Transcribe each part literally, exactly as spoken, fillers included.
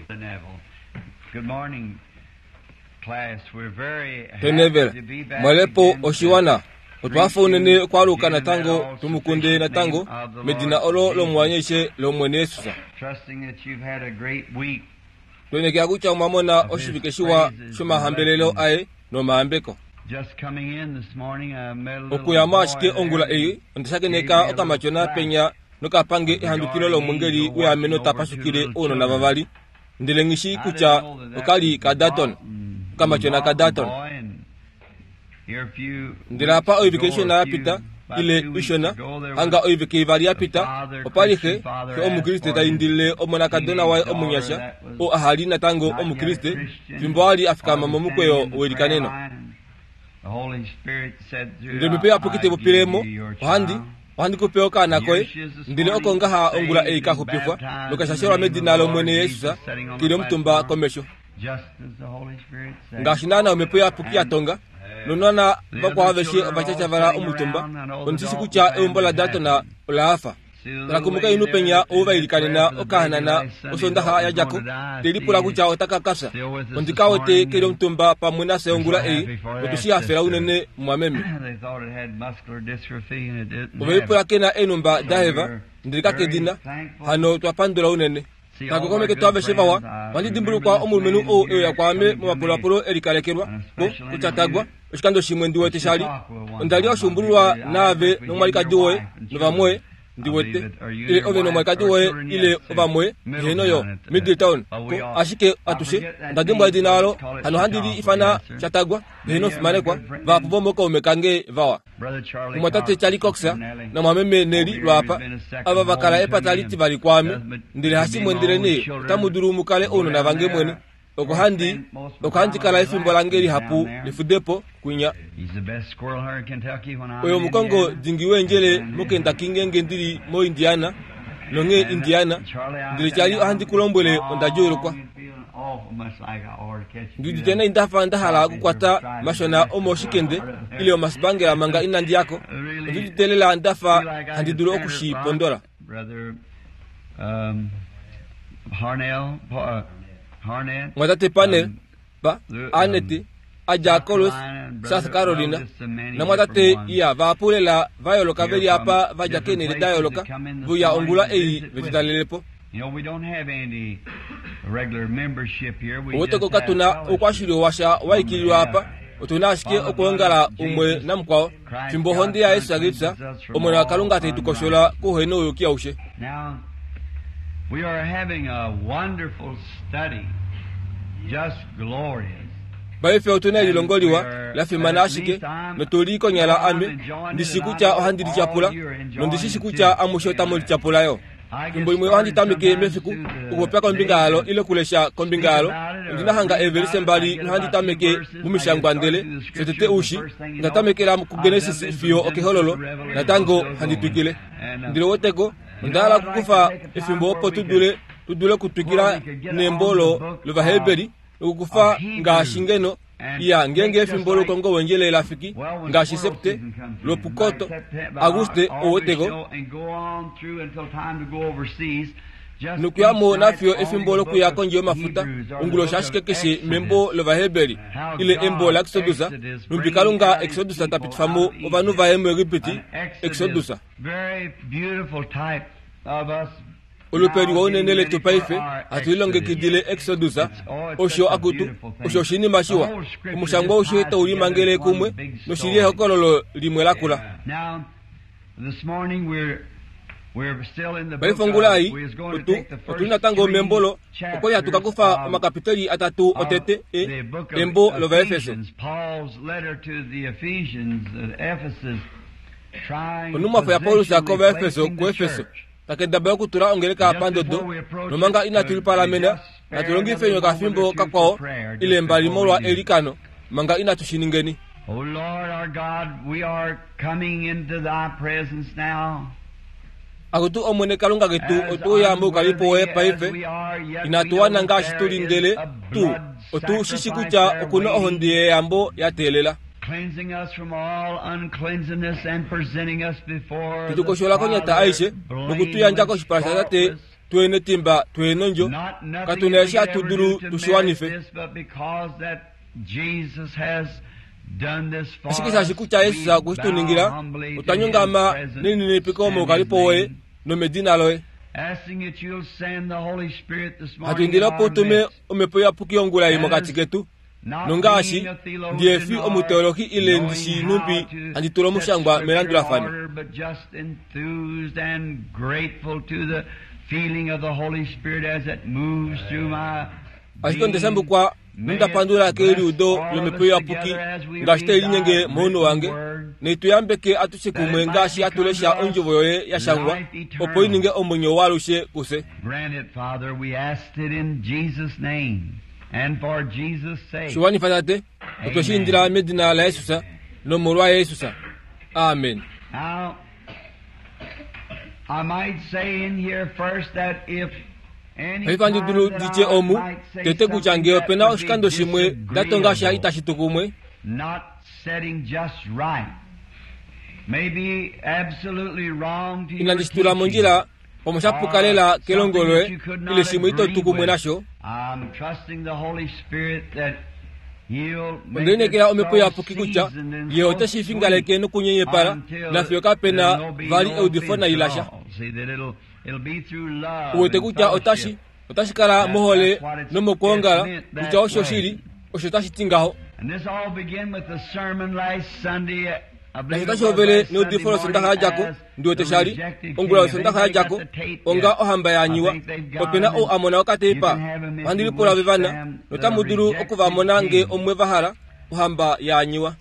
Good morning, class. We're very Tenevela happy to be back mwalepo again oshiwana to otwafa unene okwaluka natango tumukunde natango medina olo lomwanyeshe lomwene Yesusa Trusting that you've had a great week. twenekela kutya omwamona oshivike shiwa shomahambelelo aye nomahambeko Just coming in this morning, I met a little okuyamo boy ashike there ongula eyi ondashakeneka okamatyona penya nokapange ehandukilo lomwengeli weameno tapashukile ounona vavali ndele nghishi kutya okali ka Dalton okamatyona ka Dalton ndele apa oivike ishona yapita ile ishona hanga oivike ivali yapita opali xe xe omukriste taindilile omonakadona waye omunyasha oo ahali natango omukriste fimbo ali afikama momukweyo welikaneno ndele mipe yapukite popilemo ohandi ohandi kupe okaana koye ndele oko ngaha ongula ei kaxupifwa nokashashelwa medina lomwene Yesusa kili omutumba komesho ngaashi naana omhepo yapuki yatonga nonana vakwao aveshe ovatyatyavala omutumba ondishishi kutya eumbo la Dalton ola hafa lakumuka inu penya ou vailikanena okahanana osondaxa yadjako telipula kutya otaka kafya ondikawete keli omutumba pamwe nafye ongula ei notushihafela unene mwameme They thought it had muscular dystrophy and it didn't have oveipula it. kena enumba daheva ndele kakedina hano twapandula unene takukomeke aveshe vawa wandidimbulukwa omulumenhu ou euya kwaame momapulapulo elikalekelwa ko kutyatagwa oshikando shimwe ndiwete shali onda li oshumbululwa naave nomwalikadi woye novamwoye ndiwete ile ove nomwalikadi woye ile ovamwoye heno yo Middletown ko ashike atushe onda dimbwa edina alo hano handi li ifana Chatagwa heno fimanekwa vahapu vomokaume kange vawa Brother Charlie omwatate Cox, Charlie Cox Sister Nellie, namwameme Neli lwapa ava vakala epata litivali kwaame ndele hashimwe ndele nee otamu dulu mukale ounona vange mwene oko handi oko handi kala efimbo lange lihapu lifudepo kwinya He's the best squirrel hunter in Kentucky when I'm oyo in mukongo Indiana. dingi wendjele moKentucky ngenge ndili mo Indiana nonge Indiana ndele Charlie ohandi kulombwele onda djuulukwa ndiudite nai ndafa ndahala okukwata mashona omoshikende ile omasipangela manga inandi yako ondiudite lela ndafa handi dulu okushipondola Brother um, Harnell, uh, Harnett, mwatate panel pa um, Aneti adja Colos South Carolina namwatate iya vapulela vayoloka veli apa vadja kenele dayoloka vuya ongula ei vetitalelepo You know, we don't have any regular membership here. We oweteko just have katuna fellowship. oukwashili washa waikililwa apa otuna ashike okuongala umwe namukwao fimbo ohonde ya Yesu Kristu omwene wa Kalunga tetukoshola kuhena ouyuki aushe Now, we are having a wonderful study, just glorious. paife otuna elilongo liwa lafimana ashike notuli konyala ame ndishi kutya ohandi lityapula nondishishi kutya amushe otamu lityapulayo fimbo limwe ohandi tameke mefiku okupopya kombinga yalo ile okulesha kombinga yalo ondinahanga eevelise mbali nohandi tameke mumishangwa ndele shotete ushi onda tamekela kuGenesis fiyo okehololo natango handi twikile ndele woteko onda hala okukufa efimbo opo tudule tudule okutwikila nembo lo lovaheberi nokukufa ngaashi ngeno iya ngenge efimbo loukongo wendjele lafiki ngaashi septe lopukoto Auguste owoteko nokuyamo nafiyo efimbo lokuya kondje yomafuta onguloshi ashike keshe membo lovaheberi ile embo la Exodus numbi Kalunga Exodus tapitifamo ovanhu vaye muEgipiti Exodus Very beautiful type of us olupe liwa unene letu paife hatu lilongekidile Exodus osho akutu osho oshinima shiwa omushangwa aushe taulimangele kumwe noshili ehokololo limwe lakula Now, this morning we're we're still in the paife book of, ongula ei we is going to otu take the first otuli natango three membolo okwali hatu kakufa chapters of omakapiteli atatu otete e the book of embo lovaefeso Ephesians, Paul's letter to the Ephesians at Ephesus, trying onumwafo ya Paulus positionally kovaefeso placing the kuefeso church. takedaba okutula ongeleka pandodo nomanga inatulipalamena natulongifenyo kafimbo kakwao ile mbali molwa elikano manga inatushiningeni O Lord our God, we are coming into thy presence now. akutu omwene Kalunga ketu otuuya moukalipo woye paife inatuwana ngaashi tuli ndele tu otushishi kutya okuna ohonde yeyambo yateelela Cleansing us from all uncleanliness and presenting us before tetukoshola konyata aishe nokutuyandja koshipala sha tate twenetimba twenondjo katuna eshi hatu dulu tushiwanife. Ashike shaashi kutya Yesus okwe shi tu ningila, otwa nyongama nelininipiko moukalipo woye nomedina loye. Hatu indile opo utume omhepo iyapuki ongula ei mokati ketu, nongaashi ndihefi omuteolohi ile ndishi numbi handi tula omushangwa melandulafano. Ashike ondashambukwa nondapandula keliudo lomhepo iyapuki ngaashi tai linyenge mounhu wange, neituyambeke atushe kumwe ngaashi hatulesha ondjovo yoye ya shangwa, opo i ninge omwenyo waalushe kufye. Shiwanifa Tate, otwe shi indila medina laYesus nomolwa Jesus. Amen. Paife handi dulu nditye omu tete kutya ngee opena oshikando shimwe ndatonga sha itashi tu kumwe, inandi shi tula mondjila pamwe shapuka lela kelongo loye ile shimwe ito tu kumwe nasho. Ondelineekela omhepo iyapuki kutya ye oteshi fingaleke nokunyenyepala nafiyo kapena vali eudifo nai lasha. Uwete kutya otashi otashi kala mohole nomokwoongala kutya osho shili osho tashi ti ngaho. Nashi otashi hovele neudifo losondaxa yadjako, ndiwete shali ongula yosondaxa yadjako onga ohamba yaanyiwa. Opena ou a mona okateipa, ohandi lipula vevana notamu dulu okuvamona ngee omwe vahala ohamba yaanyiwa.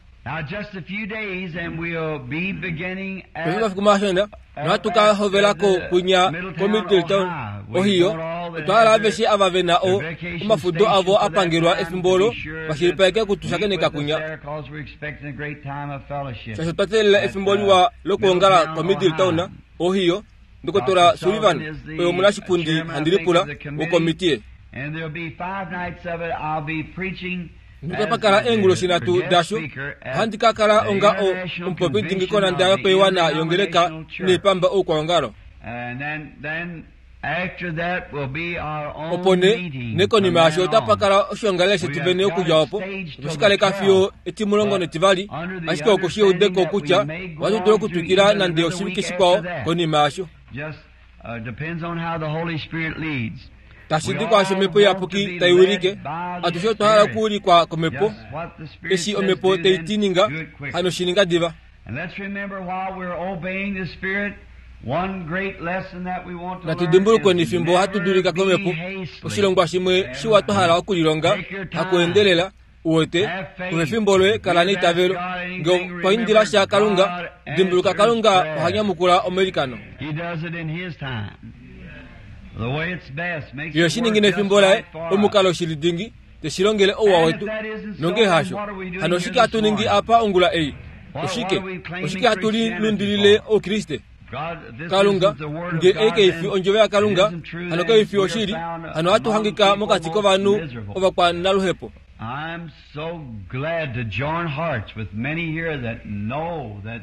Paife omafiku mashona nohatu ka hovelako kwinya koMiddletown Ohio. Otwa hala aveshe ava vena o omafudo avo apangelwa efimbo olo vashilipaleke kutushakeneka kwinya, shaashi otwa teelela efimbo liwa lokwoongala koMiddletown Ohio. Ndokotola Sullivan oye omunashipundi handi lipula wokomitiye. Notapa kala eenguloshi nhatu dasho, ohandi ka kala onga omupopi dingi konanda yopaiwana yongeleka neipamba oukwaongalo. Opo nee nekonima yasho otapa kala oshiongalele shetu vene okudja opo otwe shi kaleka fiyo etimulongo netivali, ashike oku shi eudeko kutya ohatu dulu okutwikila nande oshivike shikwao konima yasho. Tashi di kwaasho omhepo iyapuki tai wilike, atushe otwa hala okuulikwa komhepo. Eshi omhepo tai ti ninga, hano shi ninga diva. Natu dimbulukweni fimbo hatu dulika komhepo, oshilongwa shimwe shiwa twa hala okulilonga, hakuendelela. Uwete, kufa efimbo loye, kala neitavelo. Ngee otwa indila sha Kalunga, dimbuluka Kalunga oha nyamukula omailikano. Ye oshi ningi nefimbo laye, omukalo shili dingi, teshi longele ouwa wetu. Nongee hasho, hano oshike hatu ningi apa ongula ei? Oshike? Oshike hatu lilundilile Oukriste? Kalunga, ngee ei kaifi ondjovo yaKalunga, hano kaifi oshili, hano ohatu hangika mokati kovanhu ovakwanaluhepo.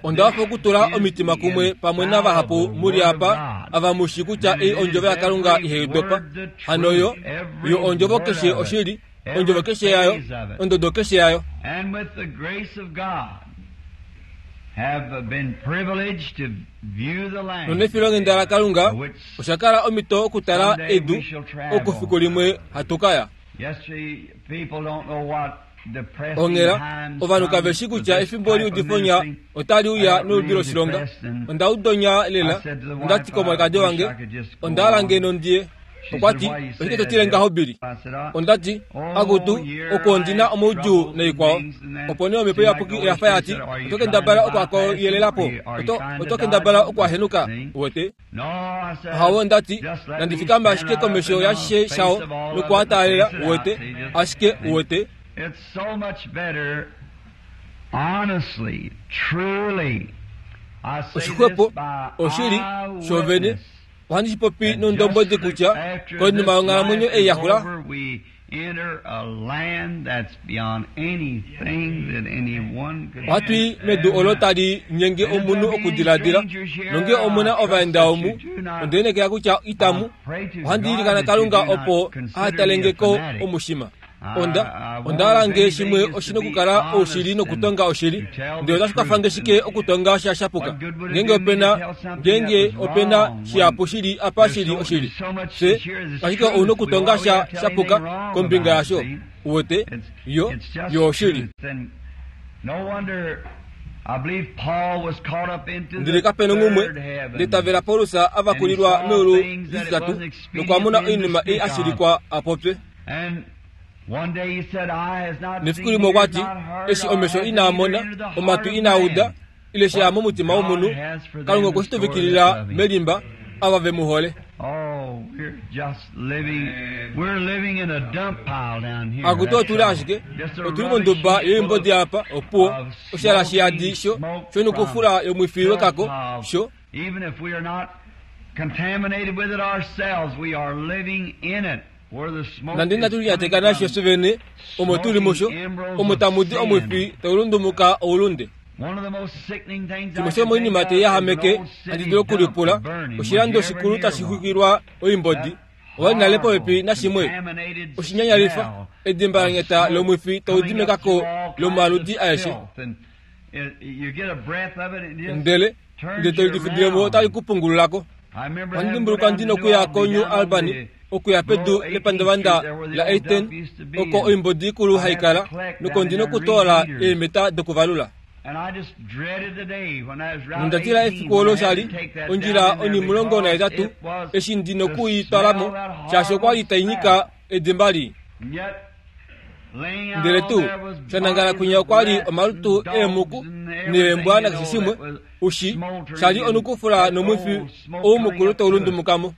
Onda hafa okutula omitima kumwe pamwe navahapu muli apa ava mushi kutya ei ondjovo yaKalunga ihai dopa. Hano yo, yo ondjovo keshe oshili, ondjovo keshe yayo, ondodo keshe yayo. Nonefilonghenda laKalunga osha kala omhito okutala edu oko fiku limwe hatu ka ya. Onghela, ovanhu kave shi kutya efimbo liudifonya otali uya noludi loshilonga. Onda udonya lela, onda ti komwalikadi wange, onda hala ngeno ndiye. Okwa ti, oshike to tile ngaho Billy? Onda ti, akutu, oko ondina omaudjuu naikwao. Opo nee omhepo iyapuki oya fa yati, oto kendabala okwakoyelelapo, oto, oto kendabala okwahenuka, uwete. Hawo onda ti, nandi fikame ashike komesho yashishe shao nokuataalela, uwete, ashike uwete. Oshixwepo, oshili, shovene, ohandi shi popi nondombwedi kutya konima yonghalamwenyo ei yaxula, Ohatu i medu olo tali nyenge omunhu okudiladila, nonge omuna ovaenda omu, onda enekela kutya itamu, ohandi ilikana Kalunga opo ahatalengeko omushima. Onda onda hala nge shimwe oshina okukala oushili nokutonga oshili, ndele otashi kwafa shike okutonga sha shapuka ngeenge opena ngeenge opena shihapu shili apa shili oshili, fye ashike ouna okutonga sha shapuka kombinga yasho. Uwete yo yo oshili. Ndele kapena ngumwe ndetavela Paulus avakulilwa meulu lititatu nokwamona oinima ei ashilikwa apopye. Nefiku limwe okwati eshi omesho inaamona, omatu inauda, ile sheya momutima womunhu, Kalunga okwe shi tuvikilila melimba ava ve mu hole. Akutu otuli ashike otuli monduba yoimbodi apa opuwo oshala shiyadi sho shonukufula yomwifi wekako sho nande inatu linyateka nasho fye omo tuli musho omo tamu di omwifi taulundumuka oulunde. Shimwe shomoinima teiyahameke handi dulu okulipula oshilando shikulu tashi xwikilwa oimbodi owali nale popepi nashimwe oshinyanyalifa edimba lanyata lomwifi taudi mekako lomaludi aeshe, ndele ndele tolidifudilemo otali kupungululako. Ohandi dimbuluka ndina okuya ko-New Albany okuya pedu lepandavanda la eighteen oko oimbodi ikulu haikala noko ndina okutoola eemeta dokuvalula. Nonda tila efiku olo shali ondjila onimulongo nahetatu eshi ndina okuitwalamo shaashi okwali tainyika edimba lii. Ndele tuu shanangala kwinya okwali omalutu eemuku neembwa nakeshe shimwe ushi shali onukufula nomwifi oumukulu taulundumukamo.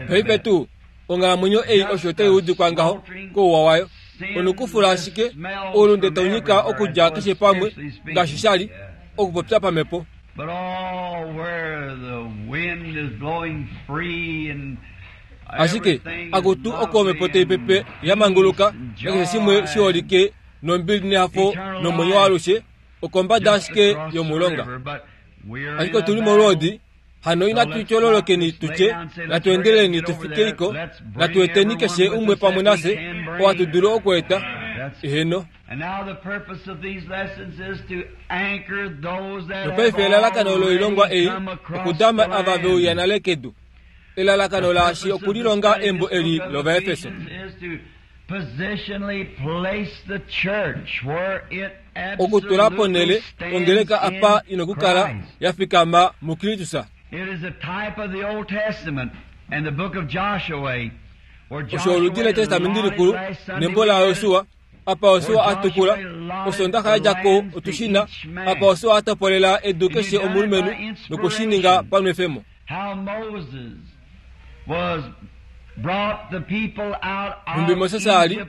Paife tuu onghalamwenyo ei osho taiudikwa ngaho kouwa wayo, onukufula ashike oulunde taunyika okudja keshe pamwe ngaashi shali okupopya pamhepo. Ashike akutu oko omhepo taipepe yamanguluka nakeshe shimwe shiholike nombili nehafo nomwenyo waalushe okombada ashike yomulonga. Ashike otuli molwoodi, hano inatu tyololokeni tutye natu endeleleni tufikeiko, natu eteni keshe umwe pamwe nafye oo hatu dulu okweeta. Eheno. Nopaife elalakano loilongwa ei okudama ava veuya nale kedu. Elalakano laashi okulilonga embo eli lOvaefeso. Okutula ponhele ongeleka apa inokukala yafikama muKristus. Osho oludi letestamenti likulu nembo laJosua apa Josua atukula osondaxa yadjako otushina apa Josua atopolela edu keshe omulumenhu nokushininga panwefemo. Nhumbi Moses ali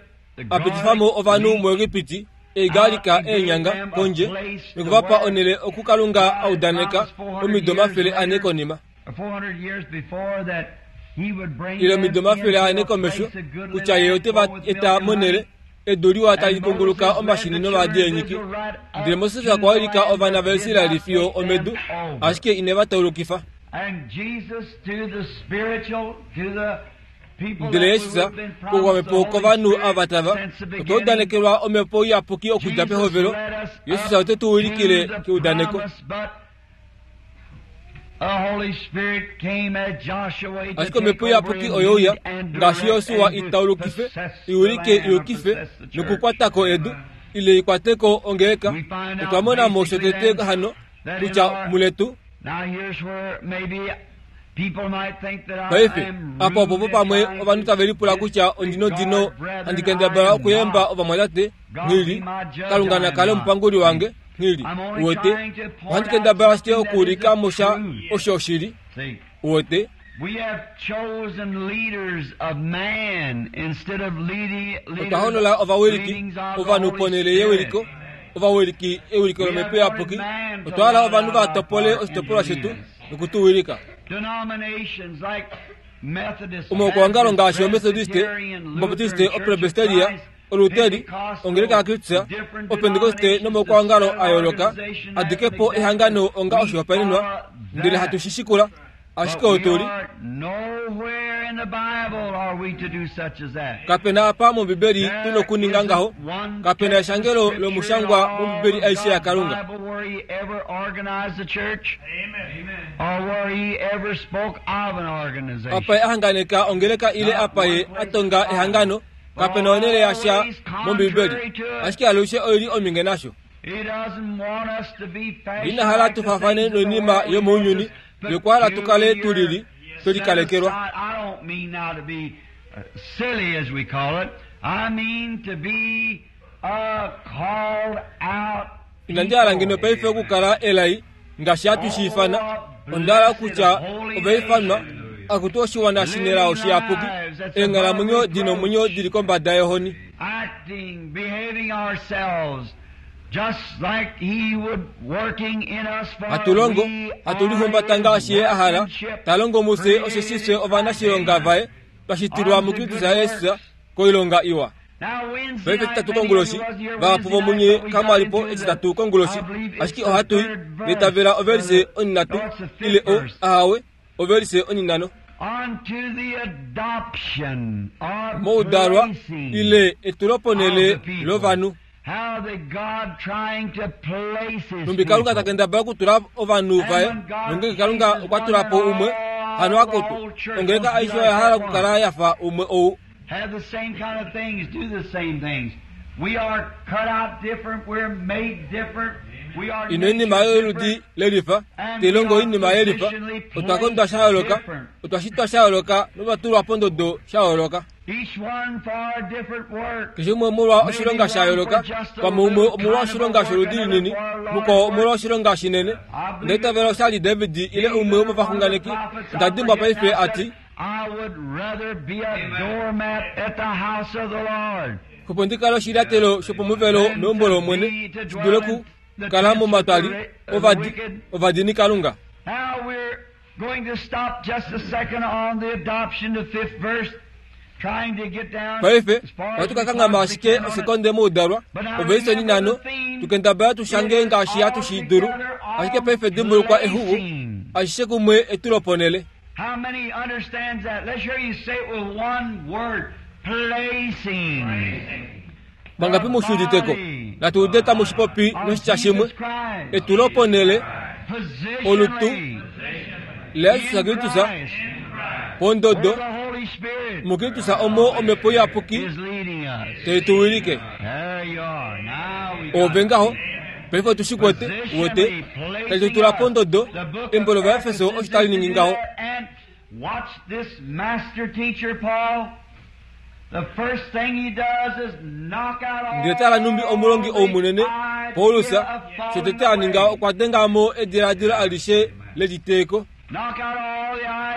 apitifamo ovanhu muEgipiti eigalika eenyanga kondje nokuvapa onhele okuKalunga audaneka omido omafele ane konima. Ile omido omafele ane komesho kutya ye ote va eta monhele edu liwa tali kunguluka omashini nomaadi eenyiki. Ndele Moses okwa wilika ovana vaIsraeli fiyo omedu, ashike ineva taulukifa. Ndele Jesus koukwamhepo kovanhu ava tava otwa udanekelwa omhepo iyapuki okudja pehovelo. Jesus ote tu wilikile keudaneko. Ashike omhepo iyapuki oyouya ngaashi Josua itaulukife iwilike iyukife nokukwatako edu ile ikwateko ongeleka. Otwa mona mo shotete hano kutya muletu. Paife apa opopo pamwe ovanhu tave lipula kutya ondino dino handi kendabala okuyemba ovamwatate nghili Kalunga nakale omupanguli wange nghili uwete ohandi kendabala ashike okuulika mosha osho oshili uwete. Otwa hoolola ovawiliki ovanhu ponhele yewiliko ovawiliki ewiliko lomhepo iyapuki. Otwa hala ovanhu va topole oshitopolwa shetu nokutuwilika. Omaukwaongalo ngaashi omethodiste, obaptiste, opresbyteria, oluteri, ongeleka yaKristus, opentekoste nomaukwaongalo a yooloka adike po ehangano onga oshihopaenenwa, ndele hatu shi shikula, ashike otuli. Kapena apa mOmbibeli tu nokuninga ngaho, kapena eshangelo lomushangwa mOmbibeli aishe yaKalunga. Apa ye ahanganeka ongeleka ile apa ye atonga ehangano, kapena onhele yasha mOmbibeli, ashike alushe oili ominge nasho. Ina hala tufaafane noinima yomounyuni, yokwahala tukale tulili twelikalekelwa. Inandi hala ngeno paife okukala elai ngaashi hatu shi ifana, onda hala okutya ovaifanwa akutu oshiwana shinelao shiyapuki, eenghalamwenyo dina omwenyo dili kombada yohoni. Hatu longo, hatu lihumbata ngaashi ye a hala, ta longo mufye osheshi fye ovanashilonga vaye, twa shitilwa muKristus Jesus koilonga iwa. Paife etitatu konguloshi, vahapu vomunye kamwalipo etitatu konguloshi, ashike ohatu i litavela ovelise onhinhatu ile o ahawe ovelise onhinhano. Moudalwa ile etuloponhele lovanhu. Numbi Kalunga takendabala okutula ovanhu vaye, nongenge Kalunga okwa tula po umwe, hano akutu, ongeleka aishe oya hala okukala yafa umwe ou. Ino oinima yoludi lelifa, telongo oinima yelifa, otwa kondwa sha yooloka, otwa shitwa sha yooloka notwa tulwa pondodo sha yooloka. Keshe umwe omolwa oshilonga sha yooloka, pamwe umwe omolwa oshilonga sholudi linini, mukwao omolwa oshilonga shinene. Onda itavela oshali David ile umwe womovaxunganeki, onda dimbwa paife ati, Opo ndi kale oshilyatelo shopomuvelo meumbo lOmwene, shi dule okukala momatwali ovadi ovadini Kalunga. Paife ohatu ka kanghama ashike osekonde moudalwa, ovelise onhinhano, tukendabala tushange ngaashi hatu shi dulu, ashike paife dimbulukwa exuku, ashishe kumwe etuloponhele. Vangapi mushiuditeko? Natu ude tamu shipopi noshitya shimwe. Etuloponhele, olutu laJesus Kristus, pondodo muKristus omo omhepo iyapuki tai tu wilike. Ove ngaho, paife otu shi kwete, uwete, tai tu tula pondodo. Embo lOvaefeso osho tali ningi ngaho. Ndele tala numbi omulongi ou munene, Paulus, shotete a ninga okwa denga mo ediladilo alishe leliteeko.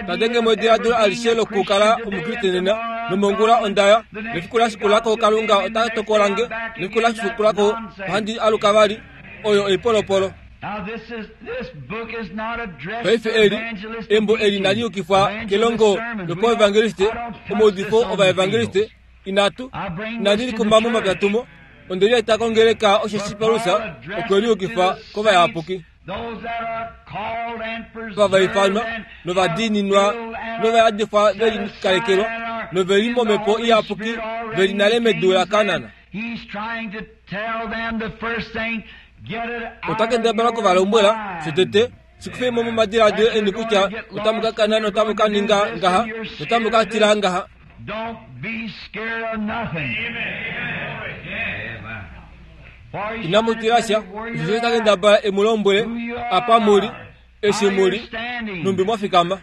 Tadenge mo ediladilo alishe lokukala omukriste nena, nomongula ondaya, nefiku lashikulako Kalunga ota tokola nge, nefiku lashikulako ohandi aluka vali, oyo oipolopolo. Paife eli, embo eli inali yukifwa kelongo lopaevangeliste, omaudifo ovaevangeliste, inatu, inali likumba momapya tumo, onde lieta kongeleka osheshi Paulus okwe liyukifa kovayapuki. Vavaifanwa, novadiininwa, novayadifwa velikalekelwa, noveli momhepo iyapuki, veli nale medu laKanaan. Ota kendabala okuvalombwela shotete, shikufei mo momadiladilo eni kutya otamu ka kana notamu ka ninga ngaha, notamu ka tila ngaha. Inamu tila sha, osho ta kendabala emu lombwele, apa muli, eshi muli, numbi mwafikama.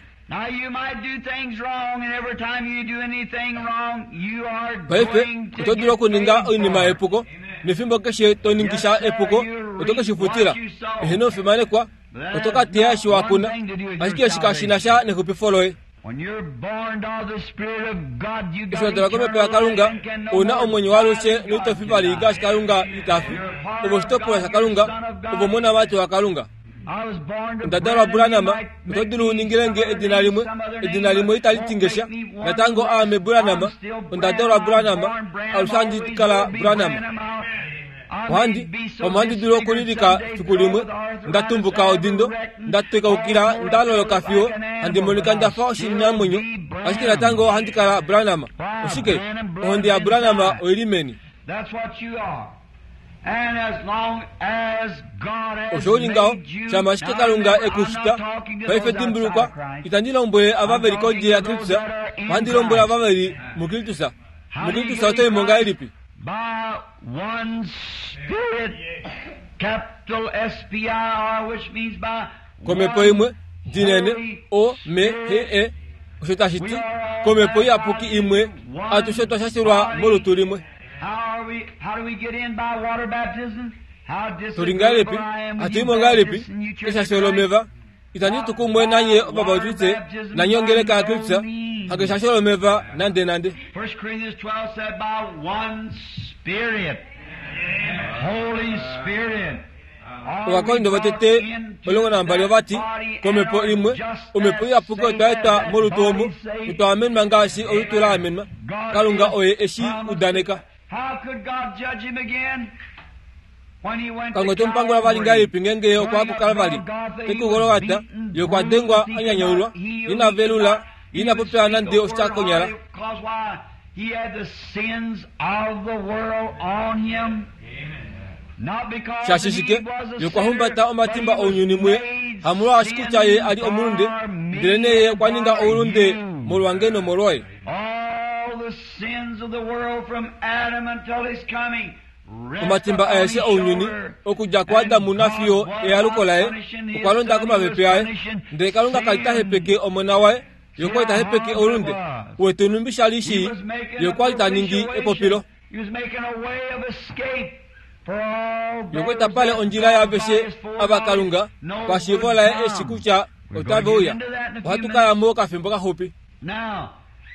Paife, oto dulu okuninga oinima yepuko, nefimbo keshe to ningisha epuko, oto ke shi futila. Eheno ofimanekwa, oto ka teya eshi wa kuna, ashike eshi kashi na sha nexupifo loye. Eshi wa dalwa komhepo yaKalunga, ouna omwenyo waalushe noito fi vali ngaashi Kalunga ita fi. Ove oshitopolwa shaKalunga, ove omonamati waKalunga. Onda dalwa Branham, oto dulu uningile nge edina limwe, edina limwe itali tingesha. Natango aame Branham, onda dalwa Branham, alushe handi kala Branham. Ohandi, pamwe handi dulu okulilika fiku limwe, nda tumbuka odindo, nda tekaukila, nda loloka fiyo, handi monika ndafa oshinamwenyo, ashike natango handi kala Branham. Oshike, ohonde ya Branham oili meni. Osho uli ngaho, shama ashike Kalunga ekushita, paife dimbulukwa, itandi lombwele ava veli kondje ya Kristus, ohandi lombwele ava veli muKristus. MuKristus oto imo ngahelipi? By one Spirit, capital S P I R, which means by Komhepo imwe dinene O M H E, osho tashi ti komhepo iyapuki imwe, atushe twa shashilwa molutu limwe. Tuli ngahelipi? Hatu imo ngahelipi? Eshasho lomeva. Itandi tu kumwe nanye ovabautiste nanye ongeleka ya Kristus, hakeshasho lomeva nande nande. First Corinthians twelve said by one Spirit, Holy Spirit. Ovakorinto vatete omulongo nambali ovati komhepo imwe, omhepo iyapuki otwa etwa molutu omu, notwa amenwa ngaashi olutu la amenwa. Kalunga oye eshi udaneka. How could God judge him again? Kalunga ote mu pangula vali ngahelipi ngenge okwa kuKalvari, kekuGolgata, ye okwa dengwa anyanyaulwa, ina velula, ina popya nande oshitya konyala. Shaashi shike, ye okwa humbata omatimba ounyuni muye, hamolwaashi kutya ye ali omulunde, ndele ye okwa ninga oulunde molwange nomolwoye. Omatimba aeshe ounyuni okudja kuAdamu nafiyo ealuko laye okwa londa komapepe aye, ndele Kalunga kali ta hepeke omona waye, ye okwali ta hepeke oulunde. Uwete nhumbi shali shii, ye okwali ta ningi epopilo. Ye okwali ta pale ondjila yaaveshe ava Kalunga pashiivo laye eshi kutya otave uya. Ohatu kaya mo okafimbo kaxupi.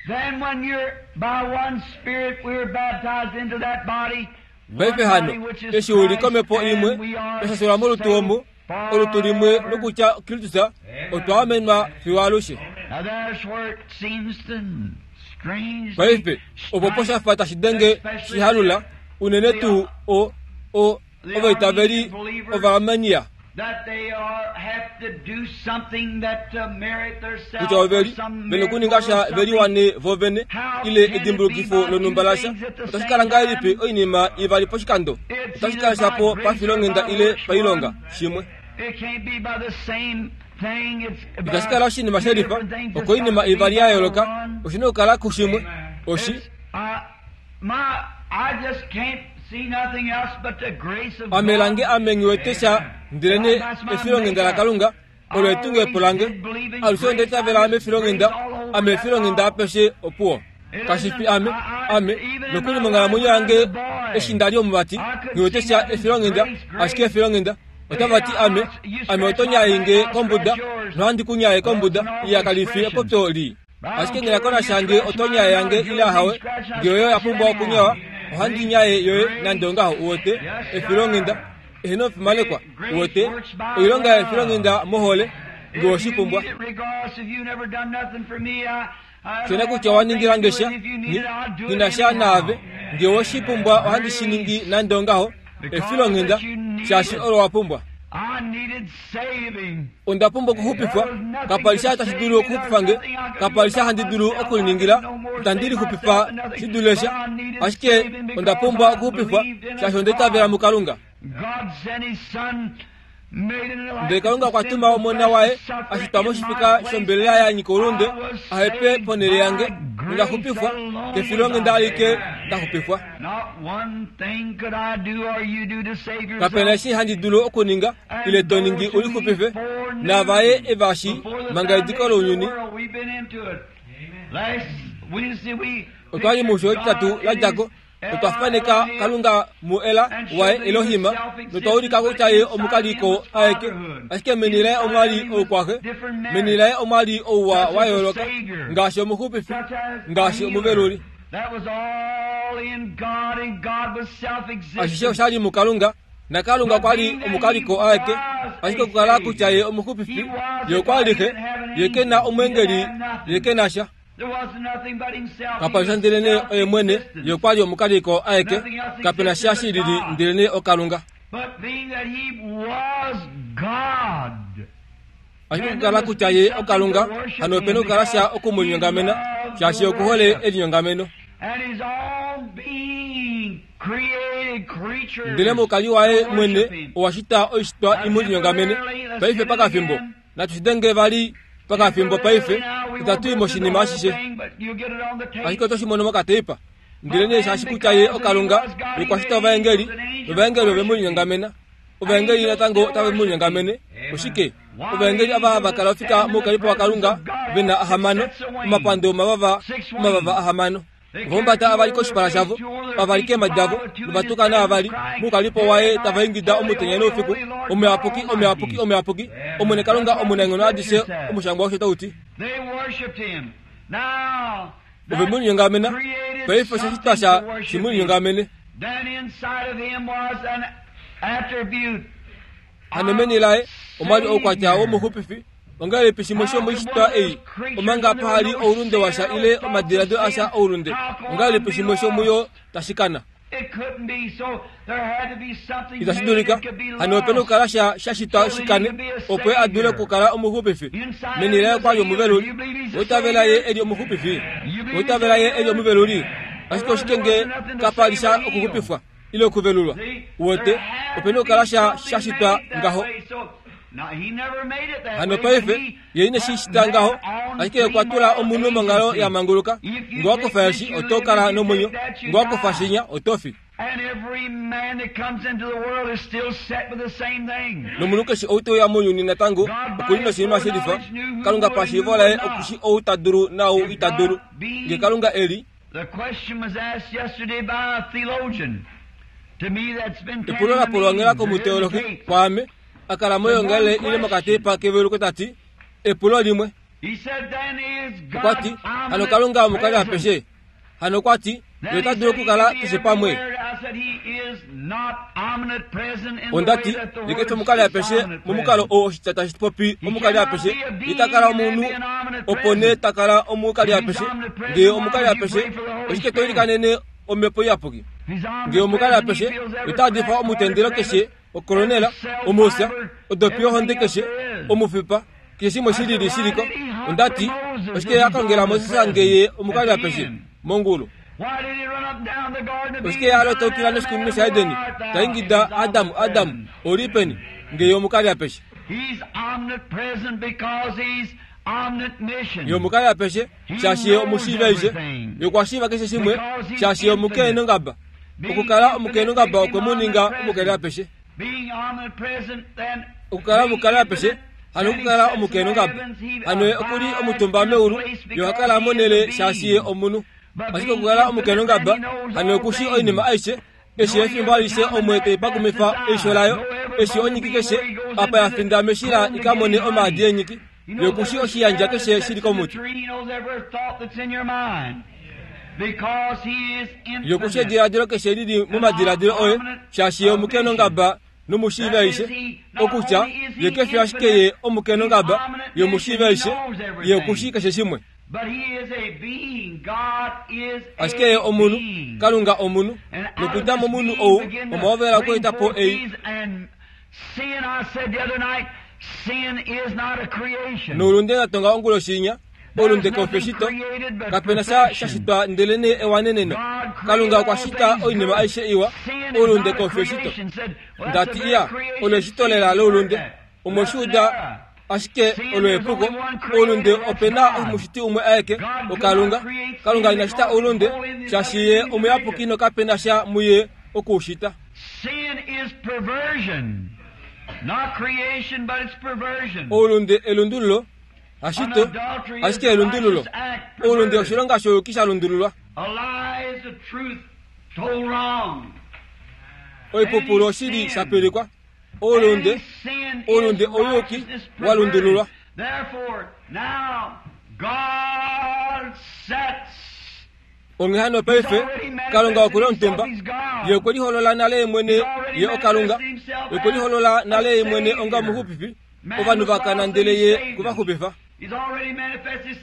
Then when you're by one Spirit we were baptized into that body. Paife hano, eshi uli komhepo imwe, twashashilwa molutu omu, olutu limwe nokutya Kristus, otwa amenwa fiyo alushe. Paife, opo poshafa tashi denge shihalula, unene tuu o o ovaitaveli Ovaarmenia. Kutya oveli vena okuninga sha veliwane vovene ile edimbulukifo lonhumba lasha, otashi kala ngahelipi oinima ivali poshikando? Otashi kala shapo pafilonghenda ile pailonga shimwe. Itashi kala oshinima shelifa, oko oinima ivali ya yooloka, oshina okukala kushimwe. Oshi ame lange ame nghiwete sha ndelene efilonghenda laKalunga olo etungepo lange. Alushe onda itavela mefilonghenda, ame efilonghenda apeshe opuwo. Kashifi ame, ame nokuli monghalamwenyo yange eshi ndali omuvati nghiwete sha efilonghenda, ashike efilonghenda. Otava ti ame, ame oto nyaye kombuda, nohandi ku nyaye kombuda, iya kalifi epopyo lii. Ashike ngela shange oto nyaye yange ile ahawe, nge oyo ya pumbwa okunyawa, ohandi nyaye yoye nande ongaho. Uwete efilonghenda eheno ofimalekwa, uwete oilonga yefilonghenda mohole, nge oshipumbwa. Shona kutya waningila ngesha, ninasha naave, nge oshipumbwa ohandi shiningi nande ongaho, efilonghenda shaashi olo wapumbwa. Onda pumbwa okuxupifwa, kapali sha tashi dulu okuxupifa nge, kapali sha handi dulu okuliningila, itandi lixupifa shidule sha, ashike onda pumbwa okuxupifwa shaashi onda itavela muKalunga. Ndele Kalunga okwa tuma omona waye ashitwa moshifika shombelela ya nyika oulunde, ahepe ponhele yange, nonda xupifwa kefilonghenda alike nda xupifwa. Kapena eshi handi dulu okuninga ile to ningi ulixupife, navaye evashi manga ediko lounyuni. Otwali musho etitatu ladjako, otwa faneka Kalunga muela waye Elohima, notwa ulika kutya ye omukaliko aeke, ashike meni laye omwali oukwaxe, meni laye omwali ouwa wa yooloka, ngaashi omuxupifi, ngaashi omuveluli. Ashishe oshali muKalunga, Nakalunga okwa li omukaliko aeke, ashike okukala kutya ye omuxupifi, ye okwa li xe, ye ke na omwengeli, ye ke na sha. Kapali sha ndelene oye mwene, ye okwa li omukaliko aeke, kapena sha shilili ndelene okalunga. Ashike okukala kutya ye okalunga, hano opena okukala sha okumulinyongamena, shaashi okuhole elinyongameno. Ndele mukali waye mwene owashita oishitwa imulinyongamene. Paife pakafimbo, natushidenge vali pakafimbo paife, itatu i moshinima ashishe. Ashike otoshimono mokateipa. Ndele nee shaashi kutya ye okalunga, ye okwashita ovaengeli, novaengeli ove mulinyongamena. Ovaengeli natango otave mulinyongamene. Oshike? Ovaengeli ava hava kala ofika moukalipo waKalunga ve na ahamano, omapando omavava, omavava ahamano. Ovahumbata avali koshipala shavo, avali keemhadi davo, novatukana avali moukalipo waye tava ingida omutenya noufiku, omuyapuki, omuyapuki, omuyapuki, Omwene Kalunga omunaenghono adishe, omushangwa osho tau ti. Ove mulinyongamena, paife oshashitwa sha shimulinyongamene. Hano meni laye omwa li oukwatya womuxupifi. Ongahelipi shimwe shomoishitwa ei, omanga pahali oulunde washa ile omadiladilo asha oulunde, ongahelipi shimwe shomuyo tashi kana? Itashi dulika. Hano opena okukala sha shashitwa shikane, opo ye a dule okukala omuxupifi. Meni laye okwa li omuveluli. Oitavela ye eli omuxupifi. Oitavela ye eli omuveluli. Ashike oshike nge kapa li sha okuxupifwa ile okuvelulwa? Uwete, opena okukala sha shashitwa ngaho. Hano paife, ye ine shi shita ngaho, ashike okwa tula omunhu monghalo ya manguluka. Nge wa kufa eshi, oto kala nomwenyo. Nge wa kufa shinya, oto fi. Nomunhu keshe ou te uya mounyuni natango oku li noshinima shelifa. Kalunga pashiivo laye oku shi ou ta dulu naau ita dulu. Nge Kalunga e li. Epulo la pulwa onghela komuteologi kwaame, a kala moyoongalele ile mokateipa keveluko ta ti, epulo limwe. Okwa ti, hano Kalunga omukali apeshe? Hano okwa ti, ye ota dulu okukala keshe pamwe. Onda ti, ye kefi omukali apeshe momukalo oo oshitya tashi popi omukali apeshe. Ye ta kala omunhu, opo nee ta kala omukali apeshe. Ngee omukali apeshe, oshike to ilikanene omhepo iyapuki? Ngee omukali apeshe, ota difa omutendelo keshe, okolonela, omufya, odopi yohonde keshe, omufipa, keshe shimwe shilili shiliko. Onda ti, oshike ya kongela Moses nge ye omukali apeshe mongulu? Oshike ya lotoukila noshikunino shaEdeni, ta ingida Adam, Adam, ouli peni, nge ye omukali apeshe? Ye omukali apeshe, shaashi ye omushiivi aishe. Ye okwa shiiva keshe shimwe, shaashi ye omukeenongaba. Okukala omukeenongaba okwe mu ninga omukali apeshe. Okukala omukali apeshe, hano okukala omukeenongaba. Hano ye oku li omutumba meulu, ye oha kala monhele shaashi ye omunhu. Ashike okukala omukeenongaba, hano oku shi oinima aishe, eshi efimbo alishe omwe taipakumifa eisho layo, eshi onyiki keshe apa ya finda meshila i ka mone omaadi eenyiki, ye oku shi oshiyandja keshe shili komuti. Ye oku shi ediladilo keshe lili momadiladilo oye, shaashi ye omukeenongaba nomushiivi aishe. Okutya, ye kefi ashike ye omukeenongaba, ye omushiivi aishe, ye oku shi keshe shimwe. Ashike ye omunhu, Kalunga omunhu, nokudja momunhu ou omwa hovela okweeta po ei. Noulunde natonga onguloshi inya, oulunde kau fi eshito, kapena sha shashitwa ndelenee ewaneneno. Kalunga okwa shita oinima aishe iwa, oulunde kau fi eshito. Ndati iya, olo eshito lela loulunde. Omweshiuda ashike olo epuko. Oulunde ope na omushiti umwe aeke, oKalunga. Kalunga ina shita oulunde, shaashi ye omuyapuki nokape na sha muye okuushita. Oulunde elundululo, hashito, ashike elundululo. Oulunde oshilonga shouyuki sha lundululwa. Oipupulu oshili sha pilikwa. Oulunde, oulunde ouyuki wa lundululwa. Onghee hano paife, Kalunga oku li omutumba. Ye okwe liholola nale mwene ye okalunga. Ye okwe liholola nale mwene onga omuxupifi. Ovanhu vakana ndele ye kuvaxupifa.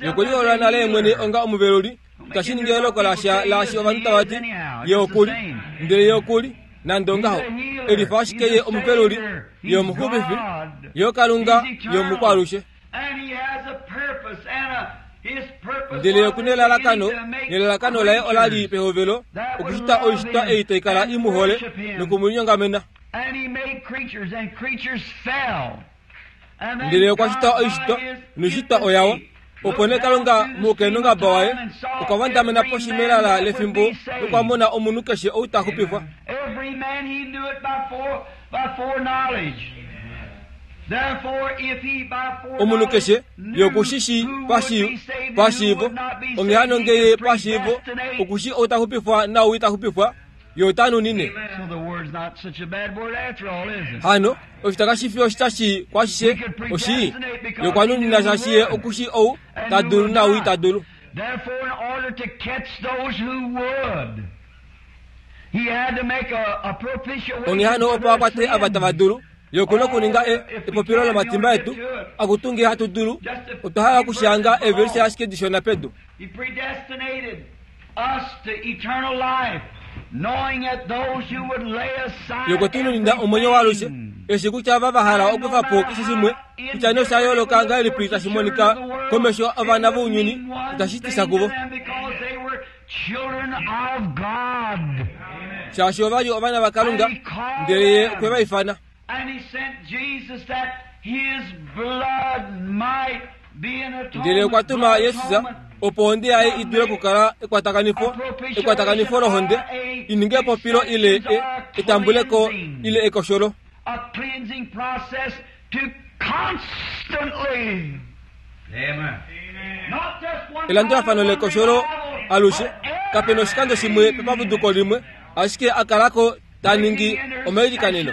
Ye okwe liholola nale mwene onga omuveluli. Itashi ningi eloko lasha laashi ovanhu tava ti ye okuli, ndele ye okuli nande ongaho. Elifa ashike ye omuveluli, ye omuxupifi, ye okalunga, ye omukwalushe. Ndele okuna elalakano, nelalakano laye ola li pehovelo okushita oishitwa ei tai kala i mu hole nokumulinyongamena. Ndele okwa shita oishitwa, noishitwa oyawa. Opo nee Kalunga moukenongaba waye okwa vandamena poshi melala lefimbo nokwa mona omunhu keshe ou ta xupifwa. Omunhu keshe ye okushishi pashiivo, onghee hano ngee ye pashiivo okushi ou ta xupifwa naou ita xupifwa, ye ota nunine. Hano oshitya kashi fi oshitya shii kwaashishe oshii. Ye okwa nunina shaashi ye okushi ou ta dulu naou ita dulu. Onghee hano opo a kwate ava tava dulu, ye okuna okuninga epopilo lomatimba etu akutu ngee hatu dulu. Otwa hala okushanga eevelise ashike dishona pedu. Ye okwe tu nunina omwenyo waalushe, eshi kutya ava va hala okufa po keshe shimwe, kutya nee osha yooloka ngahelipi tashi monika komesho ovana vounyuni, itashi ti sha kuvo. Shaashi ova li ovana vaKalunga, ndele ye okwe va ifana. Ndele okwa tuma Jesus opo ohonde yaye i dule okukala ekwatakanifo, ekwatakanifo lohonde, i ninge epopilo ile e, etambuleko ile ekosholo. Elandulafano lekosholo alushe, kape noshikando shimwe pepapuduko limwe, ashike a kalako ta ningi omailikaneno.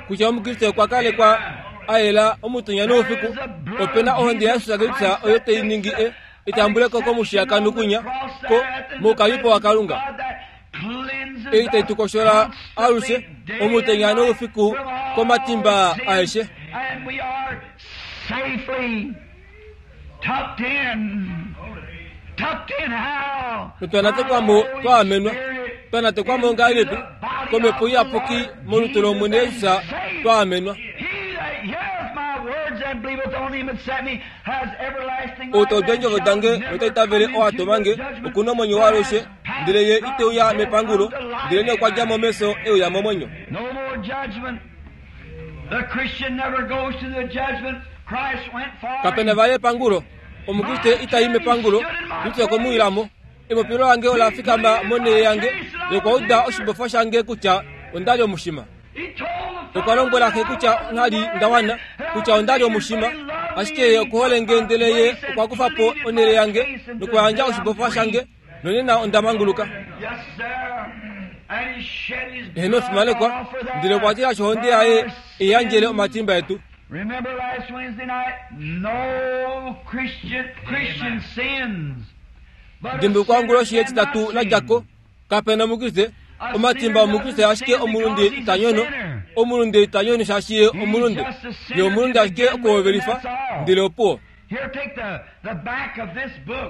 Kutya omukriste okwa kalekwa a yela omutenya noufiku, ope na ohonde yaJesus Kristus oyo tai ningi e etambuleko komushiyakano kunya ko moukalipo waKalunga. Ei tai tu koshola alushe omutenya noufiku komatimba aeshe. Notwanatekwamo twa amenwa, twanatekwamo ngahelipi komhepo iyapuki molutu lOmwene Jesus twa amenwa. Ou ta udu eendjovo dange nota itavele oo a tuma nge, okuna omwenyo waalushe, ndele ye ite uya mepangulo, ndele nee okwa dja mo mefyo e uya momwenyo. Kape na vali epangulo. Omukriste ita i mepangulo, Kristus okwe mu ila mo. Epopilo lange ola fikama monhele yange, ye okwa uda oshibofa shange kutya onda li omushima. Okwa lombwela xe kutya nghali nda wana, kutya onda li omushima, ashike ye okuhole nge ndele ye okwa kufa po onhele yange nokuyandja oshibofa shange, nonena onda manguluka. Eheno fimanekwa, ndele okwa tila ohonde yaye i yandjele omatimba etu. Remember last Wednesday night, no Christian, Christian sins. Dimbulukwa onguloshi yetitatu la dja ko, kape na omukriste, omatimba omukriste ashike omulunde ita nyono, omulunde ita nyono shaashi ye omulunde. Ye omulunde ashike okuhovelifa, ndele opuwo.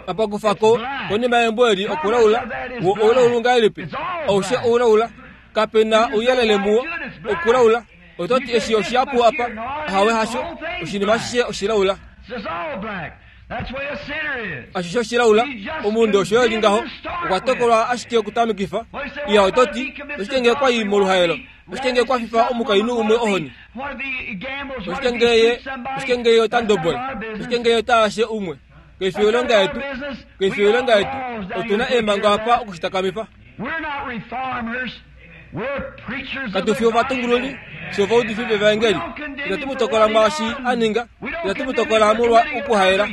Apa kufa ko konima yembo eli okulaula, wo oulaulu ngahelipi? Aushe oulaula, kape na ouyelele muwo, okulaula. Oto ti eshi oshihapu apa, ahawe hasho, oshinima ashishe oshilaula. Ashishe oshilaula, omulunde osho eli ngaho, okwa tokolwa ashike okutamikifa. Iya oto ti, oshike ngee kwa i moluhaelo? Oshike ngee kwa fifa omukainhu umwe ohoni? Oshike ngee ye, oshike ngee ye ota ndobola? Oshike ngee ye ota ashe umwe? Kaifi oilonga yetu, kaifi oilonga yetu, otu na eemhango apa okushitakamifa. Katu fi ovatungululi, fye ovaudifi vevaengeli. Itatu mu tokola mwaashi a ninga, itatu mu tokola molwa okuhaela.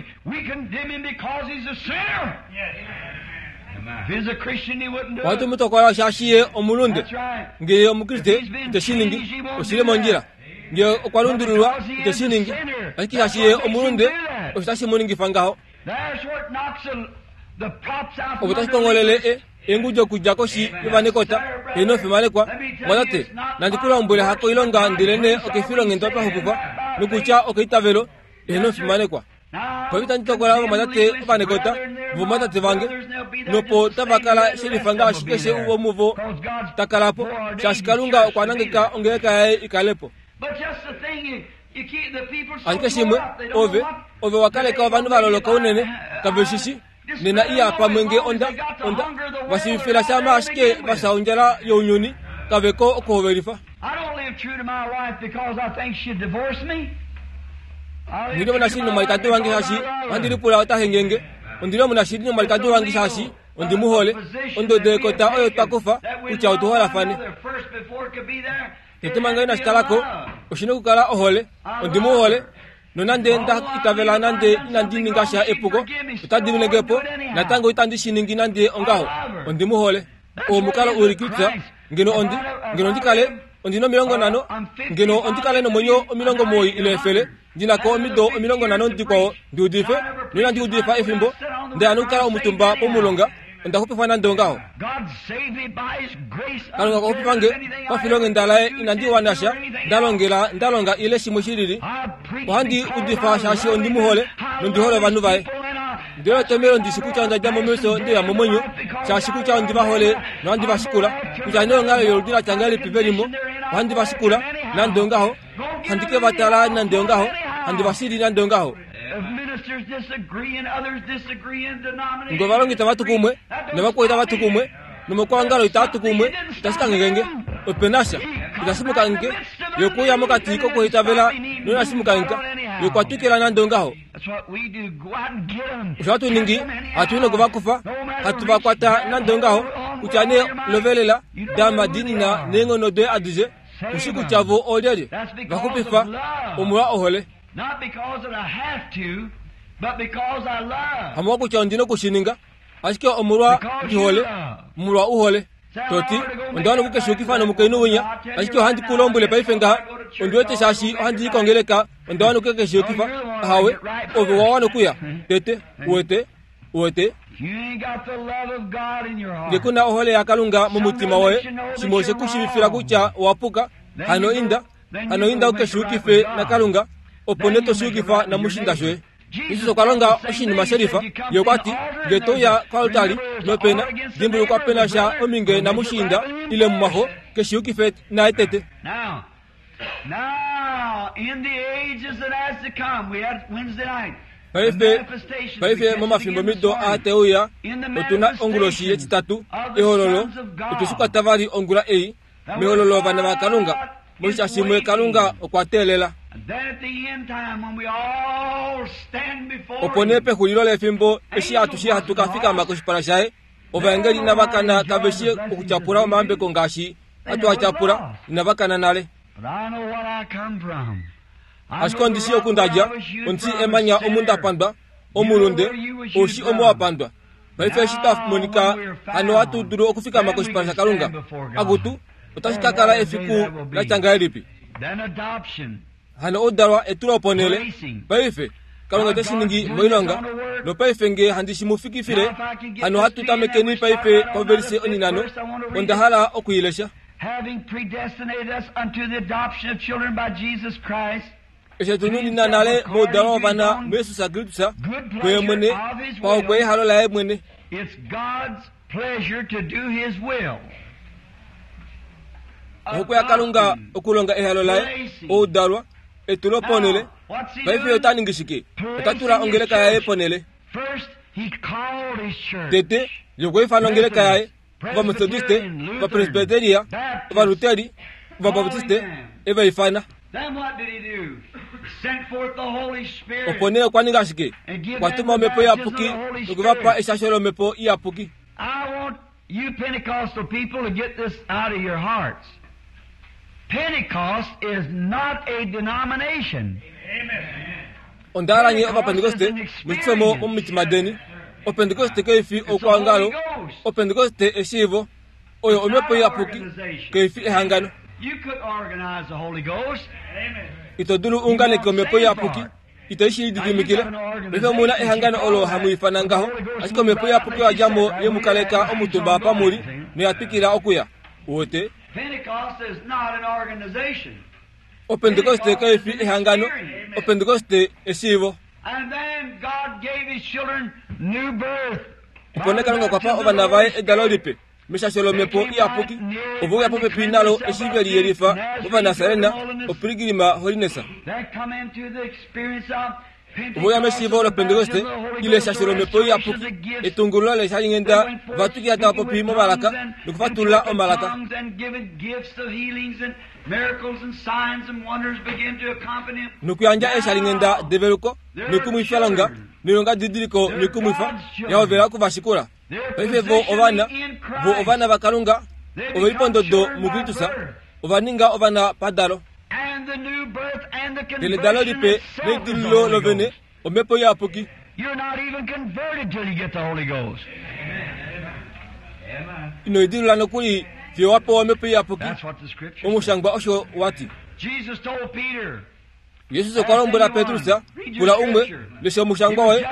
Ohatu mu tokola shaashi ye omulunde. Ngee ye omukriste, ite shi ningi, oshi li mondjila. Ngee okwa lundululwa, ite shi ningi, ashike shaashi ye omulunde, osho tashi mu ningifa ngaho. Opo tashi kongolele engudjo okudja koshi yovanekota eno fimanekwa mwatate nandi ku lombwele hako ilonga ndelene okefilonghenda twa xupifwa nokutya okeitavelo eno fimanekwa. Paife itandi tokola ovamwatate ovanekota vomwatate vange nopo tava kala shelifa ngaashi keshe womuvo ta kala po shaashi Kalunga okwa nangeka ongeleka yaye ikale po. Ashike shimwe ove ove wakaleka ovanhu va loloka unene kave shishi nena iya pamwe nge onda onda vashivifila shama ashike vasha ondjala younyuni kaveko okuhovelifa. Ndili omunashili nomwalikadi wange shaashi ohandi lipula ota hengenge. Ondili omunashili nomwalikadi wange shaashi ondi mu hole. Ondodo yekota oyo twa kufa kutya otu holafane. Tete manga inashi kalako oshina okukala ohole. Ondi mu hole nonande nda itavela nande inandi ninga sha epuko otadi ninge po natango itandi shi ningi nande ongaho. Ondi mu hole. Omukalo ulikitsa ngeno ondi ngeno ndikale ondina omilongo nhano ngeno ondikale nomwenyo omilongo moi ile efele ndinako omido omilongo nhano ndikwao ndiudife noinandi udifa efimbo ndaya nokukala omutumba pomulonga onda xupifwa nande ongaho. Kalunga okwa xupifa nge pafilonghenda laye inandi wana sha ndalongela ndalonga ile shimwe shilili. Ohandi udifa shaashi ondi mu hole nondi hole ovanhu vaye. Ndele etomelo ndishi kutya onda dja momesho ndeya momwenyo shaashi kutya ondi va hole nohandi va shikula kutya nee onghalo yoludi la tya ngahelipi velimo ohandi va shikula nande ongaho handi ke va tala nande ongaho handi va shili nande ongaho. Ngo ovalongi tava tu kumwe novakwao itava tu kumwe nomokwangalo itava tu kumwe itashi kangengenge ope na sha itashi mukange yokuya mokati kokuhitavela noinashi mukanka yokwatwikila nande ongaho. Osho hatu ningi hatu nokuvakufa hatu vakwata nande ongaho kutya nee lovelela dama dinina neenghono doye adishe ushi kutya vo olyelye vaxupifa omolwa ohole. Hamolwa kutya ondina okushininga ashike omolwa ndihole molwa uhole. Toti onda wana okukeshuukifa nomukainhu winya ashike ohandi ku lombwele paife ngaha ondi wete shaashi ohandi likongeleka onda wana okukeshuukifa ahawe ove wa wana okuya tete uwete uwete nge kuna ohole yaKalunga momutima woye shimwe oshe kushivifila kutya owapuka hano inda hano inda ukeshuukife naKalunga opo nee toshuukifa namushinda shoye. Jesus okwa longa oshinima shelifa ye okwa ti nge touya koaltari nopena dimbulukwa pena sha ominge namushinda ile mumwaxo keshuukife naye tete. Paife paife momafimbo mido aateuya otuna onguloshi yetitatu ehololo otweshikwata vali ongula ei mehololo ovana vaKalunga moshitya shimwe Kalunga okwa teelela. Opo nee pexulilo lefimbo eshi atushe hatu ka fikama koshipala shaye ovaengeli inava kana kave shi okutyapula omayambeko ngaashi hatu a tyapula inava kana nale. Ashike ondi shi oku ndadja ondi shi emanya omu nda pandwa omulunde oushi omo wa pandwa. Paife eshi twa monika hano hatu dulu okufikama koshipala shaKalunga akutu otashi ka kala efiku la tya ngahelipi. Hano oudalwa etulo ponele paife Kalunga ote shi ningi moilonga nopaife nge handi shi mu fikifile hano hatu tamekeni paife pavelise oninano onda hala okuilesha. Eshi tununina nale moudalwa wovana muYesus Kristus kuye mwene paokwe ehalo laye mwene. Ohokwe yaKalunga okulonga ehalo laye oudalwa etulo ponele. Paife ota ningi shike? Ota tula ongeleka yaye ponele. Tete yokweifana ongeleka yaye ovametodiste ovapresbiteria ovaluteri ovabaptiste evaifana. Opo nee okwa ninga shike? Okwa tuma omhepo iyapuki nokuvapa eshasho lomhepo iyapuki. You Pentecostal people to get this out of your hearts. Pentecost is not a denomination. Onda hala nye ovapentekoste mushifemo momitima deni. Opentekoste kaifi oukwangalo. Opentekoste eshiivo. Oyo omhepo iyapuki kaifi ehangano. You could organize the Holy Ghost. Ito dulu unganeke omhepo iyapuki. Ito shi lididimikile. Paife omuna ehangano olo hamu ifana ngaho, ashike omhepo iyapuki oya dja mo ye mu kaleka omutumba apa muli noya twikila okuya. Uwete? Opentekoste kai fi ehangano, Opentekoste eshiivo. Opo nee Kalunga okwa pa ovana vaye edalo lipe meshasho lomhepo iyapuki, ovo uya popepi nalo eshi ve liyelifa mOvanasarena, oPilgrim Holiness. Ovo uya meshiivo loPentekoste ile eshasho lomhepo iyapuki, etungululo leshalinghenda, va twikila tava popi momalaka nokufatulula omalaka. Nokuyandja eeshalinghenda develuko noikumwifalonga noilongadidiliko noikumwifa ya hovela okuvashikula. Paife vo ovana, vo ovana vaKalunga, ove li pondodo muKristus, ova ninga ovana padalo. Ndele edalo lipe neidililo lovene, omhepo iyapuki. Ino idilula nokuli fiyo wa pewa omhepo iyapuki. Omushangwa osho wa ti. Jesus okwa lombwela Petrus, pula umwe, lesha omushangwa woye,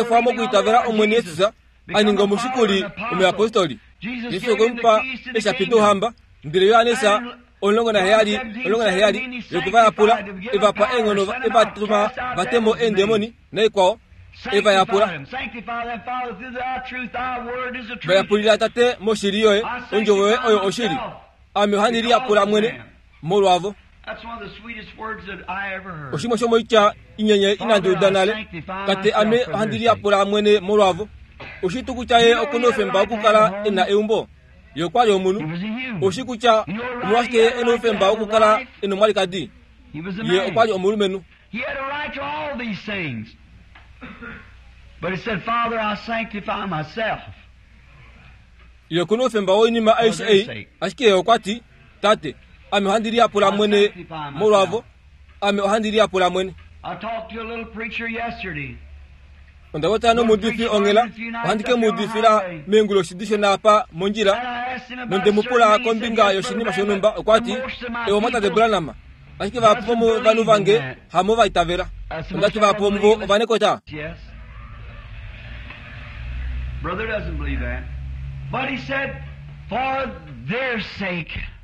okwa mokwiitavela Omwene Jesus, a ninga omushikuli omuyapostoli. Jesus okwe mu pa eeshapi douhamba, ndele Johannes omulongo naheyali omulongo naheyali yokuvayapula, e va pa eenghono, e va tuma va te mo eendemoni naikwao, e va yapula. Va yapulila Tate moshili yoye, ondjovo yoye oyo oshili. Ame ohandi liyapula mwene molwavo. Oshimwe shomoitya inyenye inandi uda nale. Tate, ame ohandi liyapula mwene molwavo. Oshi tuu kutya ye okuna oufemba wokukala e na eumbo? Ye okwa li omunhu. Oshi kutya omolwashike ye e na oufemba wokukala e na omwalikadi? Ye okwa li omulumenhu. Ye okuna oufemba woinima aishe ei, ashike ye okwa ti, Tate, ame ohandi liyapula mwene molwavo. Ame ohandi liyapula mwene. Onda popya nomuudifi onghela, ohandi ke mu udifila meenguloshi dishona apa mondjila, nonde mu pula kombinga yoshinima shonhumba. Okwa ti, Ewa mwatate Branham, ashike vahapu vomovanhu vange hamo va itavela. Onda ti vahapu vomuvo ovanekota.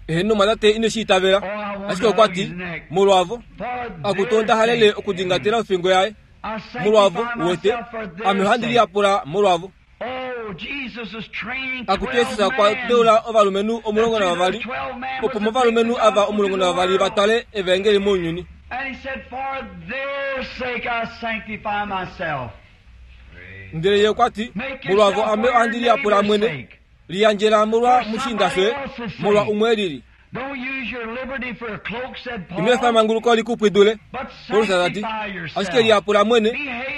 Eheno mwatate ine shi itavela, ashike okwa ti, molwavo, akutu onda halele okudingatela ofingo yaye. Molwavo, uwete, ame ohandi liyapula molwavo. Akutu Jesus okwa deula ovalumenhu omulongo navavali, opo movalumenhu ava omulongo navavali va twale evaengeli mounyuni. Ndele ye okwa ti, molwavo ame ohandi liyapula mwene, liyandjela molwa mushiinda shoye, molwa umwe lili. Ino efa emanguluko li ku pwidule, Paulus ta ti, ashike liyapula mwene,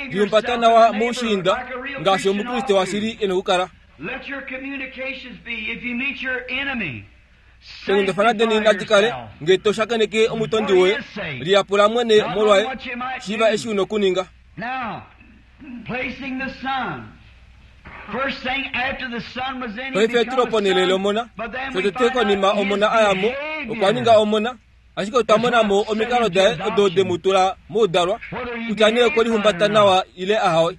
lihumbata nawa moushiinda, ngaashi omukriste washili e nokukala. Eenghundafana deni nadi kale, ngee to shakeneke omutondi woye, liyapula mwene molwaye, shiiva eshi u nokuninga. Paife etulo ponhele lomona, shotete konima omona a ya mo, okwa ninga omona, ashike otwa mona mo omikalo daye odo de mu tula moudalwa, kutya nee okwe lihumbata nawa ile ahawe.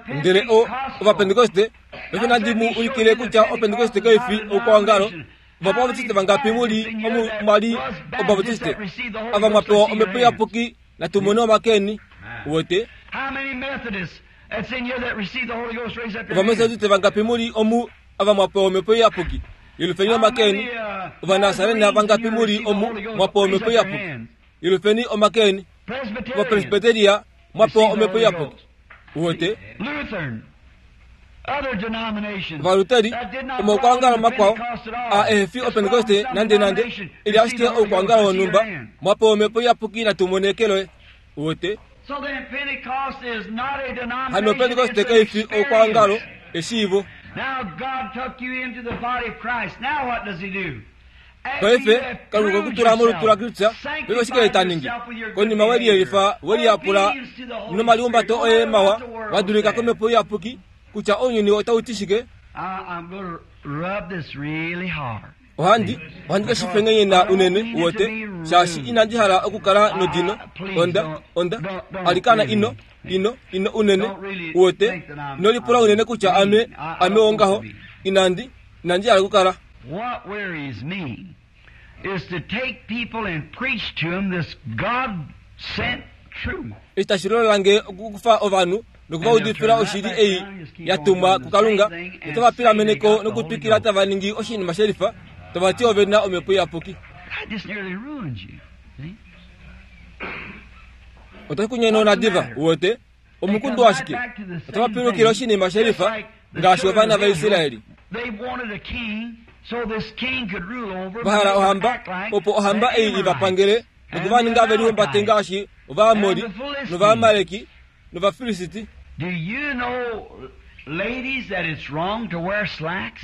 Ndele o Ovapentekoste, paife nandi mu ulikile kutya Opentekoste kai fi oukwaongalo. Ovabaptiste vangapi mu li omu mwa li Obaptiste? Ava mwa pewa omhepo iyapuki, natu mone omakeni. Uwete? Ovametodiste vangapi mu li omu ava mwa pewa omhepo iyapuki? Yelufeni omakeni. Ovanasarena vangapi mu li omu mwa pewa omhepo iyapuki? Yelufeni omakeni. Ovapresbiteria mwa pewa omhepo iyapuki. Uwete? Ovaluteri, omaukwaongalo makwao, a ehe fi Opentekoste nande nande, ili ashike oukwaongalo wonhumba, mwa pewa omhepo iyapuki natu mone eke loye. Uwete? Hano Pentekoste kai fi oukwaongalo, eshiivo. Paife, Kalunga okwe ku tula molutu laKristus, paife oshike ye ta ningi? Konima we liyelifa, we liyapula nomalihumbato oye mawa, wa dulika komhepo iyapuki, kutya ounyuni otau ti shike? Ohandi ohandi ke shifengenyena unene uwete shaashi inandi hala okukala nodino onda onda alikana ino ino ino unene uwete inolipula unene kutya ame ame wongaho inandi inandi hala okukala. What wearies me is to take people and preach to them this God-sent truth. Eshi tashi lola okukufa ovanhu nokuvaudifila oshili ei ya tumwa kuKalunga notava pilameneko nokutwikila tava ningi oshinima shelifa tava ti ove na omhepo iyapuki. That just nearly ruins you. See? Otashi kunyenona diva uwete omukundu washike otava pilukile oshinima shelifa ngaashi ovana vaIsraeli. They wanted a king so this king could rule over them. Vahala ohamba opo ohamba ei ivapangele nokuvaninga velihumbate ngaashi Ovaamori nOvaamaleki nOvafilisiti. Do you know, ladies, that it's wrong to wear slacks?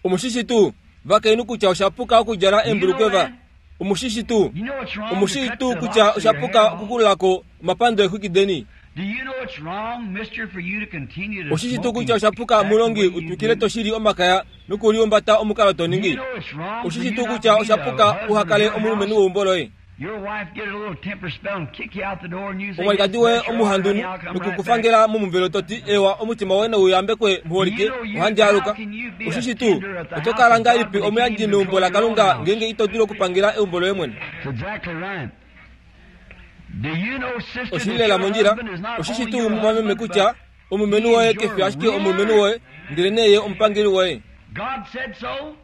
Omushishi tuu vakainhu kutya oshapuka okudjala embulukweva. Omushishi tuu You know it's wrong to omushishi cut tuu the kutya locks of your oshapuka hair off? okukululako omapando eexwiki deni. Do you know it's wrong, mister, for you to continue to Oshishi tuu smoke kutya and oshapuka act the mulongi way you utwikile do? toshili omakaya nokuliumbata omukalo Do you toningi. know it's wrong for Oshishi you tuu not kutya to be the oshapuka husband of uhakale your omulumenhu house? weumbo loye. Your wife get a little temper spell and kick you out the door and you say, Omwalikadi "Yes, woye bless your heart, honey, omuhandunhu I'll come right back." nokukufangela momuvelo toti ewa omutima woye nouyambekwe muholike ohandi aluka. Oshishi tuu oto kala ngahelipi omuyandji meumbo laKalunga ngeenge ito dulu okupangela eumbo loye mwene. That's exactly right. Do you know, sister, Oshili that lela your mondjila. husband is not Oshishi only tuu your mumwameme husband, kutya but omulumenhu woye kefi ashike omulumenhu woye ndele neye omupangeli woye. God said so.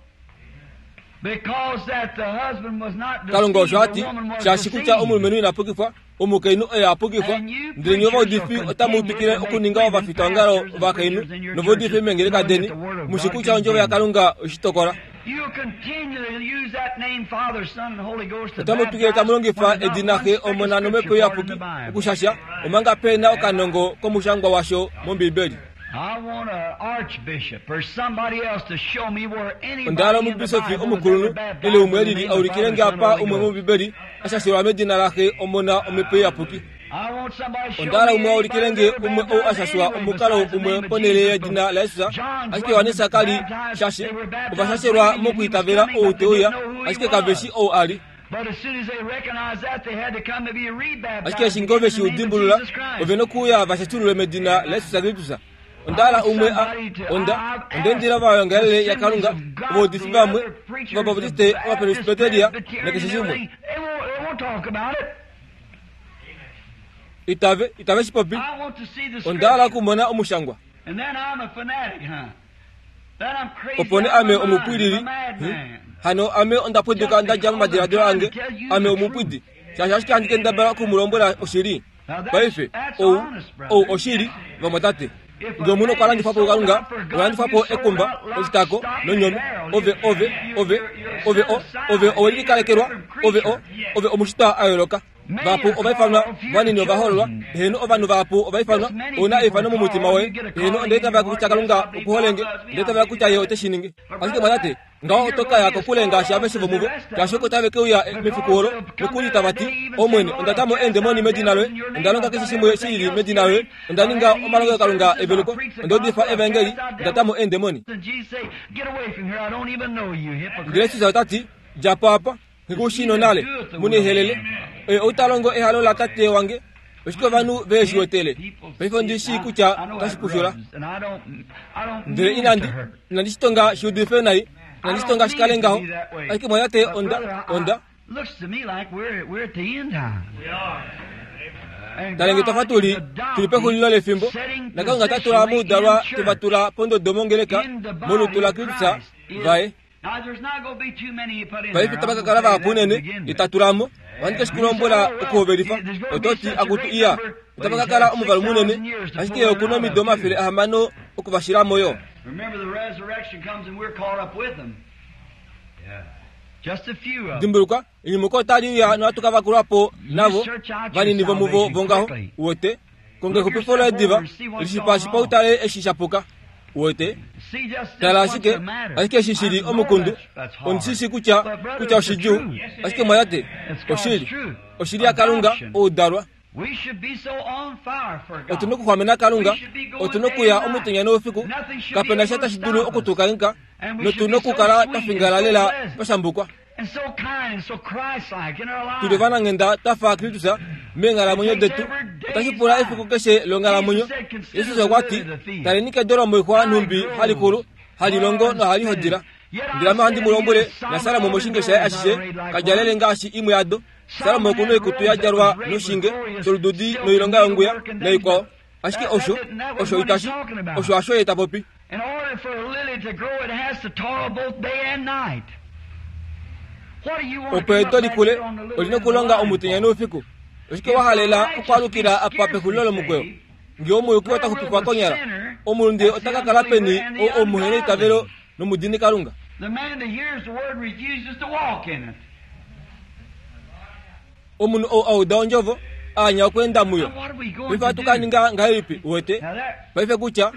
Because that the husband was not Kalunga deceived, osho ati the woman was shaashi kutya deceived. omulumenhu ina pukifwa omukainhu oye a pukifwa ndele nye ovaudifi otamu twikile okuninga ovafitongalo ovakainhu novaudifi meengeleka deni mushi kutya ondjovo yaKalunga oshitokola. You continually use that name, Father, Son, and Holy Ghost to Otamu twikile tamu baptize longifa when there's not edina one Xe speck of Omona nomhepo scripture for it in iyapuki the Bible. okushasha omanga pe na okanongo komushangwa washo mOmbibeli. I want an archbishop or somebody else to show me where Onda hala anybody in the omubisofi Bible was omukulunhu ever baptized ile in umwe the elili name of aulikile Father, nge Son, apa and Holy umwe Ghost. mOmbibeli ashashelwa medina laxe Omona omhepo iyapuki. I want somebody to show Onda hala me umwe aulikile anybody nge that's ever umwe ou baptized ashashwa anyway omukalo besides the umwe name of ponhele Jesus. yedina laJesus John's ashike Johannes wasn't kali baptized. shashe They were baptized ovashashelwa believing that he was mokuitavela coming, ou but they te uya didn't know who he ashike kaveshi was. ou ali. But as soon as they recognized that, they had to come to be rebaptized Ashike eshi again ngove in the shi name of udimbulula Jesus Christ. ove nokuuya vashashululwe medina laJesus Kristus. Onda hala umwe a onda ondendila vayongalele yaKalunga ovaudifi vamwe ovabautiste ovapresbiteria nakeshe shimwe itave itave shipopi. Onda hala okumona omushangwa. Opo nee ame omupwilili hano ame onda pwiduka ndadja momadiladilo ange ame omupwidi shaashi ashike handi kendabala okumulombwela oshili. Paife ou ou oshili vamwatate. Nge omunhu okwa landifwa po kuKalunga, okwa landifwa po ekumba, oshitako nonyome ove ove ove ove o ove owelikalekelwa ove o ove omushitwa a yooloka. Vahapu ovaifanwa vanini ovahoololwa eheno ovanhu vahapu ovaifanwa ouna eifano momutima woye eheno ondeitavela kutya Kalunga okuholenge ondeitavela kutya ye ote shi ningi. Ashike mwatate ngaho oto kaya kokule ngaashi aveshe vomuvo shaashi oko tave ke uya mefiku olo nokuli tava ti Omwene onda ta mo eendemoni medina loye onda longa keshe shimwe shi lili medina loye onda ninga omalongelokalunga eveluko onda udifa evangeli onda ta mo eendemoni. Ndele Jesus ota ti dja po apa nghikushi nonale munihelele oye ou ta longo ehalo latate wange oshike ovanhu ve shi wetele. Paife ondi shii kutya otashi pushula ndele inandi inandi shitonga shi udife nai inandi shitonga shi kale ngaho ashike mwatate onda onda Looks to me like we're we're at the end time. talenge twafa tuli tuli pexulilo lefimbo naKalunga ta tula moudalwa teva tula pondodo mongeleka molutu laKristus vaye. Paife tava ka kala vahapu unene itatulamo ohandi ke shikulombwela okuhovelifa ototi akutu iya otava ka kala omuvalu munene ashike okuna omido omafele ahamano okuvashilamo yo. Remember the resurrection comes and we're caught up with them. Just a few of them. Dimbuluka enyumuko otali uya nohatu ka vakulwapo navo vanini vomuvo vongaho uwete konga exupifo loye diva lishipashipa utale eshi shapuka uwete See just this tala what's ashike the matter. ashike eshi shili I know omukundu that's, that's hard. ondishishi kutya But brother, kutya it's the oshidjuu truth. ashike mwatate It's God's oshili truth. oshili yaKalunga Adoption. oudalwa. We should be so on fire for Otuna God. okuxwamena Kalunga otuna okuya omutenya noufiku Nothing should be kapena able sha to tashi dulu stop us. okutukanghika Notu nokukala twa fingala lela twa shambukwa. Tuli ovananghenda twa fa Kristus meenghalamwenyo detu. Otashi pula efiku keshe longhalamwenyo. Jesus okwa ti, taleni kedo lomoixwa nhumbi hali kulu, hali longo nohali hodila. Ndele ame ohandi mu lombwele, naSalomo moshinge shaye ashishe kadjalele ngaashi imwe yado. Salomo okuna oikutu ya djalwa noshinge sholududi noilonga yonguya naikwao. Ashike osho, osho itashi, osho hasho ye ta popi. Opo edo likule, olina okulonga omutenya noufiku. Oshike wa halela okwaalukila apa pexulilo lomukweyo? Ngee omuyuki ota xupifwa konyala, omulunde ota ka kala peni ou omuhena eitavelo nomudini Kalunga? Omunhu ou auda ondjovo, aanya okweenda muyo. Paife ohatu ka ninga ngahelipi, uwete? Paife kutya,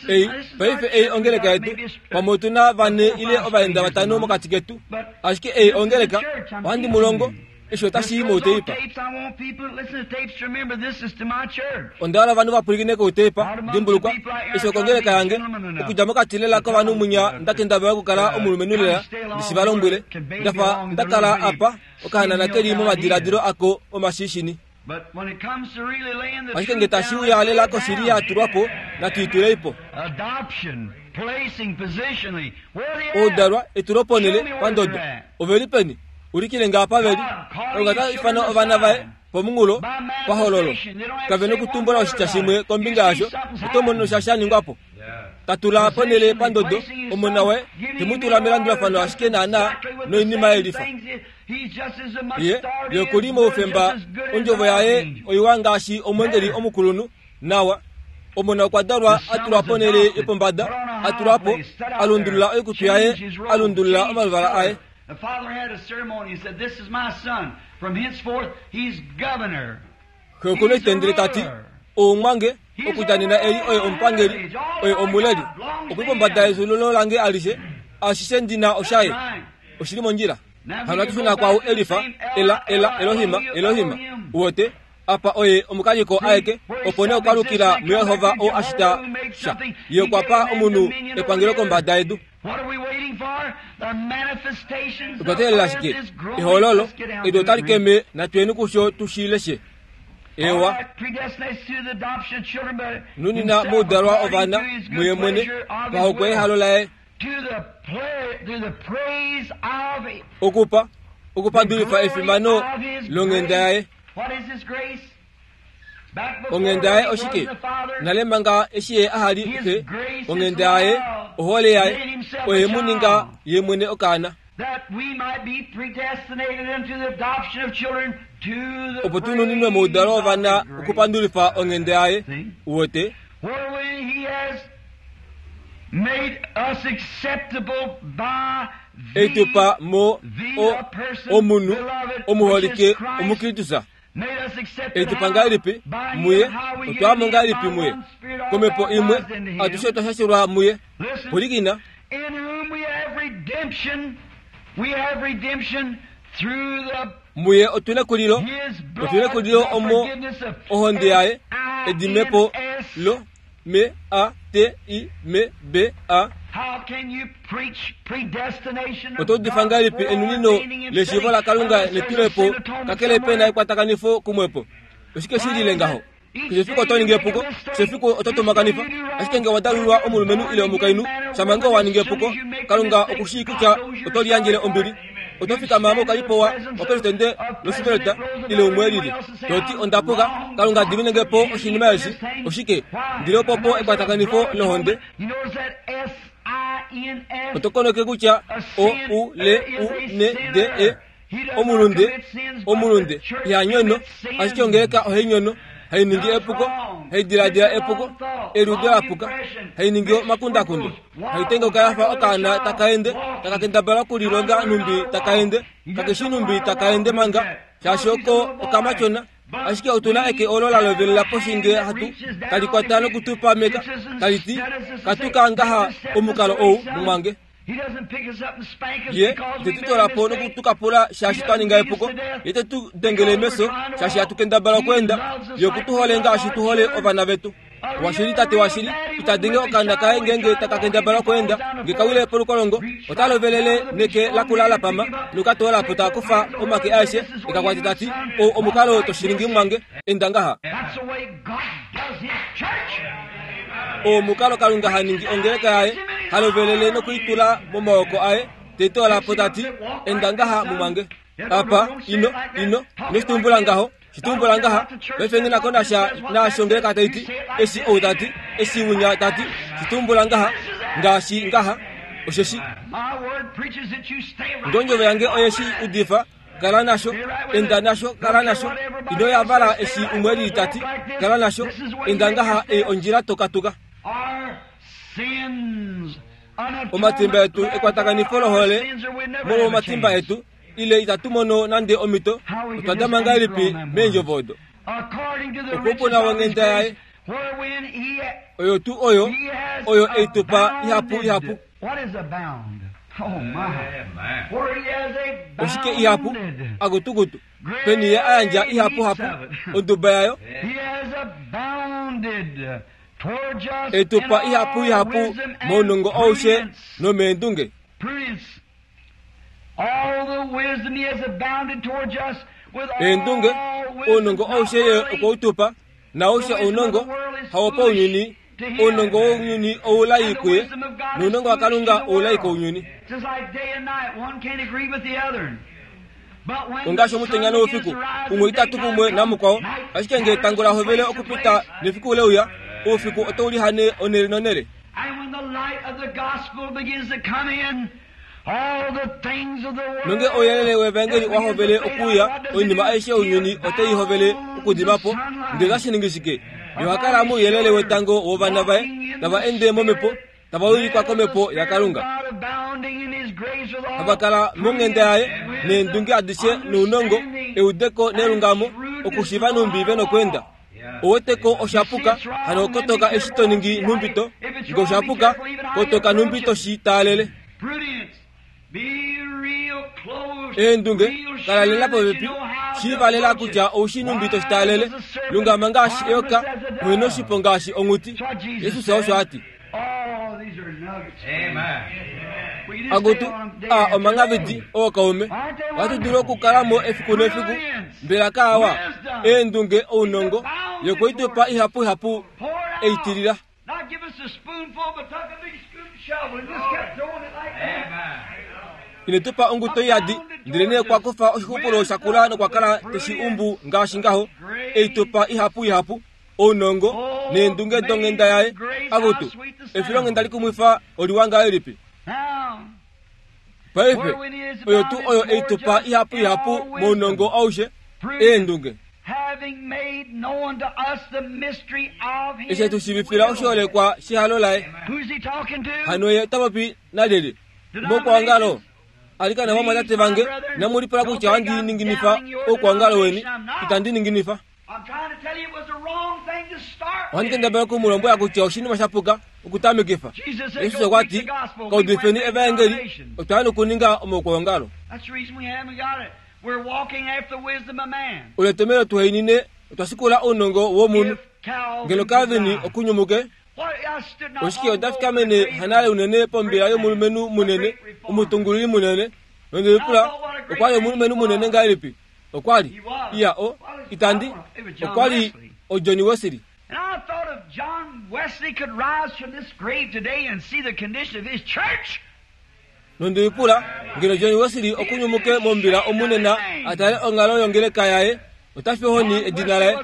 ei, paife ei ongeleka yetu, pamwe otu na vane ile ovaenda vatano mokati ketu. Ashike ei ongeleka, ohandi mu longo, eshi otashi i mouteipa. Onda hala ovanhu va pwilikine kouteipa, dimbulukwa, eshi okongeleka yange, okudja mokati lela kovanhu munya nda kendabala okukala omulumenhu lela, ndi shi va lombwele, ndafa nda kala apa, okahanana keli momadiladilo ako omashishini. Ashike nge tashi uya lela koshili ya tulwa po, natu i tulei po. Oudalwa etuloponele pandodo. Ove li peni? Ulikile nga apa veli. Kalunga ta ifana ovana vaye pomunghulo pahololo. Kave nokutumbula oshitya shimwe kombinga yasho, oto mono sha sha ningwa po. Tatula ponele pandodo omona waye, te mu tula melandulafano ashike naana noinima yelifa. Ye, ye okuli moufemba, ondjovo yaye oiwa ngaashi omwengeli omukulunhu, nawa. Omona okwa dalwa a tulwa ponele yopombada, a tulwa po, a lundulula oikutu yaye, a lundulula omaluvala aye. The father had a ceremony and said, "This is my son. From henceforth, he's governor." Xe okuna etendele tati, oumwange, okudja nena eli oye omupangeli, oye omuleli. Okuli pombada yezululo lange alishe, ashishe ndina oshaye. Oshili mondjila. Hano hatu shuna kwau Elifa, Ela, Ela, Elohima, Elohima. Uwete, apa oye omukaliko aeke, opo nee okwa lukila muYehova oo ashita sha. Ye okwa pa omunhu epangelo kombada yedu. Otwa teelela shike? Ehololo, edu otali keme, natuyeni kusho tu shi leshe. Ewa. Nunina moudalwa ovana muye mwene, pahokwe ehalo laye. Okupa, okupandulifa efimano longhenda yaye. Onghenda yaye oshike? Nale manga eshi ye aha li xe, onghenda yaye, ohole yaye, oye mu ninga ye mwene okaana. Opo tu nuninwe moudalo wovana okupandulifa onghenda yaye, uwete. Eitupa mo o omunhu omuholike omukristusa. Eitupa ngahelipi muye, otwa mo ngahelipi muye. Komhepo imwe, atushe otwa shashulwa muye. Pwilikina. Muye otuna ekulilo, otuna ekulilo omo ohonde yaye, edimepo lo M A T I M B A. Oto udifa ngahelipi enunino leshiivo laKalunga netulepo kakele pe na ekwatakanifo kumwepo? Oshike shi lile ngaho? Keshe efiku oto ningi epuko, keshe efiku oto tumakanifa. Ashike nge wa dalulwa omulumenhu ile omukainhu, shamha wa ningi epuko, Kalunga oku shii kutya oto liyandjele ombili. Oto fikama moukalipo wa wapresidente Roosevelt ile umwe elili, to ti onda puka, Kalunga diminenge po oshinima eshi. Oshike? Ndile opopo ekwatakanifo lohonde. Oto koneke kutya O U L U N D E omulunde, omulunde iha nyono, ashike ongeleka ohai nyono, hai ningi epuko, hai diladila epuko, eliudo lapuka, hai ningi omakundakundo, hai tengauka yafa okaana taka ende, taka kendabala okulilonga nhumbi taka ende, kakeshi nhumbi taka ende manga, shaashi oko okamatyona. Ashike otuna eke olo la lovelela poshi nge hatu tali kwata nokutupameka, tali ti, katuka ngaha omukalo ou mumwange. Ye te tu tola po nokutukapula shaashi twa ninga epuko, ye te tu dengele meso shaashi hatu kendabala okweenda, ye oku tu hole ngaashi tu hole ovana vetu. Washili tate washili itadenge okaana kaye ngenge takakendabala okweenda ngekawile polukolongo otalovelele neke lakulala pama nokatoolapo taakufa omake aeshe ekakwati tati o omukalo toshilingi mwange enda ngaha. Omukalo Kalunga haningi ongeleka yaye halovelele nokuitula momaoko aye tetoolapo tati enda ngaha mumwange. Apa ino ino ino ngaho shitumbula ngaha paife nako nasha nashongeleka taiti eshi ou tati eshi wunya tati shitumbula ngaha ngaashi ngaha osheshi ndonjove yange oyeshi udifa kala nasho enda nasho kala nasho ino yavala eshi umweli tati kala nasho enda ngaha e ondjila tokatuka. Omatimba etu ekwatakanifo lohole molwo omatimba etu ile itatumono nande omito otwadama ngahelipi meendjovo okupona wonghenda yaye oyo tu oyo oyo eitupa ihapu ihapu. Oshike ihapu agutugutu peni ye ayandja ihapu hapu onduba yayo eitupa ihapu ihapu mounongo aushe nomeendunge. Eendunge ounongo aushe ye okwautupa naushe ounongo hawopa ounyuni ounongo wounyuni oulai kuye nounongo wa Kalunga oulai kounyuni. Ongaashi omutenya noufiku umwe itatu kumwe namukwao ashike nge etango lahovele okupita nefiku leuya oufiku otoulihane onele nonele. Nonge ouyelele wevangeli wahovele okuuya oinima aishe younyuni oteihovele okudimapo ndele otashi shike yohakala mouyelele wetango wovana vaye tava ende momhepo tava wilikwa komhepo yaKalunga havakala monghenda yaye neendunge adishe nounongo eudeko nelungamo okushiva numbi venokwenda. Oweteko oshapuka hano kotoka eshi toningi numbito nge oshapuka kotoka numbito shi taalele. Eendunge kalalela popepi shivalela kutya oushi numbito shitaalele lungama ngaashi eyoka mwene oshipo ngaashi onghuti. Jesus osho ati. Agutu a omangavidi ookaume ohatu dulu okukalamo efiku nefiku mbela kaawa eendunge ounongo yokuitupa ihapu ihapu eitilila. Inetupa onguto iyadi ndele nee kwakufa oshixupulo shakula nokwakala teshi umbu ngaashi ngaho eitupa ihapu ihapu ounongo neendunge donghenda yaye. Agutu efilonghenda likumwifa oliwa ngahelipi. Paife oyo tu oyo eitupa ihapu ihapu mounongo aushe eendunge eshe tushivifila oshiholekwa shihalo laye. Hano ye tapopi nalyelye mokwangalo alikana vamwatate vange namulipula kutya wandininginifa oukwangalo weni itandininginifa. Ohandikendabela okumulombwela kutya oshinima shapuka okutamikifa. Jesus okwati kaudifeni evangeli otwaya nokuninga omaukwangalo. Oletomelo tuheinine otwasikula ounongo womunhu ngeno Calvin okunyumuke. Oshike otafikamene hanale unene pombila yomulumenhu munene omutungululi munene nondelipula okwali omulumenhu munene ngahelipi okwali iya o itandi okwali oJohn Wesley. And I thought if John Wesley could rise from this grave today and see the condition of his church. Nondelipula ngeno John Wesley okunyumuke mombila omunena atale ongalo yongeleka yaye otafihoni edina laye.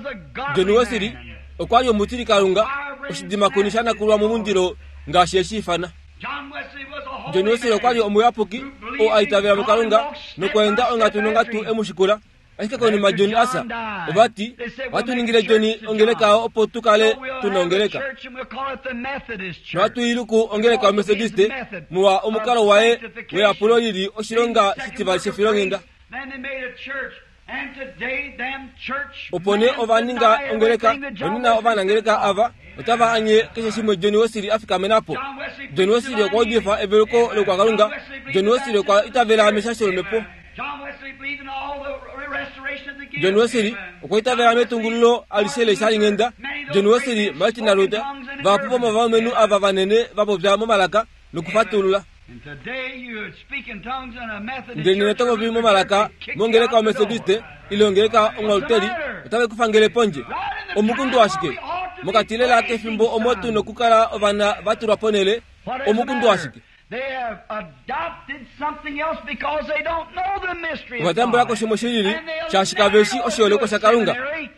John Wesley okwali omutili Kalunga oshidimakuni shanakulwa mumundilo ngaashi eshifana. John Wesley okwali omuyapuki oo aitavela muKalunga nokweenda ongatu nongatu emushikula. Ashike konima John asa ovati vatuningile John ongeleka opo tukale tuna ongeleka nohatuiluku ongeleka yoMethodiste muwa omukalo waye weyapulo lili oshilonga shitivali shefilonghenda. Opo nee ovaninga ongeleka nonena ovanangeleka ava otava anye keshe shimwe John Wesley afikamenapo. John Wesley okwa udifa eveluko lokwaKalunga. John Wesley okwa itavela meshasho lomhepo. John Wesley okwa itavela metungululo alishe leshalinghenda John Wesley, Martin Luther, vahapu vomovalumenhu ava vanene va popya momalaka nokufatulula. Ndele nena oto popi momalaka mongeleka yoMethodiste ile ongeleka omwaluteri, otave ku fangele pondje. Omukundu ashike. Mokati lela kefimbo omo tu nokukala ovana va tulwa ponhele, omukundu ashike. Ova tambula ko shimwe shilili, shaashi kave shi oshiholekwa shaKalunga,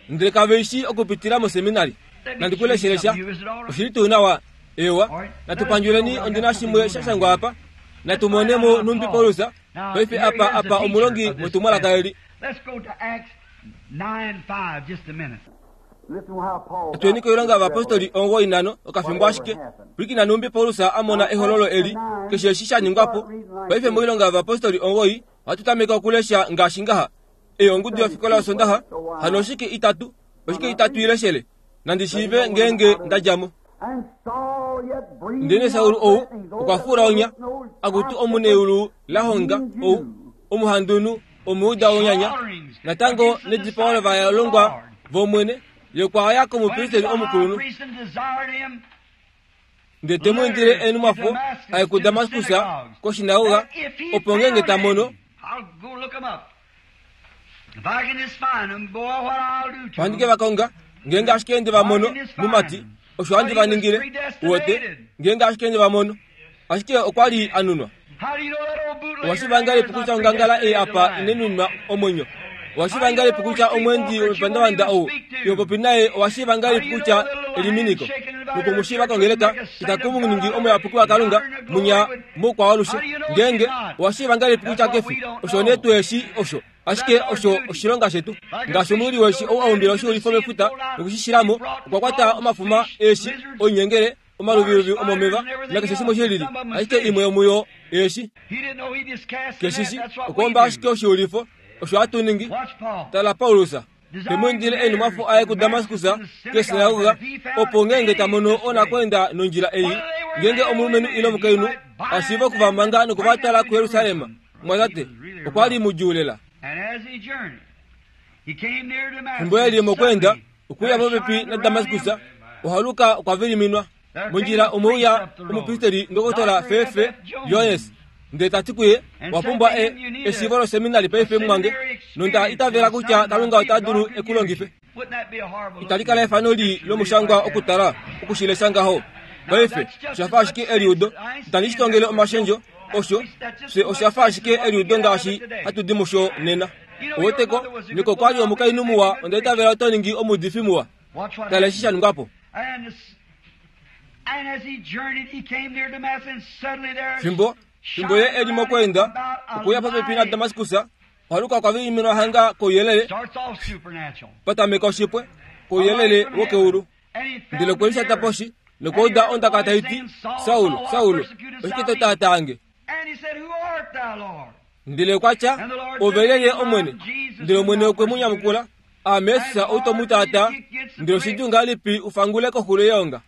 ndele kave shi okupitila moseminari. Nandi ku leshele sha. Oshili tuu nawa? Ewa, natu pandjuleni ondina shimwe sha shangwa apa. Natu mone mo numbi Paulus. Paife apa apa omulongi wetumwalaka eli. Atweni koilonga yovapostoli omuwoi nano okafimbo ashike. Pwilikina numbi Paulus a mona ehololo eli, keshe eshi sha ningwa po. Paife moilonga yovapostoli omuwoi ohatu tameke okulesha ngaashi ngaha. Ei ongudu yofikola yosondaxa, hano oshike itatu, oshike itatu ileshele. Nandi shiive ngeenge nda dja mo. Ndele Saul ou okwa fula onya, akutu omuneulu la honga ou, omuhandunhu, omuuda wonyanya. Natango nedipao lovalongwa vOmwene, ye okwa ya komupristeli omukulunhu. Ndele te mu indile enumwafo aye kuDamaskus koshinagoga, opo ngeenge ta mono ohandi ke va konga, ngeenge ashike nde va mono mumati, osho handi va ningile. Uwete, ngeenge ashike nde va mono. Ashike okwa li a nunwa. Owa ngahelipi kutya ongangala ei apa inenunwa omwenyo? Owa shiiva ngahelipi kutya omweendi womepandavanda ou iho popi naye owa shiiva ngahelipi kutya eliminiko? Nokumushiiva kongeleka itaku mu ningi omuyapuki waKalunga munya moukwawalushe. Ngeenge owa shiiva ngahelipi kutya kefi, osho nee tweeshi osho. Ashike osho oshilonga shetu. Ngaashi omuyuli weshi ou a umbila oshiulifo mefuta nokushishilamo, okwa kwata omafuma eeshi, oinyengele, omaluviluvi omomeva nakeshe shimwe shilili. Ashike imwe yomuyo eeshi. Keshishi okwa ashike oshiulifo, osho hatu ningi. Tala Paulus te mu indile enumwafo aye kuDamaskus kesinagoga, opo ngeenge ta mono onakwenda nondjila ei, ngeenge omulumenhu ile omukainhu ashiive okuvamanga nokuvatwala kuJerusalem. Mwatate, okwa li mudjuu lela. Fimbo eli mokwenda okuya popepi naDamaskus, ohaluka okwa viliminwa. Mondjila omwe uya omupristeli ndokotola Fefe Jones, ndele ta ti kuye, wa pumbwa e eshiivo loseminari paife mwange, nonda itavela kutya Kalunga ota dulu ekulongife. Itali kala efano li lomushangwa okutala okushilesha ngaho. Paife oshafa ashike eliudo, itandi shi tongele omashendjo, osho fye oshafa ashike eliudo ngaashi hatu di musho nena. Oweteko, niko kwali omukainhu muwa, onda itavela oto ningi omuudifi muwa. Tala eshi sha ningwa po. Fimbo fimbo ye eli mokwenda okuya popepi naDamaskus, ohaluka okwa viliminwa hanga kouyelele, patameka oshipwe kouyelele wokeulu. Ndele okwe lishata poshi nokwauda ondaka tai ti, Saul, Saul, oshike to taatange? Ndele okwa tya, ove lyelye Omwene? Ndele Omwene okwe mu nyamukula, Aame Jesus ou to mu taataa. Ndele oshidjuu ngahelipi u fangule koxulo yeonga?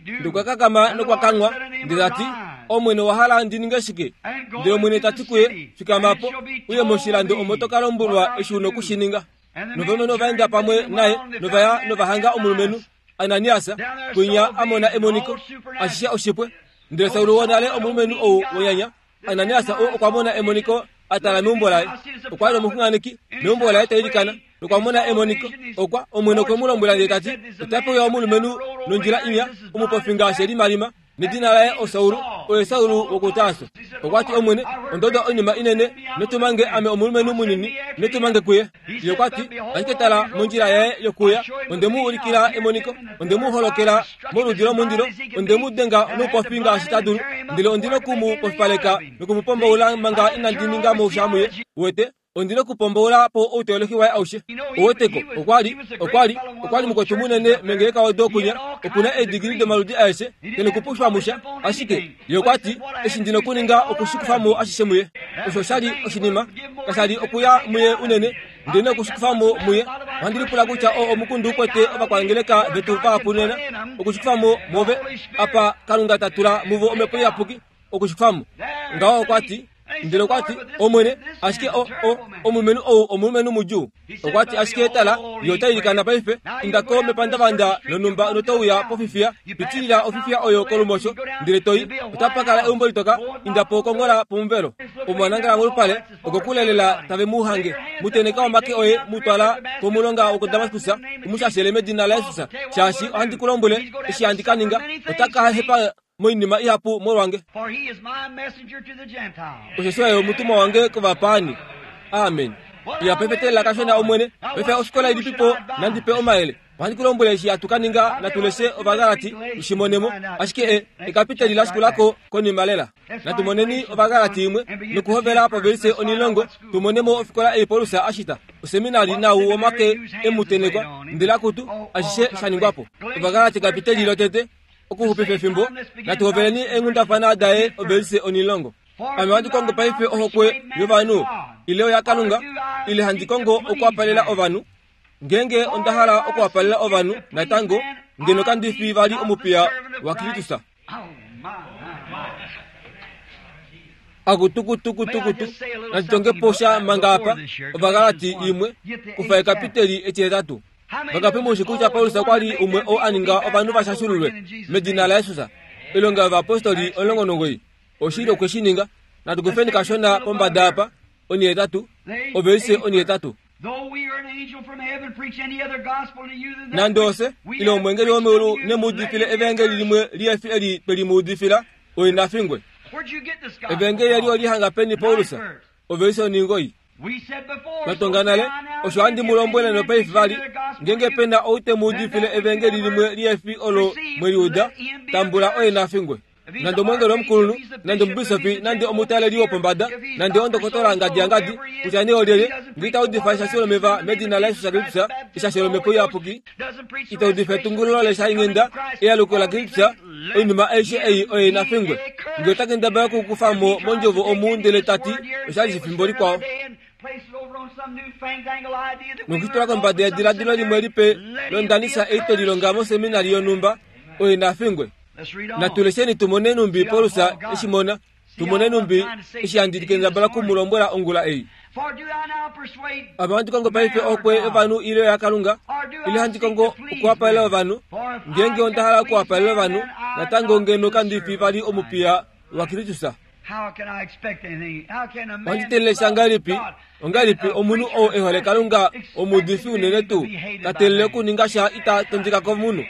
Ndele okwa kakama nokwa kanghwa, ndele ta ti, Omwene owa hala ndi ninge shike? Ndele Omwene ta ti kuye, fikama po, uye moshilando omo to ka lombwelwa eshi u na okushi ninga. Novalumenhu ova enda pamwe naye nova ya nova hanga omulumenhu Ananias, kwinya a mona emoniko, ashishe oshipwe. Ndele Saul wonale omulumenhu ou wonyanya, Ananias ou okwa mona emoniko a tala meumbo laye. Okwa li omuxunganeki meumbo laye ta ilikana, nokwa mona emoniko. Okwa Omwene okwe mu lombwela ndele ta ti, ota pewa omulumenhu nondjila inya, omupofi ngaashi elimalima, nedina laye oSaul, oye Saul wokuTarso. Okwa ti, Omwene, onda uda oinima inene, notumange ame omulumenhu munini, notumange kuye. Ye okwa ti, ashike tala mondjila yaye yokuya, onde mu ulikila emoniko, onde mu holokela moludi lomundilo, onde mu denga noupofi ngaashi ta dulu, ndele ondi noku mu pofipaleka noku mu pombaula manga inandi ninga mo sha muye. Uwete, ondi nokupombaula po outeolohi waye aushe. Oweteko, okwa li, okwa li, okwa li mukwetu munene mengeleka odo kunya, okuna eedigili domaludi aeshe, ke nokupushwa musha. Ashike ye okwa ti, eshi ndi nokuninga okushikufa mo ashishe muye. Osho sha li oshinima, kasha li okuya muye unene, ndele nokushikufa mo muye. Ohandi lipula kutya oo omukundu ukwete ovakwangeleka vetu vahapu nena, okushikufa mo move, apa Kalunga ta tula muvo omhepo iyapuki, okushikufa mo. Ngaho okwa ti, Ndele okwa ti, Omwene, ashike o o omulumenhu ou omulumenhu mudjuu. Okwa ti, ashike tala, ye ota ilikana paife, inda ko mepandavanda lonhumba notouya pofifiya, pitilila ofifiya oyo kolumosho, ndele toi, otapa kala eumbo litoka, inda po kongola pomuvelo. Omwanangala molupale, okokulelela tave mu hange, muteneka omake oye mutwala komulonga wokoDamaskus, umushashele medina laJesus, shaashi ohandi ku lombwele eshi handi ka ninga, ota ka hepa moinima ihapu molwange. Osheshi oye omutumwa wange kovapaani. Amen. Iya paife telela kashona Omwene, paife ofikola ilipipo nandipe omayele. Ohandi ku lombwele eshi hatu ka ninga, natuleshe Ovagalati tushimonemo, ashike e ekapiteli lashikulako konima lela. Natumoneni Ovagalati imwe nokuhovela povelise onilongo, tumonemo ofikola ei Paulus ashita. Oseminari nau womake emutenekwa, ndele akutu ashishe shaningwapo. Ovagalati kapiteli lotete, okuxupifa efimbo, natuhoveleni eenghundafana daye ovelise onilongo. Ame ohandi kongo paife ohokwe yovanhu, ile oyaKalunga, ile handi kongo okuwapalela ovanhu. Ngenge onda hala okuwapalela ovanhu natango, ngeno kandi fi vali omupiya waKristus. Akutukutukutukutu, nandi posha manga apa, Ovagalati imwe, kufa ekapiteli etihetatu. Vangapi mushi kutya Paulus okwa li umwe oo a ninga ovanhu vashashululwe medina laJesus? Oilonga yovayapostoli omulongo nomugoyi. Oshili okwe shi ninga. Natukufeni kashona pombada apa, onihetatu, ovelise onihetatu. Nande ose, ile omwengeli womeulu nemuudifile evangeli limwe lihefi eli twe limuudifila, oye nafingwe. Evangeli eli olihanga peni Paulus? Ovelise oningoi. Twatonga nale, osho handi mu lombwele nopaife vali, ngenge pena ou te mu udifile evangeli limwe lihefi olo mweliuda, tambula oye nafingwe. Nande omwengeli omukulunhu, nande omubisofi, nande omutaleli wopombada, nande ondokotola ngadi yangadi, kutya nee olyelye, ngee ita udifa eshasho lomeva medina laJesus Kristus, eshasho lomhepo iyapuki, ita udifa etungululo leshainghenda, ealuko laKristus, oinima aishe ei oye nafingwe. Ngee ota kendabala okukufa mo mondjovo omu ndele tati oshali shefimbo likwao, nokutula kombada yediladilo limwe lipe londanisa ei twelilonga moseminari yonhumba, oye nafingwe. Natulesheni tumone numbi Paulus eshimona, tumone numbi eshi handi kendabala kumulombwela ongula ei. Ame ohandi kongo paife ohokwe yovanhu ile yaKalunga, ile handi kongo okuwapalela ovanhu. Ngenge onda hala okuwapalela ovanhu, natango ngeno kandi fi vali omupiya waKristus. Ohandi telele ngahelipi, ongahelipi omunhu oo e hole Kalunga omuudifi unene tuu, ta telele okuninga sha ita tondika komunhu.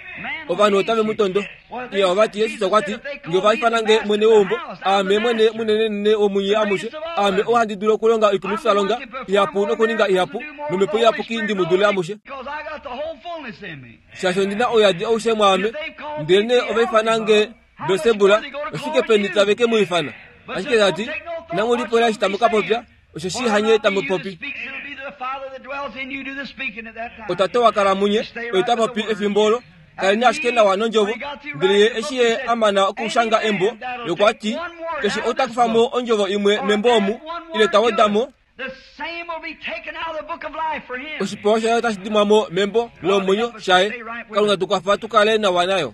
Ovanhu otave mu tondo. Iya ovati Jesus okwa ti, nge ova ifanange mwene weumbo, aame mwene munenenene womunye amushe, aame ou handi dulu okulonga oikumwifalonga ihapu nokuninga ihapu, nomhepo iyapuki ndi mu dule amushe. Shaashi ondina ouyadi aushe mwaame, ndelenee ova ifanange Beelsebul, oshike peni tave ke mu ifana? Ashike tati, inamu lipula eshi tamu ka popya, osheshi hanye tamu popi. Otate wakala munye, oye ta popi efimbo olo, kaleni ashike nawa nondjovo. Ndele ye eshi ye a mana okushanga embo, ye okwa ti, keshe ou ta kufa mo ondjovo imwe membo omu, ile ta weda mo, oshipewa shaye otashi dimwa mo membo lomwenyo shaye. Kalunga tukwafa tukale nawa nayo.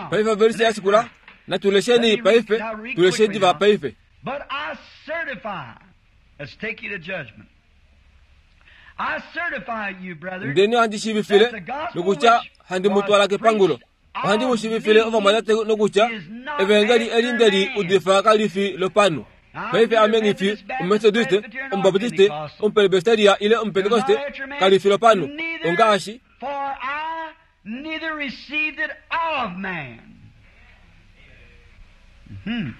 Paife ovelise ya shikula, natulesheni paife, tuleshe diva paife. But I certify, let's take you to judgment. I certify you, brethren, Ndeni ohandi shiivifile nokutya handi mu twala kepangulo. Ohandi mu shiivifile ovamwatate nokutya evangeli eli ndeli udifa kali fi lopanhu. Paife ame nghifi Omumetodiste, Omubaptiste, Omupresbyteria ile Omupentekoste, kali fi lopanhu. Ongaashi for I neither received it of man, mm-hmm.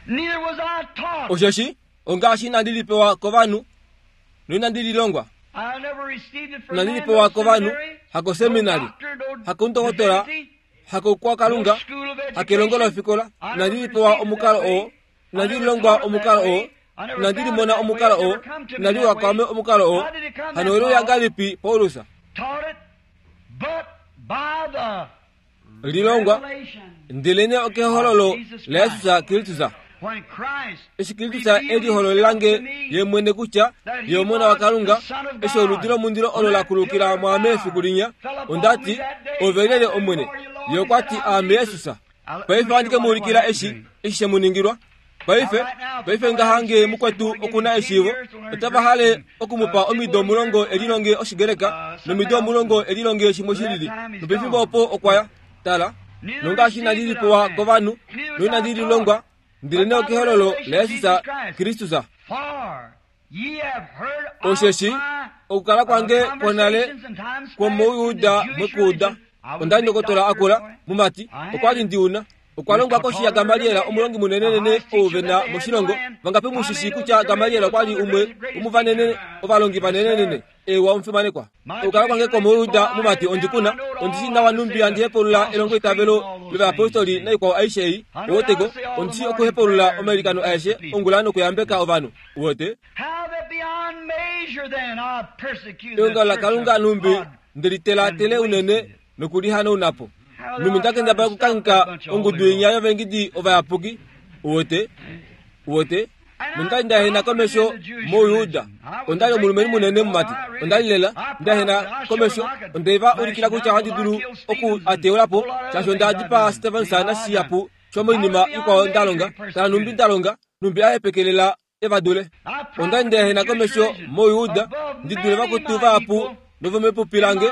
neither was I taught. Osheshi ongaashi inandi lipewa kovanhu noinandi lilongwa. I never received it from Inandi man, lipewa no kovanhu, seminary, hakoseminari, no doctor, no hakondokotola, divinity, hakokwa Kalunga, no school of education. hakelongo lofikola. I Inandi never lipewa received it omukalo that way. oo, inandi I never lilongwa taught it omukalo that oo, way. I never inandi found limona it that way. omukalo It oo, never come to me inandi that wakwame way. omukalo oo. How did it come Hano that oluya Paul ngahelipi Paulus taught it? But by the lilongwa, revelation ndelene okehololo laJesus Kristus. when Christ Eshi Kristus e lihololelange ye mwene kutya ye omona waKalunga, eshi oludi lomundilo olo la kulukila mwaame efiku linya, onda ti, ove lyelye Omwene? Ye okwa ti, aame Jesus. Paife ohandi ke mu ulikila eshi eshi she mu ningilwa. Paife paife ngahange mukwetu okuna eshiivo otava hale okumupa omido omulongo elilonge oshigereka nomido omulongo elilonge shimwe shilili nopefimbo opo okwaya tala nongaashi inandi lipewa kovanhu noinandi lilongwa ndele okehololo laYesus Kristus. Osheshi okukala kwange kwonale kwomouyuda mwekuuda onda ndokotola akula mumati okwali ndiuna okwa longwa koshi ya Gamaliel omulongi munenenene ouvena moshilongo vangapi mushishi kutya Gamaliel okwali umwe omuvanene ovalongi vanenenene ewa omufimanekwa. Okukala kwange kwomouyuda mumati ondikuna ondishi nawa numbi andihepulula elongo itavelo lovaapostoli naikwao aishe ei owoteko ondishi okuhepulula omailikano aeshe ongula nokuyambeka ovanhu wote. Eongalo laKalunga numbi ndelitelatele unene nokulihanaunapo numi ndakendabala okukanka ongudu inya yovengidi ovayapuki wote wote. Nondali ndahena komesho mouyuda ondali omulumenhu munene mumati ondali lela ndahena komesho ondeva ulikila kutya ohandi dulu oku ateulapo shaashi onda dipaa Stevenson nashihapu shomoinima ikwao ndalonga tala numbi ndalonga numbi ahepekelela evadule. Ondali ndahena komesho mouyuda ndi dule vakutu vahapu novomepupi lange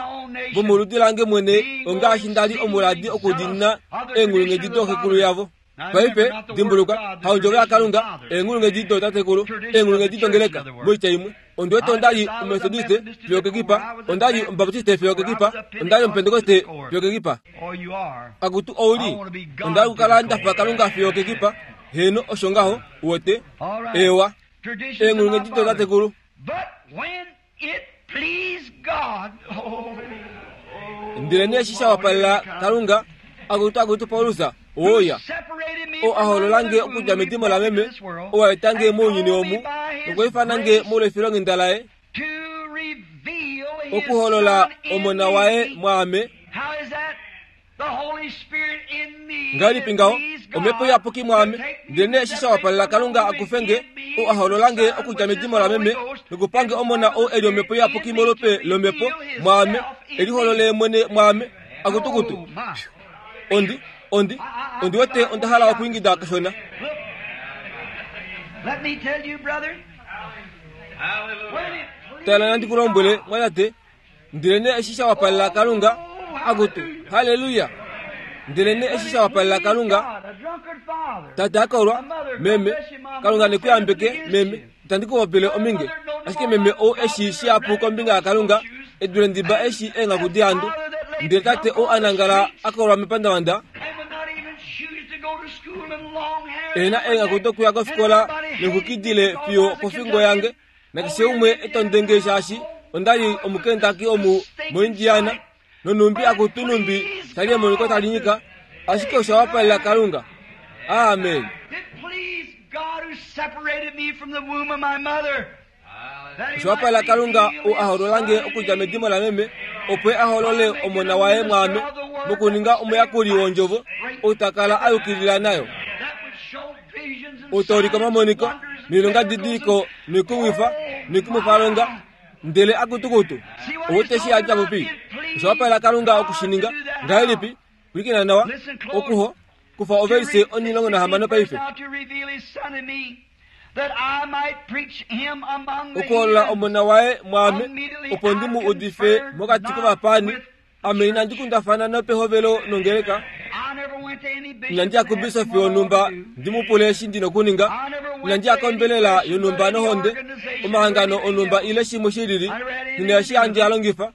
vomoludi lange mwene ongaashi ndali omuladi okudiinina eenghulunghedi doxekulu yavo. Paife dimbuluka haondjovo yaKalunga eenghulunghedi dootatekulu eenghulunghedi dongeleka moitya imwe. Ondiwete ondali omethodiste fiyo kekipa, ondali omubaptiste fiyo kekipa, ondali omupentekoste fiyo kekipa. Akutu ouli ondali okukala ndafa Kalunga fiyo kekipa. Heno osho ngaho wote ewa eenghulunghedi dootatekulu. Ndele nee eshi shawapalela Kalunga akutu akutu Paulus oya o ahololange okudja medimo lameme owaetange mounyuni omu nokwiifanange molwefilonghenda laye okuholola omona waye mwaame. Ngahelipi ngaho omhepo iyapuki mwaame ndele nee eshi shawapalela Kalunga akufenge o ahololange okudja medimo lameme nokupange omona ou eli omhepo iyapuki molupe lomhepo mwaame eliholole mwene mwaame akutukutu. Ondi ondi ondi wete onda hala okuingida kashona. Tala nandi kulombwele mwatate ndele nee eshi shawapalela Kalunga akutu haleluya. Ndele nee eshi shawapalela Kalunga tate akolwa meme Kalunga nekuyambeke meme itandi kuhopele ominge ashike meme ou eshi shihapu kombinga yaKalunga edule ndiba eshi eenghaku dihandu. Ndele tate ou anangala akolwa mepandavanda ena eenghaku dokuya kofikola nexukidile fiyo pofingo yange nakeshe umwe etondenge shaashi ondali omukentaki omu moIndiana nonumbi akutu numbi shali emoniko talinyika ashike oshawapalela Kalunga. Amen. Oshawapalela Kalunga ou ahololange okudja medimo lameme opo aholole omona waye mwaame mokuninga omuyakuli wondjovo ou takala ayukilila nayo utolika omamoniko noilonga didiliko noikumwifa noikumwifalonga ndele akutukutu owote shi adja popi. Oshawapalela Kalunga okushininga ngahelipi pwilikina nawa okuho kufa ovelise onilongo nahamano paife okuholola omona waye mwaame opo ndi mu udife mokati kovapani. Ame inandi kundafana nopehovelo nongeleka inandi ya kubisofi yonhumba ndi mu pule eshi ndi nokuninga inandi ya kombelela yonhumba nohonde omahangano onhumba ile shimwe shilili nina eshi handi alongifa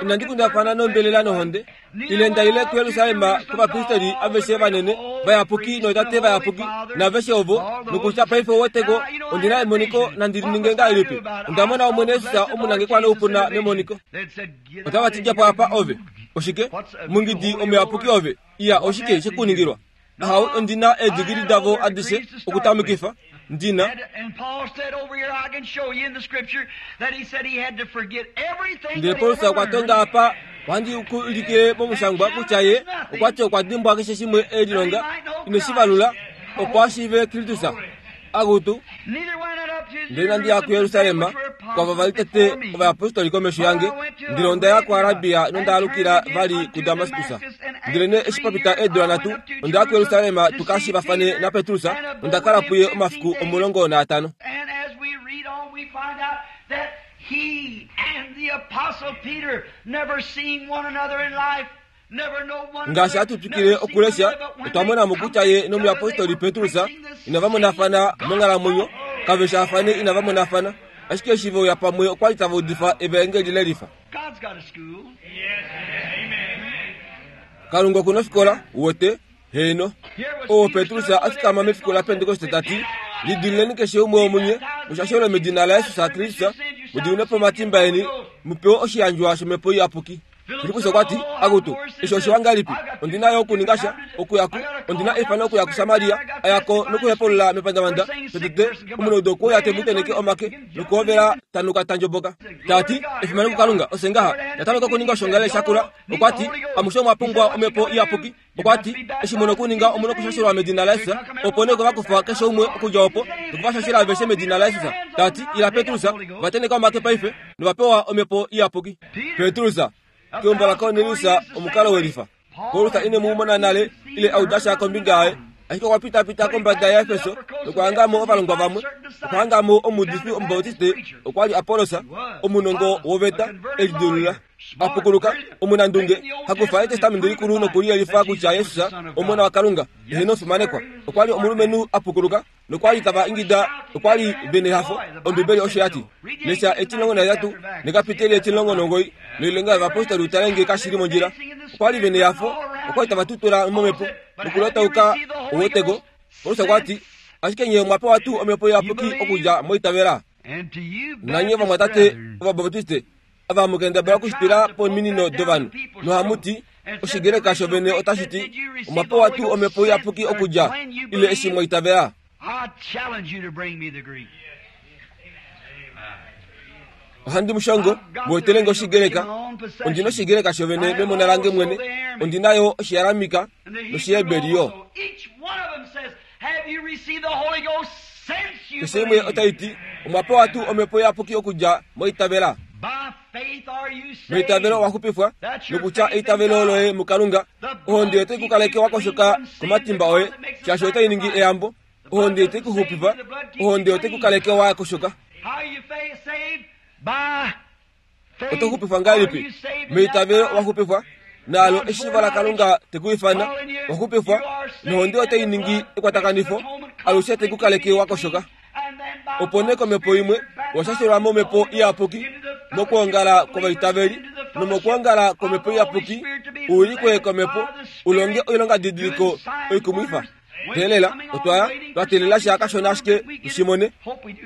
inandi kundafana nombelela nohonde ile ndaile kuYerusalem kovapristeli aveshe vanene vayapuki nootate vayapuki naveshe ovo nokutya paife oweteko ondina emoniko nandilininge ngahelipi. Ondamona Omwene Yesus omunangekwa noupuna memoniko. Otava tidja po apa ove oshike mungidi omuyapuki ove iya oshike shekuningilwa ahau ondina eedigili davo adishe okutamikifa ndina. Ndele Paulus okwa tonga apa ohandi kuulikile momushangwa kutya ye okwati okwa dimbwa keshe shimwe elilonga ineshivalula opo ashiive Kristus akutu. Ndele inandi ya kuYerusalem kwava vali tete ovayapostoli komesho yange ndele onda ya kuArabia nonda alukila vali kuDamaskus. Ndele eshi papita eedula nhatu onda ya kuYerusalem tukashivafane naPetrus nonda kala puye omafiku omulongo naatano. Ngaashi hatu twikile okulesha otwa mona mo kutya ye nomuyapostoli Petrus inava monafana monghalamwenyo, kave shaafane inava monafana, ashike eshi ve uya pamwe okwali tava udifa evaengeli lelifa. Kalunga okuna ofikola uwete heeno. Oo Petrus a fikama mefiku laPentekoste tati, lidilileni keshe umwe womunye mushashelwe medina laYesus Kristus, mudiminwe po omatimba eni, mupewe oshiyandjwa shomhepo iyapuki. Filippus okwa ti, akutu, eshi oshiwa ngahelipi? Ondina yo okuninga sha, okuya ku, ondina eifano okuya kuSamaria, ayako nokuhepulula mepandavanda, tete omunaudo okwe uya te mu tenheke omake nokuhovela tanuka tandjoboka. Tati, efimano kuKalunga, ose ngaha, natameka okuninga oshongalele shakula. Okwa ti, amushe omwa pumbwa omhepo iyapuki. Okwa ti, eshi muna okuninga omuna okushashelwa medina laYesus, opo nee ovakufa keshe umwe okudja opo nokuvashashela aveshe medina laYesus. Tati, ila Petrus, va tenheka omake paife novapewa omhepo iyapuki. Petrus keumbo laKornelius omukalo welifa. Paulus ine mu mona nale ile auda sha kombinga yaye, ashike okwa pitapita kombada yaEfeso nokuhanga mo ovalongwa vamwe. Okuhanga mo omuudifi Omubautiste okwa li Apollos, omunongo woveta elidilulula, apukuluka, omunandunge, hakufa etestamenti likulu nokuliyelifa kutya Jesus omona waKalunga ehena omufimanekwa. Okwa li omulumenhu apukuluka nokwali tava ingida, okwa li vene hafo. Ombibeli osho yati, lesha etilongo nahetatu nekapiteli etilongo nongoi noilonga yovapostoli utale nge kashili mondjila. Okwa li vene hafo, okwa li tava tutula momhepo nokulotauka oweteko. Paulus okwa ti, ashike nye omwa pewa tuu omhepo iyapuki okudja moitavela? Nanye vamwatate Ovabautiste ava mukendabala okushitila pominino dovanhu nohamu ti, Oshigreka shovene otashi ti, omwa pewa tuu omhepo iyapuki okudja ile eshi mwaitavela? Ohandi mushongo muetelenge Oshigreka. Ondina Oshigreka shovene memona lange mwene, ondina yo Oshiaramika nOshiheberi yo. Keshe imwe otai ti, omwa pewa tuu omhepo iyapuki okudja moitavela? Meitavelo owa xupifwa, nokutya eitavelo loye muKalunga. Ohonde otai ku kaleke wa koshoka komatimba oye, shaashi otai ningi eyambo. Ohonde otai ku xupifa, ohonde otai ku kaleke wa koshoka. Oto xupifwa ngahelipi? Meitavelo owa xupifwa, naalo eshiivo laKalunga te ku ifana, wa xupifwa, nohonde otai ningi ekwatakanifo, alushe te ku kaleke wa koshoka. Opo nee komhepo imwe washashelwa momhepo iyapuki mokwoongala kwovaitaveli, nomokwoongala kwomhepo iyapuki uwilikwe komhepo ulonge oilongadidiliko oikumwifa. Teelela, otwa twa teelela sha kashona ashike tushimone,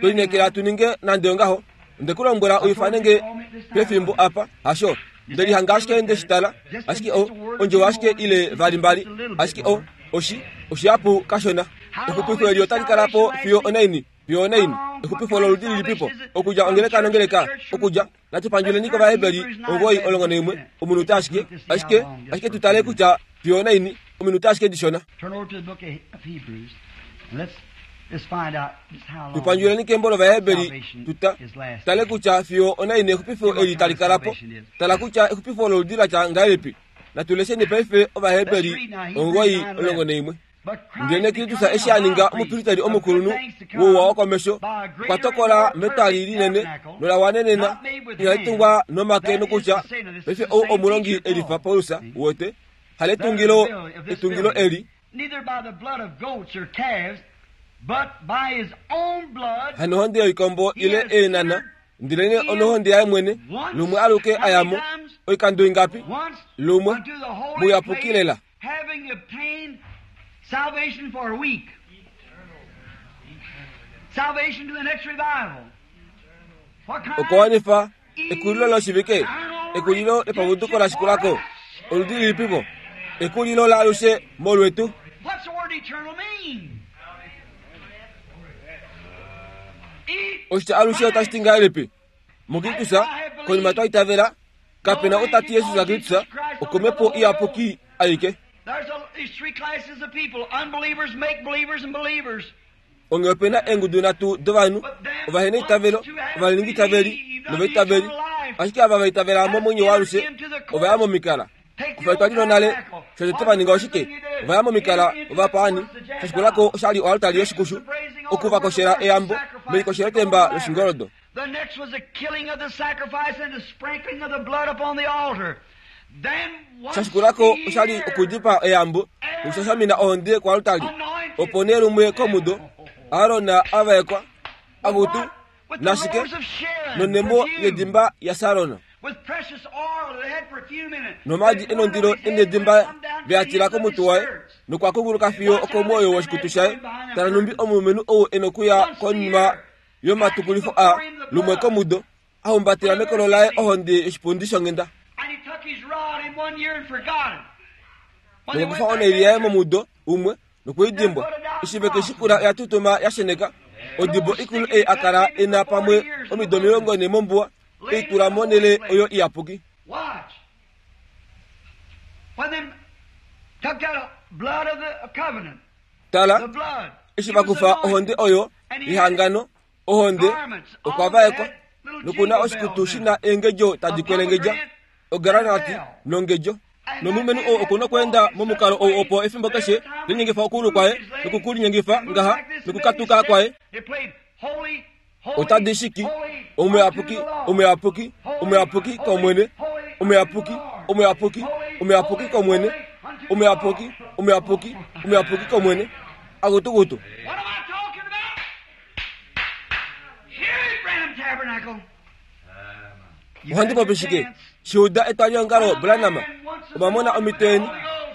tolineekela tu ninge nande ongaho. Onde ku lombwela uifane nge pefimbo apa, hasho? Ndelihanga ashike ndeshitala, ashike o ondjovo ashike ile vali mbali, ashike o oshi oshihapu kashona. Exupifo eli otali kala po fiyo onaini, fiyo onaini. Exupifo loludi lilipipo, okudja ongeleka nongeleka, okudja natu pandjuleni kOvaheberi omugoi olongo naimwe, omunute ashike, ashike ashike tutale kutya fiyo onaini, ominute ashike dishona. Tupandjuleni kembo lOvaheberi tuta tale kutya fiyo onaini exupifo eli tali kala po. Tala kutya exupifo loludi latya ngahelipi. Natulesheni paife Ovaheberi omugoi olongo naimwe. Ndele Kristus eshi a ninga omupristeri omukulunhu wouwa wokomesho, okwa tokola metwali linene nola wanenena inali tungwa nomake, nokutya paife ou omulongi elifa Paulus wote haletungilo etungilo eli, hanohonde yoikombo ile eenana, ndelene onohonde yaye mwene, lumwe aluke ayamo oikando ingapi? Lumwe muyapuki lela. Salvation for a week. Salvation to the next revival. Okowanifa ekulilo loshivike, ekulilo lepavuduko lashikulako, oludi lilipipo, ekulilo laalushe molwetu. What's the word eternal mean? Oshitya alushe otashi ti ngahelipi? MuKristus, konima twa itavela, kapena otati Jesus Kristus okomhepo iyapuki aike. There's, a, there's three classes of people: unbelievers, make believers, and believers. Onge opena eengudu nhatu dovanhu, ovaheneitavelo, ovaningitaveli novaitaveli. Ashike ava vaitavela momwenyo waalushe ova ya momikala. Kufa etwali lonale, shotete va ninga oshike? Ova ya momikala ovapaani. Shashikulako oshali oaltari yoshikushu, okuvakoshela eyambo melikoshelotemba loshingoldo. The next was the killing of the sacrifice and the sprinkling of the blood upon the altar. Then once Shashikulako a oshali year, okudipa eyambo nokushashamina ohonde koaltari. Opo nee lumwe komudo, Aron avaekwa akutu with the nashike rose of Sharon, nonemo perfume, yedimba yaSaron. with precious oil that had perfume in it. Nomaadi enondilo enedimba vyatila komutwe waye nokwakunguluka fiyo okomwoyo woshikutu shaye. Tala numbi omulumenhu ou e nokuya konima yomatukulifo a lumwe komudo, a humbatela mekolo laye ohonde yoshipundi shonghenda. And he took his rod in one year and forgot it. When they Nokukufa went back oneili yaye there, momudo umwe nokuidimbwa. Eshi shikula oya tutuma ya sheneka. Odibo ikulu ei akala ena pamwe omido omilongo ne mombuwa, eitula monhele oyo iyapuki. Watch. When they took that blood of the covenant, Tala, the blood, eshi vakufa ohonde oyo yehangano, ohonde okwa vaekwa nokuna oshikutu shina eengedjo tadi kwelengedja, ogranati nongedjo. Nomulumenhu ou okuna okweenda momukalo ou opo efimbo keshe linyengifa okuulu kwaye nokukulinyengifa ngaha nokukatuka kwaye. It played holy, holy, Otadi shiki holy, omuyapuki, unto the Lord. omuyapuki, omuyapuki komwene, omuyapuki, omuyapuki, omuyapuki komwene, omuyapuki, omuyapuki, omuyapuki komwene. Akutukutu. What am I talking about? Here at Branham Tabernacle. You Ohandi had your popi shike? chance. Shiuda etwalihongalo Branham. Omwamona omhito yeni.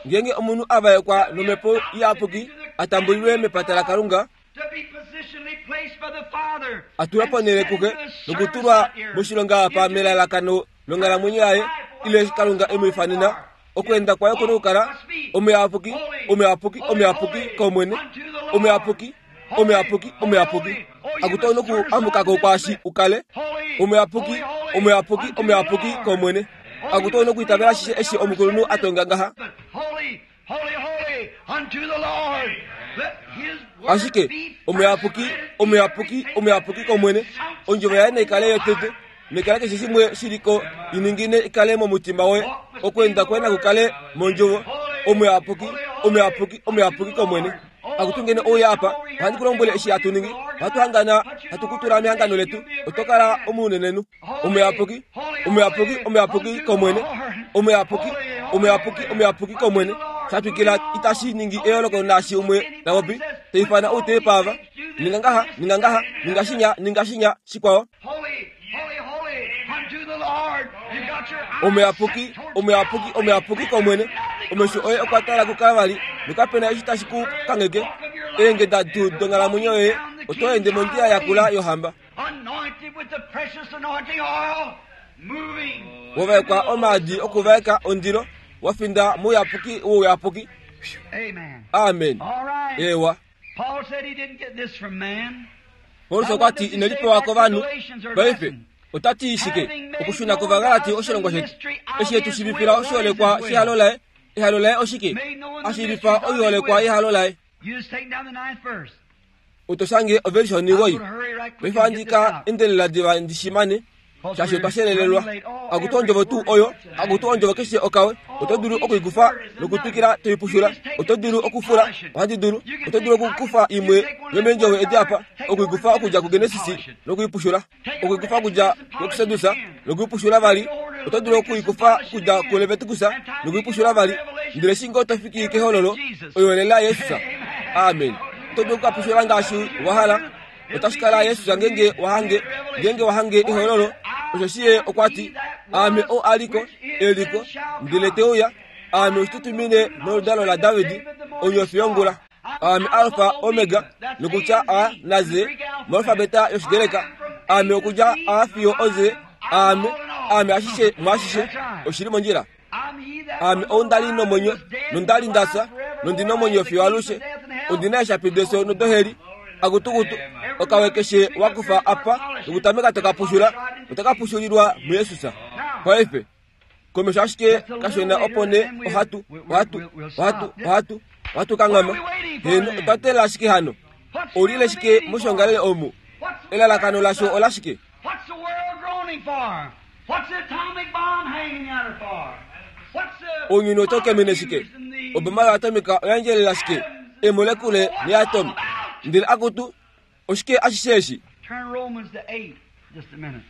Ngeenge omunhu a vaekwa nomhepo iyapuki a tambulilwe mepata laKalunga, To be positionally placed by the Father a tulwa ponhele kuxe and sent to the nokutulwa service here. moshilonga apa melalakano longhalamwenyo yaye ile Kalunga e mu ifanena. Okweenda kwaye okuna okukala omuyapuki, omuyapuki, omuyapuki komwene, omuyapuki, omuyapuki, omuyapuki. Akuto noku amukako kwaashi ukale omuyapuki, omuyapuki, omuyapuki komwene. Akuto nokuitavela ashishe eshi omukulunhu a tonga ngaha. Holy, holy, holy unto the Lord. Let his word Ashike be omuyapuki, omuyapuki, omuyapuki komwene. Ondjovo yaye naikale yotete, nekala keshe shimwe shiliko iningine ikale momutima woye. Okweenda kwaye nakukale mondjovo. Omuyapuki, omuyapuki, omuyapuki komwene. Akutu ngene ouya apa, ohandi ku lombwele eshi hatu ningi. Ohatu hangana, hatu kutula mehangano letu. Oto kala omunenenhu. Omuyapuki, omuyapuki, omuyapuki komwene. Omuyapuki, omuyapuki, omuyapuki komwene. Shatwikila itashi ningi eyooloko naashi umwe tapopi, teifana ou teepava. Ninga ngaha, ninga ngaha, ninga shinya, ninga shinya, shikwao. Holy, holy, holy unto the Lord. You got your eyes Omuyapuki, set towards omuyapuki, omuyapuki komwene. Omesho oye okwa tala kuKalvari, nokapena eshi tashi ku kangheke. Eengeda tuu donghalamwenyo yoye, oto ende mondjila yakula yohamba. Anointed with the precious anointing oil, moving. Wavaekwa omaadi okuvaeka ondilo, wafinda mouyapuki wouyapuki. Amen. Amen. All right. Ewa. Paul said he didn't get this from man. Paulus okwa ti ine lipewa kovanhu. Paife ota ti shike okushuna kOvagalati oshilongo shetu eshi etu shiivifila oshiholekwa shehalo laye. Ehalo laye oshike? Ashiivifa oiholekwa yehalo laye. You just take down the ninth verse. Oto shange ovelisha I'm onigoi. going to hurry right quick Paife and ohandi get this ka out. endelela diva ndi shimane shaashi otwa shelelelwa. Because we're running late. Oh, Akutu ondjovo tuu oyo, akutu ondjovo keshe okawe, oto dulu okuikufa nokutwikila toipushula, oto dulu okufula, ohandi dulu, oto dulu okukufa imwe yomeendjovo edi apa, okuikufa okudja kuGenesis nokuipushula, okuikufa okudja kuExodus nokuipushula vali, oto dulu okuikufa okudja kuLeviticus nokuipushula vali, ndele eshi ngoo to fiki kehololo, oyo lela Jesus. Amen. Oto dulu okukapushula ngaashi wa hala. Otashi kala Jesus ngeenge wahange, ngeenge wahange ehololo, osheshi ye okwa ti, Aame ou aliko, eliko, ndele te uya, aame oshitutumine noludalo laDavid, onyofi yongula. Aame Alfa Omega, nokutya A na Z, moalfabeta yOshigreka. Aame okudja A fiyo oZ, aame, aame ashishe mwaashishe, oshili mondjila. I'm he that Aame ou ndali nomwenyo, nondali ndafya, nondi nomwenyo fiyo alushe. Ondina eeshapi defyo nodoheli. Akutukutu, okawe keshe wakufa apa, nokutameka tokapushula, otakapushulilwa muJesus. Paife, komesho ashike kashona opo nee ohatu, ohatu, ohatu, ohatu, ohatu kanghama. Heno, otwa teelela ashike hano. Oulile shike moshongalele omu? Elalakano lasho ola shike? What's the world groaning for? What's the atomic bomb hanging out there for? What's the Ounyuni oto kemene shike? Oboma yoatomika oyandjelela shike? Emolekule neatomi. Ndele akutu, oshike ashishe eshi? Turn Romans to eight. Just a minute.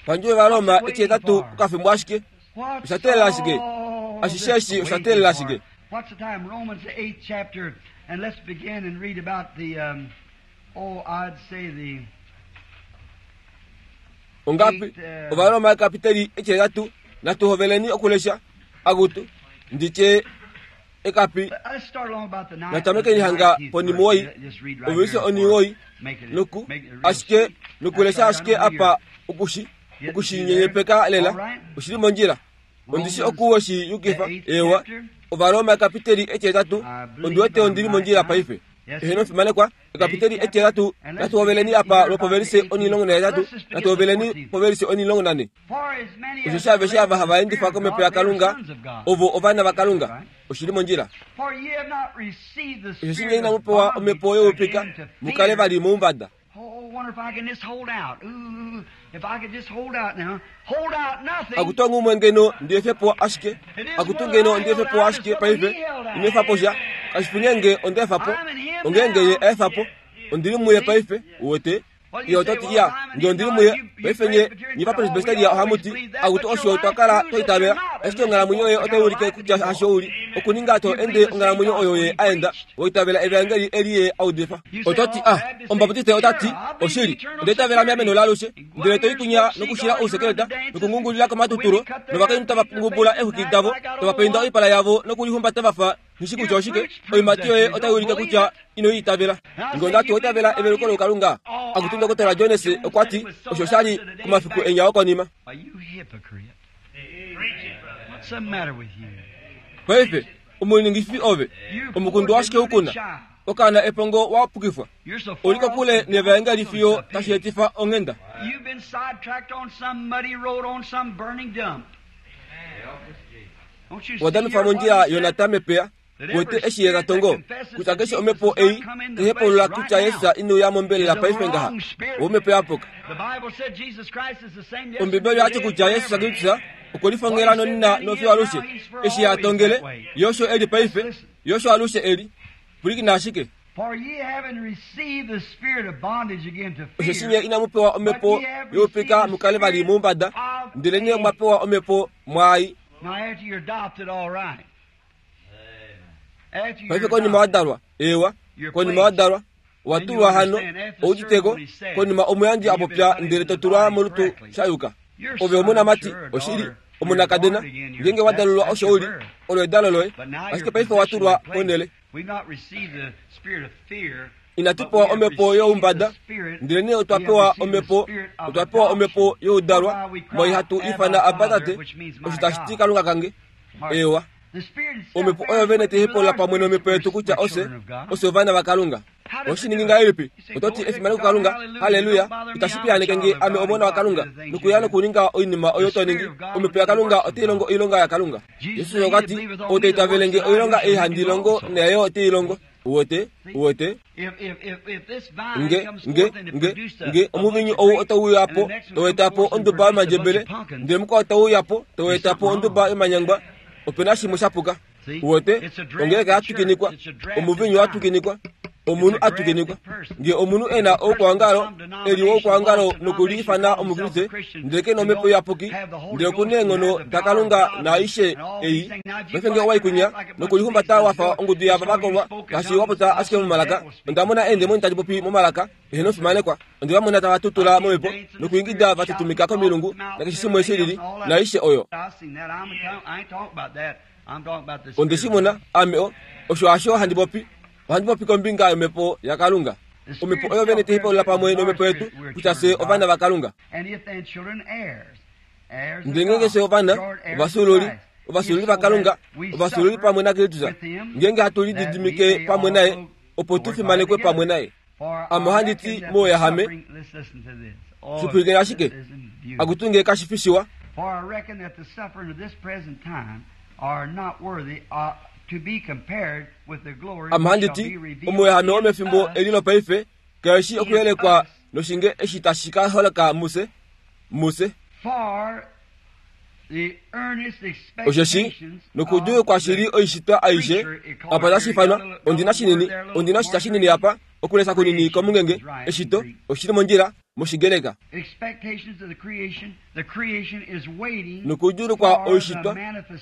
Pandjove vaRoma etihetatu okafimbo ashike. What's Osha shike? all Ashishe this eshi osha waiting teelela for? shike? What's the time? Romans the eighth chapter, and let's begin and read about the um, oh, I'd say the Ongapi? Ovaroma ekapiteli etihetatu natuhoveleni okulesha akutu nditye ekapi Let's start along about the ninth. natamekeni hanga ponimuwoi Just read right ovelise here. oniwoi Make it- noku make it real ashike sweet. nokulesha That's right, ashike I know apa okushi okushinyenyepeka lela oshili mondjila ondishi okuwo shi yukifa ewa Ovaroma ekapiteli etihetatu ondiwete ondili mondjila paife eheno fimanekwa ekapiteli etihetatu natuhoveleni apa lwopovelise onilongo nahetatu natuhoveleni povelise onilongo nane For as many as osho shaveshe ava are hava endifa led by the komhepo Spirit of God, they are yaKalunga sons of God. ovo ovana vaKalunga oshili mondjila For ye have not received the osho spirit shinge of inamupewa bondage omhepo youpika again to mukale fear. vali muumbada Oh, I wonder if I can just hold out. Ooh, if I could just hold out now. Hold out nothing. akutu ngumwe ngeno ndiefepo ashike akutu ngeno ndiefepo ashike paife inefapo sha kashifu ngenge ondefapo ongenge ye efapo ondili muye paife uwete iye ototi iya nge ondili muye paife nye nyipa presbyteria ohamuti akutu osho twakala twaitavela ashike onghalamwenyo yoye otai ulike kutya hasho uli okuninga to ende onghalamwenyo oyo ye aenda woitavela evangeli eli ye audifa ototi ah omubaputiste otati oshili ondeitavela meameno laalushe ndele toikunya nokushila ousekeleta nokungungulila komatuturo novakainhu tava ngubula exwiki davo tava peinda oipala yavo nokulihumbata vafa nishi kutya oshike oimati yoye otai ulike kutya ino itavela nge ondati oitavela eveluko lokalunga akuti ndokotola Jones okwati osho shali kumafiku enyawo konima Are you hypocrite? What's the matter with you? paife omuningifi ove You omukundu washike ukuna child. okaana epongo wapukifwa You're so far oli kokule off the nevaengeli gospel, fiyo it's a tashi pity. etifa onghenda You've been sidetracked on some muddy road on some burning dump. Don't you see wadanufa here mondjila what he said? yonata mepeya wete eshi ye katongo kutya keshe omhepo ei tehepulula kutya Yesu inouya mombelela paife ngaha omhepo yapuka The Bible said Jesus Christ is the same yesterday, ombibeli oyati today, kutya and Yesu forever. Kristus okwelifongela nonina nofiyo alushe eshi yatongele yosho eli paife yosho alushe eli pulikina ashike For ye having received the spirit of bondage again to osho shinye fear, inamupewa omhepo youpika mukale vali muumbada ndele nye mwapewa omhepo mwai now after you're adopted, all right. After you're paife konima adopted, wadalwa ewa konima wadalwa watulwa hano outiteko konima omuyandji apopya ndele totulwa molutu shayuka you're ove son, omunamati sure, or oshili daughter, omunakadena you're born again, you're- ngenge wadalulwa that's osho your uli birth. olo edalo loye But now ashike you're paife watulwa positioned in ponele place. We've not received the spirit of fear, inatupewa but we have omhepo received youmbada the spirit- ndele nee we otwa have pewa received the omhepo spirit of otwa pewa omhepo adoption, youdalwa whereby we cry, moi hatu Abba, ifana abba Father, tate which means my osho tashi ti God. kalunga kange Mark. ewa The Spirit itself omhepo bears oyo vene witness with tehepola our pamwe spirit nomhepo that yetu we're kutya ose children of God. ose ovana vakalunga oshiningi ngahelipi ototi efimaneko kukalunga haleluya itashi piyaneke nge ame omona wakalunga nokuya nokuninga oinima oyo toningi omhepo yakalunga otai longo oilonga yakalunga yesus okwati ou taitavele nge oilonga ei handi longo naye otei longo uwete uwete If, if, if, if this vine nge comes nge forth and it nge produces a- nge a omuvinyu bunch of ou grapes, otauyapo and the next one toetapo comes forth and onduba produces a yomandjebele bunch of pumpkins, ndele mukwao tauyapo toetapo onduba yomanyangwa opena shimwe shapuka See? uwete It's a draft ongeleka yatukinikwa church. It's a draft omuvinyu vine. watukinikwa omunhu atukinikwa nge omunhu ena oukwangalo eli woukwangalo nokuliifana omukriste ndele kena omhepo iyapuki ndele okuna eenghono dakalunga naaishe ei paife nge owaikunya nokulihumbata wafa ongudu yava vakolwa ngaashi wapota ashike momalaka ondamona eendemoni tadi popi momalaka eheno ofimanekwa onde vamona tava tutula momhepo nokuingida vatutumika komilungu nakeshe shimwe shilili naaishe oyo I've seen that. I'm, I ain't talking about that. I'm talking about the onde spirit shi of mona ame o osho hasho handi popi ohandi popi kombinga yomhepo yakalunga omhepo oyo vene tehipaulula pamwe nomhepo yetu kutya fye ovana vakalunga And if then children, heirs. Heirs of ndele ngenge God, fye ovana joint heirs ovasululi with Christ. ovasululi If so vakalunga that we ovasululi suffer pamwe nakristus with him, ngenge hatu that we lididimike may pamwe naye also opo tu glorify fimanekwe together. pamwe naye For Ame I ohandi reckon ti that the mouyahame suffering- let's listen to this. Oh, Shipwilikeni ashike. this isn't beautiful. akutunge kashifi shiwa For I reckon that the suffering of this present time are not worthy uh, Ame handiti omuyehame womefimbo eli lopaife keshi okuyelekwa noshinge eshi tashi ka holoka muse muse. Osheshi nokudjuulukwa shili oishitwa aishe apa tashi ifanwa ondina shinini ondina oshitya shinini apa okulesa kunini komungenge eshito oshili mondjila moshigreka. Nokudjuulukwa oishitwa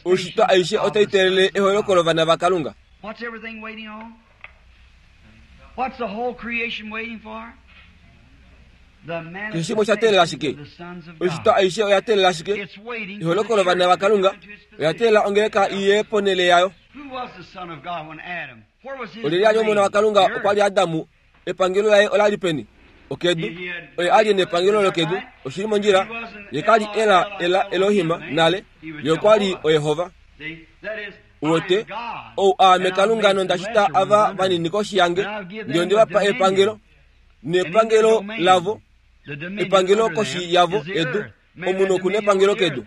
oishitwa aishe otai teelele eholoko lovana vaKalunga. Keshe shimwe osha teelela shike? Oishitwa aishe oya teelela shike? Eholoko lovana vaKalunga oya teelela ongeleka iye ponhele yayo. Olyelye ali omona waKalunga okwa li Adamu, epangelo laye ola li peni? Okedu. Oye ali nepangelo lokedu, oshili mondjila. Ye kali ela ela Elohima nale, ye okwa li oYehova. Uwete, ou aame Kalunga nonda shita ava vanini koshi yange, ndele onde vapa epangelo, nepangelo lavo, epangelo koshi yavo edu, omunhu oku nepangelo kedu.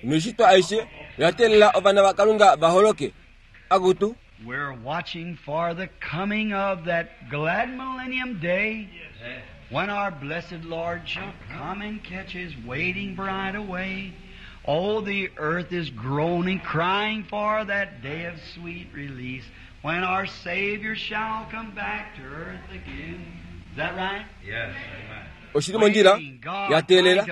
Noishitwa aishe oya teelela ovana vaKalunga va holoke. Akutu. We're watching for the coming of that glad millennium day when our blessed Lord shall come and catch his waiting bride away. Oh, the earth is groaning, crying for that day of sweet release when our Savior shall come back to earth again. Is that right? Yes. Oshili mondjila ya teelela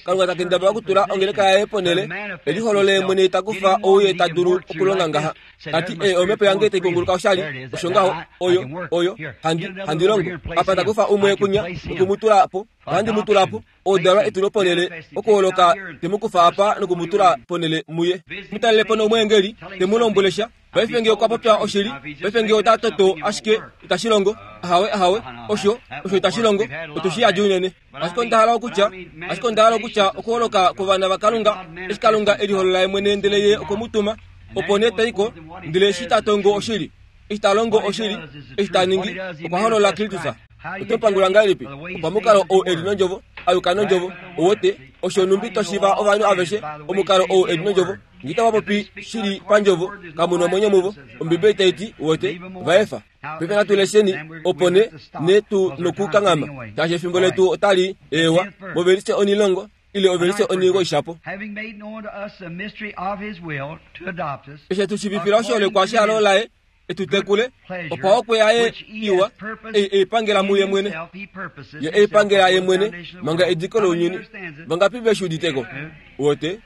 Kalunga ta kendabala okutula ongeleka yaye ponhele eliholole mwene takufa ou ye ta dulu okulonga ngaha. Tati e omhepo yange tai kunguluka oshali osho ngaho oyo oyo handi handi longo apa takufa umwe kunya nokumutula po handi mutula po odalwa etulo ponhele okuholoka temukufa apa nokumutula ponhele muye mutalele po nomweengeli temulombwelesha paife nge okwa popya oshili paife nge ota toto ashike itashi longo ahawe ahawe osho osho itashi longo otushi yadi unene. Ashike onda hala okutya ashike onda hala okutya okuholoka kwovana vaKalunga eshi Kalunga eliholola ye mwene ndele ye okwemutuma opo nee taiko ndele eshi ta tongo oshili eshi ta longo oshili eshi ta ningi okwa holola Kristus. Oto pangula ngahelipi opamukalo ou eli nondjovo ayuka nondjovo owote osho numbi toshiva ovanhu aveshe omukalo ou eli nondjovo ngita vapopi shili pandjovo kamuna omwenyo muvo Ombibeli tai ti wote vaefa. Paife natu lesheni opo ne ne tu nokukanghama shaashi efimbo letu otali ewa movelise onilongo ile ovelise onigo ishapo. Eshi tushivifila oshiholekwa shehalo laye etutekule opo okwe yaye iwa eipangela muye mwene ye eipangela ye mwene manga ediko lounyuni vangapi veshiuditeko wote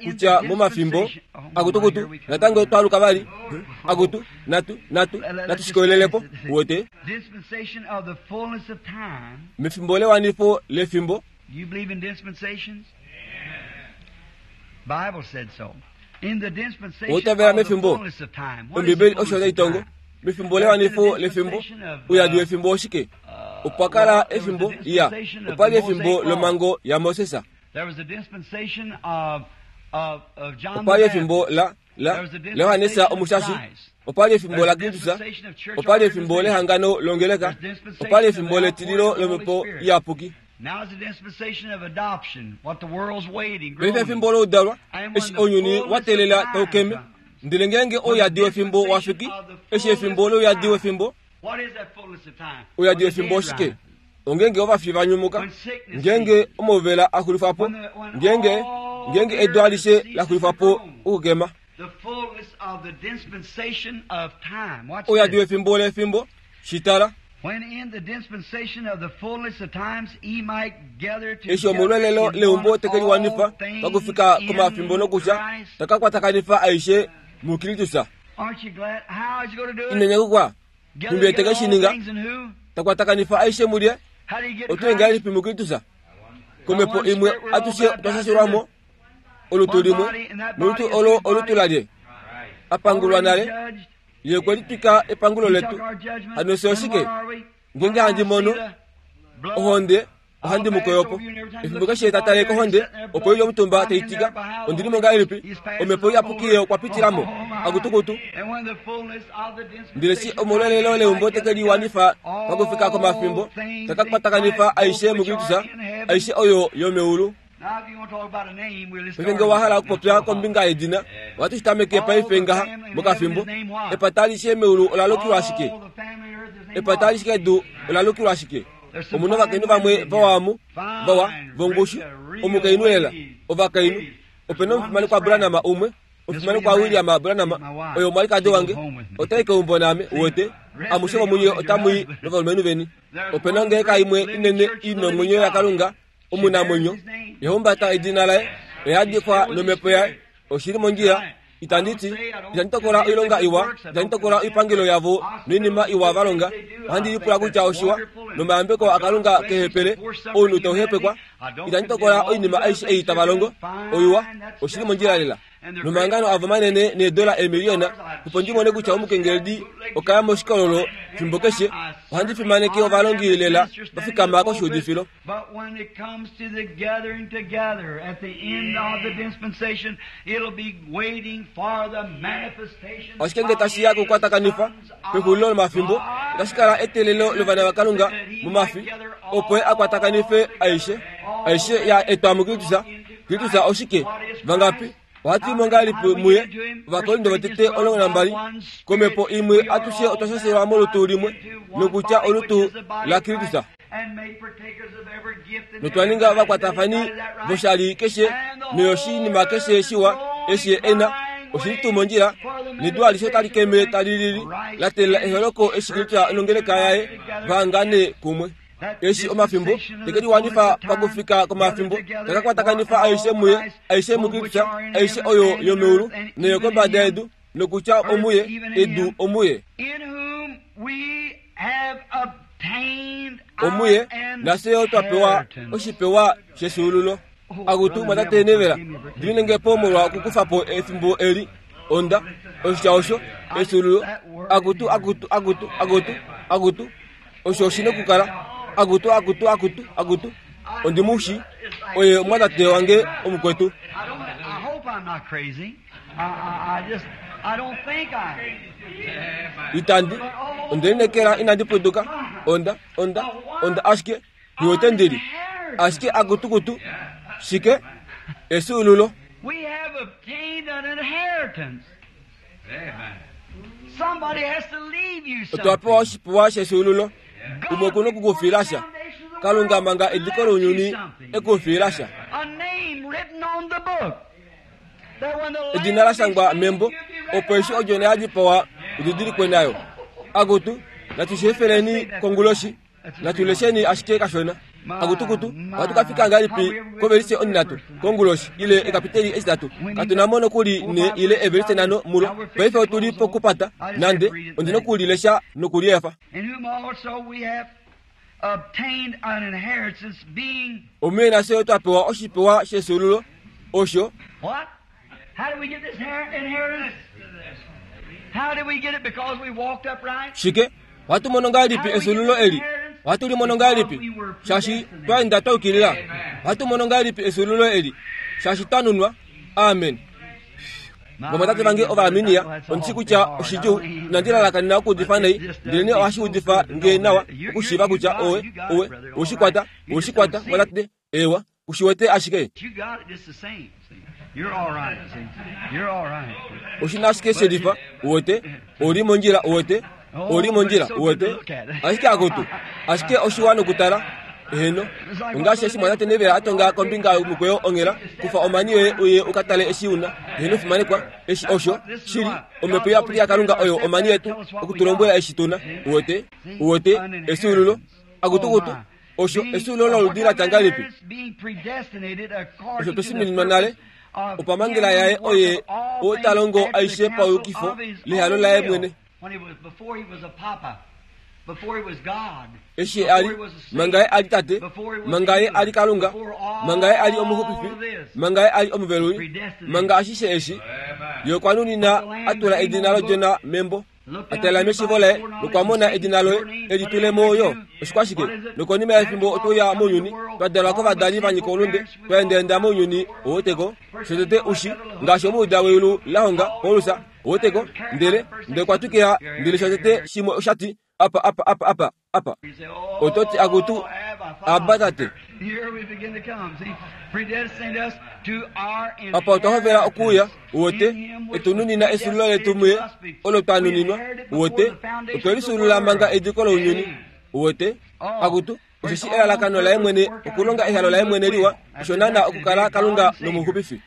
kutya momafimbo akutukutu natango twaluka vali akutu natu natu natushikolelelepo wote mefimbo lewanifo lefimbo. You believe in dispensations? Bible said so. In the dispensation Otavela of the mefimbo fullness of time. What is the Ombibeli osho fullness of taitongo time? mefimbo lewanifo lefimbo uyadi wefimbo oshike opwa kala efimbo iya opali efimbo lomango yaMoses. There was a dispensation of of of John Opali the efimbo Baptist. la la laYohanesa Omushashi. Opali efimbo la Kristus. Opali efimbo lehangano longeleka. Opali efimbo letililo lomhepo iyapuki. Now is the dispensation of adoption, what the world's waiting, Paife groaning. efimbo loudalwa eshi ounyuni wa teelela taukeme ndele ngeenge ouyadi wefimbo wafiki eshi efimbo louyadi wefimbo What is that fullness of time? ouyadi When the wefimbo dead oshike rise. ongenge ovafi vanyumuka ngenge omauvela axulifwa po ngenge ngenge edu alishe laxulifwa po okukema. The fullness of the dispensation of time. Watch Ouyadi this. wefimbo lefimbo shitala When in the dispensation of the fullness of times he might gather eshi omolwelelo together in leumbo one tekeliwanifa all things pakufika in komafimbo nokutya Christ. takakwatakanifwa aishe muKristus. Aren't you glad? How is he going to do it? Inenyakukwa Gather numbi together eteke all shininga things in who? takwatakanifa aishe mulye How do you get otu Christ? ngahelipi muKristus komhepo imwe atushe twashashilwamo olutu limwe nolutu olo olutu lalye apangulwa nale ye kwelitwika epangulo letu hano se oshike ngenge handi mono ohonde ohandi mukoyopo efimbo keshe tatale kohonde opo ili omutumba teitika ondilimo ngahelipi omhepo iyapuki okwapitilamo akutukutu ndele si omolwelelo leumbo tekeliwanifa pakufika komafimbo takakwatakanifwa aishe muKristus aishe oyo yomeulu. Paife ngee owa hala okupopya kombinga yedina, ohatu shi tameke paife ngaha mokafimbo. Epata alishe meulu ola lukilwa ashike? Epata alishe kedu ola lukilwa ashike? Omuna ovakainhu vamwe vawamu, vawa, vongushu, omukainhu lela, ovakainhu. Opena omufimanekwa Branham umwe, omufimanekwa William Branham, oyo omwalikadi wange, otai keumbo naame, uwete, amushe vomunye otamui novalumenhu veni. Opena ongeleka imwe inene i nomwenyo yaKalunga, omunamwenyo, yahumbata edina laye, oyadikwa nomhepo yaye, oshili mondjila. Itandi ti, itandi tokola oilonga iwa, itandi tokola oipangelo yavo noinima iwa va longa. Ohandi lipula kutya oshiwa, nomayambeko aKalunga kehepele, ounhu tauhepekwa. Itandi tokola oinima aishe ei tava longo, oiwa, oshili mondjila lela. Nomahangano avo manene needola eemiliyona, opo ndi mone kutya omukengeledi okaya moshikololo fimbo keshe, ohandi fimaneke ovalongi lela va fikama koshiudifilo. But when it comes to the gathering together at the end of the dispensation, it'll be waiting for the manifestation. Ashike ngee tashi ya kokukwatakanifa pexulilo lomafimbo, otashi kala eteelelo lovana vaKalunga momafi, opo ye a kwatakanife aishe, aishe ya etwa muKristus. Kristus oshike? Vangapi? Ohatu imo ngahelipi muye? Ovakorinto votete omulongo nambali, komhepo imwe atushe otwa shashelwa molutu limwe, nokutya olutu laKristus. Notwa ninga ovakwatafani voshali keshe noyoshinima keshe shiwa eshi ye ena, oshili tuu mondjila, nedu alishe otali keme tali lili, la teelela eholoko eshi Kristus nongeleka yaye vahangane kumwe. Eshi omafimbo teke liwanifa pakufika komafimbo, takakwatakanifwa aishe muye, aishe muKristus, aishe oyo yomeulu noyokombada yedu, nokutya omuye, edu omuye. Omuye, nafye yo twa pewa oshipewa shefyuululo. Akutu mwatate Nevela, diminenge po molwa okukufa po efimbo eli, onda, oshitya osho, efyuululo, akutu, akutu, akutu, akutu, akutu, osho oshi nokukala, akutu, akutu, akutu, akutu, ondimushi, oye omwatate wange omukwetu. I don't, I hope I'm not crazy. I, I, I just, I don't think I Itandi, ondelineekela inandi puduka, onda, onda, onda ashike, hiwete ndili. Ashike akutukutu, shike, efyuululo. We have obtained an inheritance. Somebody has to leave you Otwa pewa something. oshipewa shefyuululo, umwe okuna okukufiilasha. Kalunga manga ediko lounyuni ekufiilasha. A name written on the book. That when the Edina la shangwa membo, opo eshi odjona ya dipawa udidilikwe nayo. Akutu, natushefeleni konguloshi, natulesheni ashike kashona. Akutukutu, ohatu ka fika ngahelipi kovelise onhinhatu konguloshi ile ekapiteli eshitatu? Katu mo nokuli ne ile evelise nhano mulo. Paife otuli pokupata, nande ondina okulilesha nokuliefa. In whom also we have obtained an inheritance, being Omuye nafye twa pewa oshipewa shefyuululo, osho what? How did we get this inheritance? How did we get it? Because we walked upright? Shike, ohatu mono ngahelipi efyuululo eli? Ohatu li mono ngahelipi? Shaashi twaenda twa yukilila. Ohatu mono ngahelipi efyuululo eli? Shaashi twa nunwa. Amen. Vamwatate vange Ovaarminia, ondishi kutya oshidjuu, inandi lalakanena okuudifa nai, ndelenee ohashi udifa nge nawa okushiiva kutya owe, owe, oweshikwata, oweshikwata, mwatate, ewa, kushiwete ashike. You got it just the same. See? You're all right. See? You're all right. Oshina ashike shelifa, uwete, oli mondjila, uwete, oli mondjila, uwete, ashike akutu, ashike oshiwa nokutala, eheno, ongaashi eshi mwatate Nevela atonga kombinga yomukweyo onghela, kufa omani yoye uye ukatale eshi una, eheno fimanekwa, eshi osho, shili, omhepo iyapuki yaKalunga oyo omani yetu, okutulombwela eshi tuna, uwete, uwete, efyuululo, akutukutu, osho efyuululo loludi la tya ngahelipi? Osho tweshinuninwa nale, opamhangela yaye oye oo ta longo aishe pauyukifo lehalo laye mwene. Eshi ye ali, manga ye ali tate, manga ye ali Kalunga, manga ye ali omuxupifi, manga ye ali omuveluli, manga ashishe eshi, ye okwa nunina atula edina lodjona membo, atala meshivo laye nokwa mona edina loye eli tule mo yo oshikwashike. Nokonima yefimbo otweuya mounyuni, twa dalwa kovadali va nyika oulunde, twa endaenda mounyuni oweteko, shotete ushi ngaashi omuuda weyulu la honga Paulus oweteko, ndele ndele kwa twikila ndele shotete shimwe oshati apa apa apa apa apa. Ototi akutu Abba tate. Apa otwa hovela okuuya uwete etununina esulilo letu muye olo twanuninwa uwete otwe lisulula manga ediko lounyuni uwete akutu osheshi elalakano laye mwene okulonga ehalo laye mwene liwa osho naana okukala Kalunga nomuxupifi.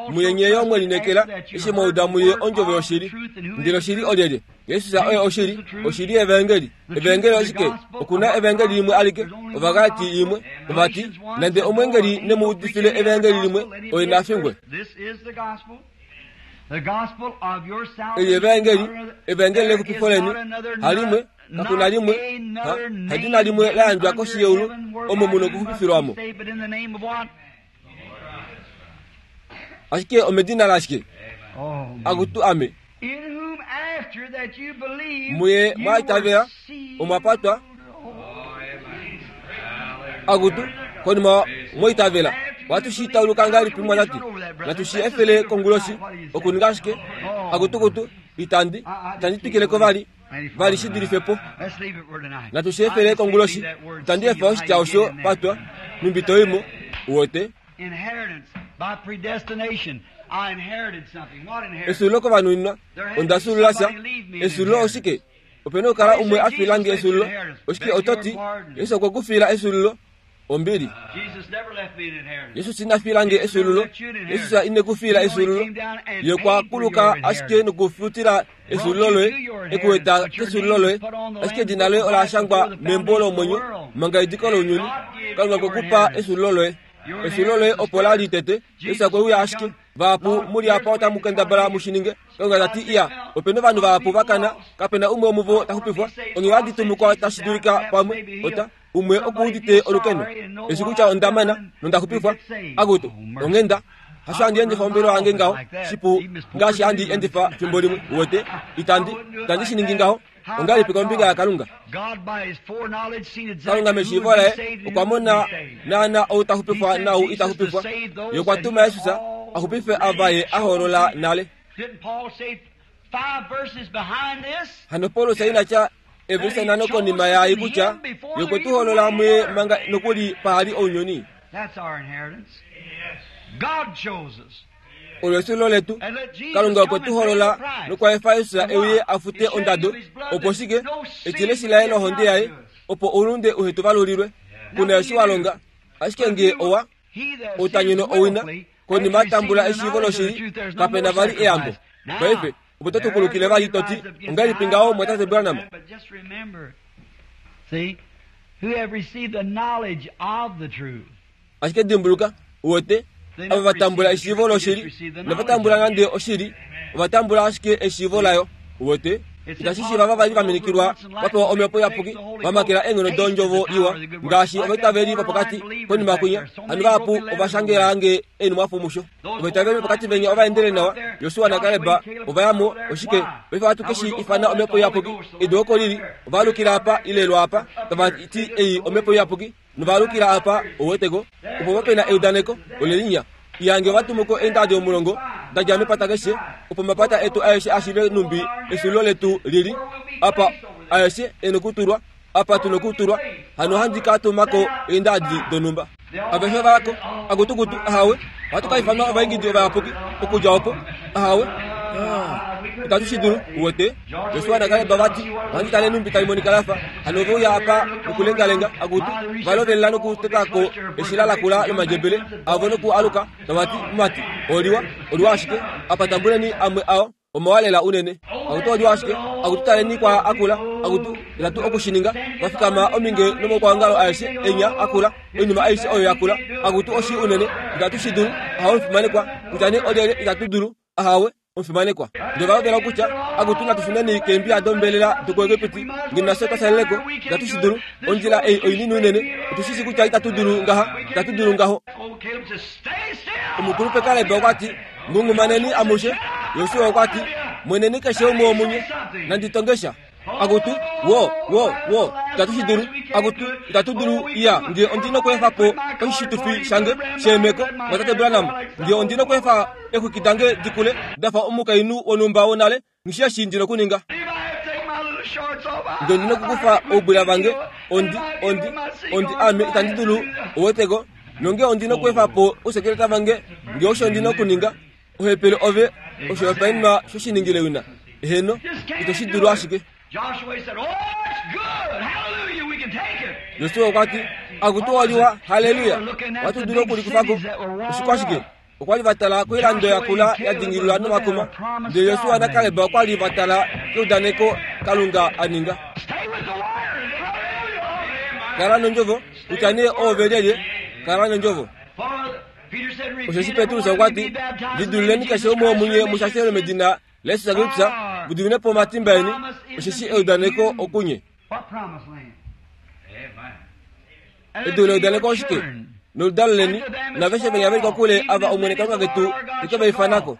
Muye nyeyo mwelinekela eshi mwauda muye ondjovo yoshili. Ndele oshili olyelye? Jesus oye oshili, oshili yevangeli. Evangeli oshike? Okuna evangeli limwe alike, Ovagalati imwe, ovati nande omwengeli nemuudifile evangeli limwe oye nafingwe. Eli evangeli, evangeli lexupifo leni, halimwe kakuna limwe, ha, hadina limwe la yandjwa koshi yeulu omo muno okuxupifilwamo. Ashike omedina lashike? Akutu ame. Muye mwaitavela omwapatwa akutu konima mwaitavela watushitauluka ngahelipi mwanati natushiefele konguloshi okuninga ashike akutukutu itandi itandi twikileko vali vali shidulifepo natushiefele konguloshi itandi efa oshitya osho patwa numbito imo uwete. Esulilo kovanuninwa ondasulula sha esulilo oshike? Opena okukala umwe afilange esulilo oshike? Ototi Yesu okwe kufila esulilo ombili. Yesu inafilange esulilo. Yesu inekufila esulilo. Ye kwakuluka ashike nokufutila esulilo loye ekuweta kesulilo loye ashike edina loye ola shangwa membo lomwenyo manga ediko lounyuni. Kalunga kwekupa esulilo loye. Esulilo loye opo la litete. Yesu okweuya ashike vahapu muli apa otamu kendabala mushininge. Kalunga tati iya opena ovanhu vahapu vakana kapena umwe womuvo taxupifwa onge vaditumukwa tashi dulika pamwe ota umwe okuudite olukeno eshi kutya ondamana nondaxupifwa akutu ongenda hasho handi endifa ombelo yange ngaho shipu ngaashi handi endifa fimbo limwe uwete itandi itandi shiningi ngaho ongahelipi kombinga yaKalunga. Kalunga meshiivo laye okwa mona naana ou taxupifwa nau itaxupifwa. Ye okwa tuma Jesus axupife ava ye a hoolola nale. Hano Paulus inatya evelisa nhano konima yaai kutya ye okwe tu hoolola muye manga nokuli pahali ounyuni. Olo esulilo letu. Kalunga okwe tu hoolola nokwa efa Jesus euye afute ondado opo shike etileshi laye lohonde yaye opo oulunde uhetu valulilwe. Kuna eshi wa longa ashike nge owa outanyeno owina konima atambula eshiivo loshili kapena vali eyambo. Paife opo totukulukile vali toti ongahelipi ngaho mwatate Branham? Ashike dimbuluka uwete ava vatambula eshiivo loshili novatambula nande oshili ovatambula ashike eshiivo layo uwete. Itashi shiiva vavali vaminikilwa vapewa omhepo iyapuki vamakela eenghono dondjovo iwa ngaashi ovaitaveli vopokati konima kwinya. Hano vahapu ovashangelange eenhumwafo musho. Ovaitaveli vopokati venya ovaendele nawa Josua naKaleb ovayamo oshike paife ohatu keshi ifana omhepo iyapuki edu oko lili ovaalukila apa ile lwaapa tavati ei omhepo iyapuki novaalukila apa ouweteko opo vapena eudaneko olelinya iyange ovatumuko eendadi omulongo dadja mepata keshe opo mapata etu aeshe ashive numbi esulilo letu lili apa aeshe enokutulwa apa tunokutulwa hano handi katumako eendadi donumba aveshe valako akutukutu ahawe hatukaifanwa ovaingidi ovayapuki okudja opo ahawe itatu shidulu uwete. Josua naKaleb vati ohandi tale numbi taimonika lafa hano oveuya apa nokulengalenga akutu valovelela nokutetako eshila lakula lomandjebele avo noku aluka tavati mumati oliwa oliwa ashike apa tambuleni amwe ao omawalela unene akutu oliwa ashike akutu taleni kwa akula akutu itatu okushininga vafikama ominge nomokwaongalo aeshe enya akula oinima aishe oyo yakula akutu oshi unene itatu shidulu ahawe omufimanekwa kutya olyelye itatu dulu ahawe omufimanekwa. Ndele valovela kutya akutu natufuneni keembiya dombelela dokuEgipiti nge nafye twasaleleko itatu shidulu ondjila ei oinini unene otushishi kutya itatu dulu ngaha itatu dulu ngaho. Omukulupe Kaleb okwati ngungumaneni amushe. Josua okwati mweneni keshe umwe womunye nanditongesha akutu wo wo wo itatu shidulu akutu itatu dulu iya nge ondina okweefa po oshishitufi shange sheemeko mwatate Branham nge ondina okweefa exwiki dange dikule dafa omukainhu wonhumba wonale ngisheshi ndina okuninga. Nge ondina okukufa oubwila vange, ondi, ondi, ondi ame itandi dulu uweteko. Nonge ondina okuefa po ousekeleta vange, nge osho ondina okuninga, ohepele ove oshihopaenenwa shoshiningile wina. Eheno, ito shi dulu ashike. Josua okwa ti, akutu waliwa, haleluya, ohatu dulu okulikufako. Oshikwashike? Okwa li va tala koilando yakula ya dingililwa nomakuma. Ndele Josua naKaleb okwa li va tala keudaneko Kalunga a ninga. Kala nondjovo, kutya nee oove lyelye, kala nondjovo. Osheshi Petrus okwa ti, lidulileni keshe umwe womunye mushashelwe medina laJesus Kristus, mu dimine po omatimba eni, osheshi eudaneko okunye. Edu leudaneko oshike? Noludalo leni, naveshe venya veli kokule ava Omwene Kalunga ketu te ke va ifanako.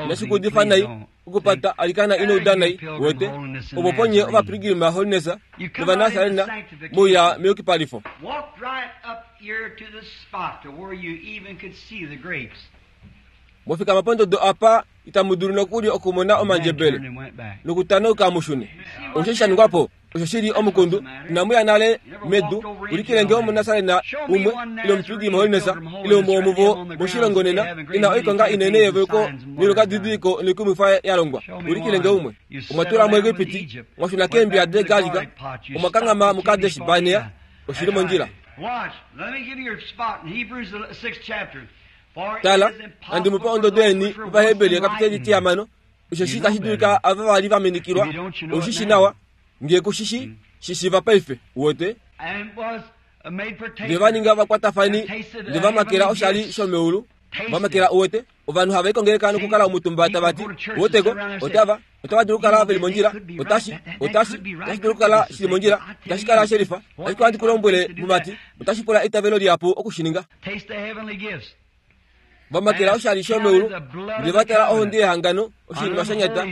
Inashi kuudifa nai okupata alikana ino uda nai, wete, opo ponye ovapilgrim Holiness novanasarena mouya meyukipalifo. Mwafikama pondodo apa itamu dulu nokuli okumona omandjebele nokutanauka mushune. Osho sha ningwa po osho shili omukundu. Inamu ya nale medu ulikile nge omunasarena umwe ile omupilgrim Holiness ile umwe womuvo moshilongo nena ina oikonga inene yeveluko noilongadidiliko noikumwifa ya longwa. Ulikile nge umwe. Omwa tula muEgipiti, mwashuna keembiya degalika, omwa kanghama muKadesh Barnea, oshili mondjila. Tala, handi mu pe ondodo yeni mOvaheberi ekapiteli tihamano, osheshi tashi dulika ava vali va minikilwa, oshishi nawa, nge kushishi shishiva paife, uwete. Nge va ninga vakwatafani, nge va makela oshali shomeulu, va makela uwete, ovanhu hava ikongeleka nokukala omutumba tava ti, uweteko, otava, otava dulu okukala veli mondjila, otashi, otashi, otashi dulu okukala shili mondjila, otashi kala shelifa, ashike ohandi ku lombwele mumati, otashi pula eitavelo lihapu oku shi ninga. Va makela oshali shomeulu, ndele va tala ohonde yehangano, oshinima sha nyata,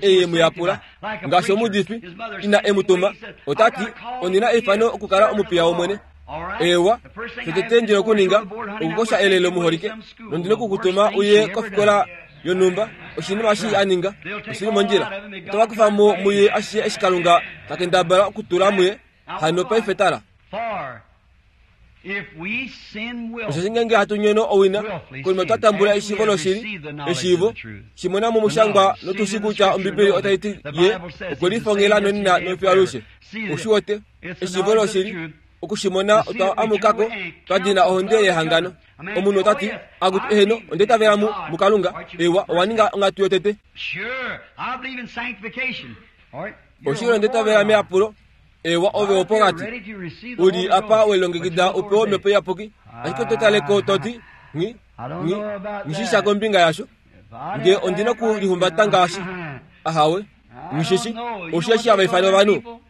ei ye mu yapula. Ngaashi omuudifi, ina e mu tuma, ota ti, ondina eifano okukala omupiya wOmwene. Eewa, shotete ndina okuninga, okukosha elelo muholike, nondina okukutuma uye kofikola yonhumba, oshinima eshi a ninga, oshili mondjila. Otava kufa mo muye ashishe eshi Kalunga ta kendabala okutula muye, hano paife tala. Osheshi ngeenge hatu nyono owina, konima twa tambula eshiivo loshili, eshiivo, shimona momushangwa notushi kutya Ombibeli otai ti ye okwe lifongela nonena nofiyo alushe. Oshi wete, eshiivo loshili, okushimona otwa amukako, twa dina ohonde yehangano. Omunhu ota ti, akutu eheno, onda itavela mu, muKalunga. Ewa, owa ninga onghatu yotete. Oshili onda itavela meyapulo. Ewa, ove wopokati. Uli apa welilongekida u pewe Omhepo Iyapuki, ashike oto tale ko to ti, Nghi, nghi, nghi sha kombinga yasho. Nge ondina okulihumbata ngaashi ahawe, nghi shi osheshi hava ifana ovanhu.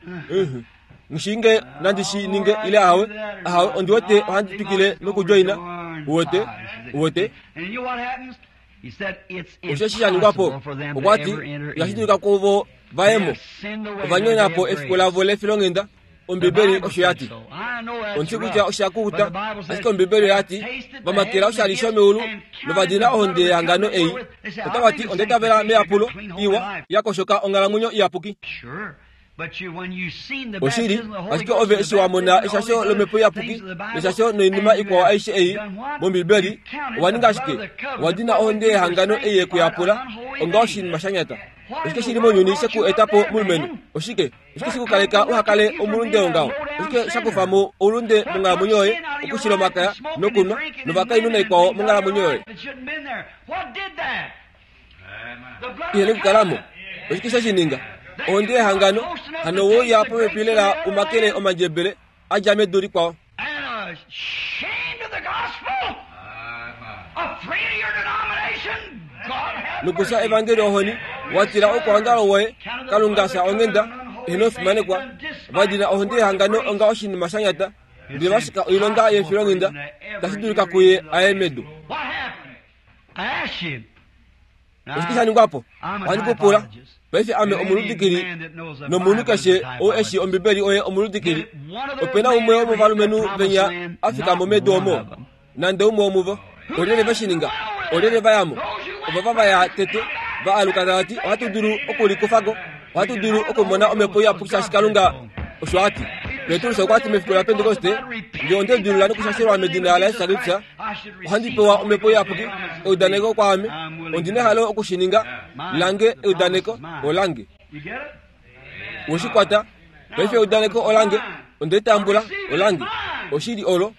Nghi nge nandi shi ninge ile ahawe, ahawe, ondi wete ohandi twikile nokudjoina. Uwete, uwete. Osheshi sha ningwa po, okwa ti, itashi dulika kuvo va ye mo. Ova nyona po efiku lavo lefilonghenda, Ombibeli osho ya ti. Ondi kutya osha kukuta, ashike Ombibeli oya ti, va makela oshali shomeulu nova dina ohonde yehangano ei. Otava ti, onda itavela meyapulo, iwa, ya koshoka onghalamwenyo iyapuki. Oshili, ashike ove eshi wa mona eshasho lOmhepo Iyapuki neshasho noinima ikwao aishe ei mOmbibeli, owa ninga ashike, owa dina ohonde yehangano ei yekuyapula onga oshinima sha nyata. Oshike shili mounyuni she ku eta po mulumenhu? Oshike? Oshike she ku kaleka uha kale omulunde wongaho? Oshike sha kufa mo oulunde monghalamwenyo yoye, okushila omakaya nokunwa novakainhu naikwao monghalamwenyo yoye? Ihene okukala mo. Oshike she shi ninga? Ohonde yehangano, hano we uya popepi lela u makele omandjebele a dja medu likwao. Nokufya evangeli ohoni, wa tila oukwaongalo woye, Kalunga fya onghenda, eheno fimanekwa, va dina ohonde yehangano onga oshinima sha nyata, ndele va shika oilonga yefilonghenda, tashi dulika kuye a ye medu. Oshike sha ningwa po? Ohandi ku pula. Paife ame omuludikili, nomunhu keshe ou e shii Ombibeli oye omuludikili. Ope na umwe womovalumenhu venya a fika mo medu omo? Nande umwe womuvo. Olyelye ve shi ninga? Olyelye va ya mo? Ovava va ya tete, va aluka tava ti, ohatu dulu okulikufa ko. Ohatu dulu okumona omhepo iyapuki shaashi Kalunga osho a ti. Petrus okwa ti mefiku laPentekoste, ngee onde lidilulula nokushashelwa medina laJesus Kristus, ohandi pewa omhepo iyapuki, eudaneko kwaame. Ondi nehalo okushininga lange eudaneko olange. Weshikwata, paife eudaneko olange, onde tambula olange. Oshili olo,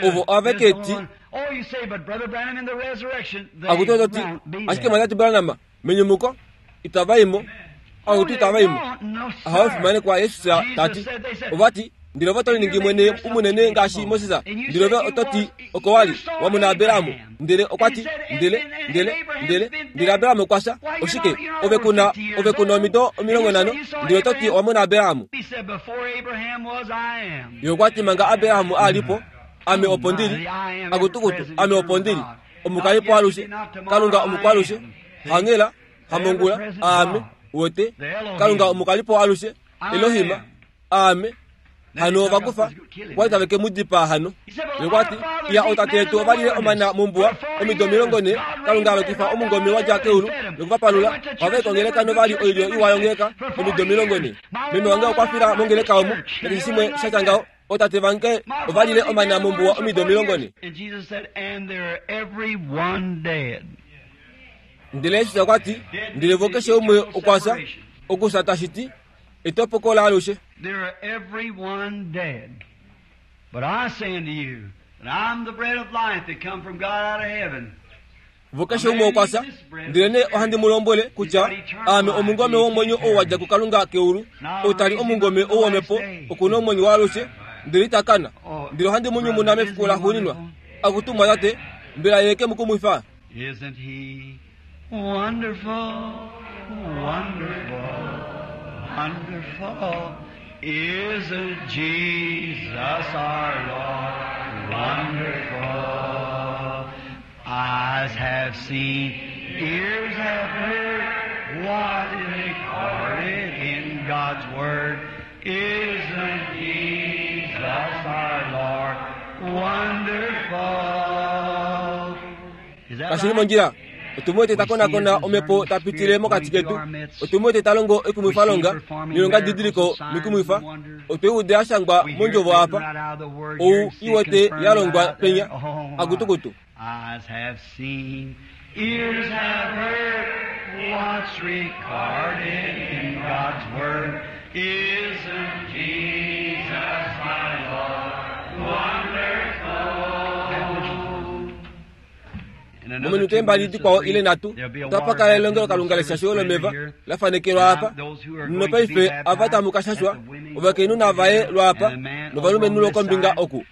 ovo aveke ti. Akutu ti, ashike mwatate Branham, menyumuko, itava imo. Akutu itava imo. Ahawe fimanekwa Yesus tati. Ovati, ndele ove oto liningi mwene umunene ngaashi Moses. Ndele ove oto ti oko wali wamona Abraham. Ndele okwa ti, ndele, ndele, ndele, ndele Abraham okwa fya. Oshike, ove kuna, ove kuna omido omilongo nhano, ndele oto ti wamona Abraham. Ye okwa ti manga Abraham a li po, ame opo ndili. Akutukutu, ame opo ndili. Omukalipo alushe, Kalunga omukwalushe, hangela, hamongula, aame, wote, Kalunga omukalipo alushe, Elohim, aame. Hano ovakufa, kwali tave ke mu dipaa hano. Ye okwa ti, iya ootate yetu ova lile omana mombuwa omido omilongo nhee, Kalunga a lokifa omungome wa dja keulu nokuvapalula. Ohava i kongeleka novali oilyo iwa yongeleka omido omilongo nhee. Meme wange okwa fila mongeleka omu, nakeshe shimwe sha tya ngaho. Ootate vange ova lile omana mombuwa omido omilongo nhee. Ndele Jesus okwa ti, ndele vo keshe umwe okwa fya, okufya tashi ti etopoko laalushe. They're everyone dead. But I say unto you that I'm the bread of life that come from God out of heaven. Vo keshe umwe okwa fya, ndele nee ohandi mu lombwele kutya aame omungome womwenyo ou wa dja kuKalunga keulu, ou tali omungome ou womhepo okuna omwenyo waalushe, ndele ita kana. Ndele ohandi mu nyumuna mefiku laxuuninwa. Akutu tate, mbela ye ke mu kumwifa? Isn't he wonderful, wonderful, wonderful? Isn't Jesus our Lord wonderful? Eyes have seen, ears have heard what is recorded in God's Word. Isn't Jesus our Lord wonderful? Is that Kashili right? mondjila. Otumwete takonakona omhepo tapitile mokati ketu. Otumwete talongo ekumwifalonga nilonga didiliko mikumwifa. Otweude ashangwa mondjovo apa ou iwete yalongwa penya akutukutu. Eyes have seen, ears have heard what's recorded in God's Word. Isn't Jesus my Lord wonderful? Mominute mbali dikwao ile nhatu otapakala elongelo Kalunga leshasho lomeva lafanekelwa apa. Nopaife ava tamu ka shashwa ovakainhu navaye lwaapa novalumenhu lokombinga oku.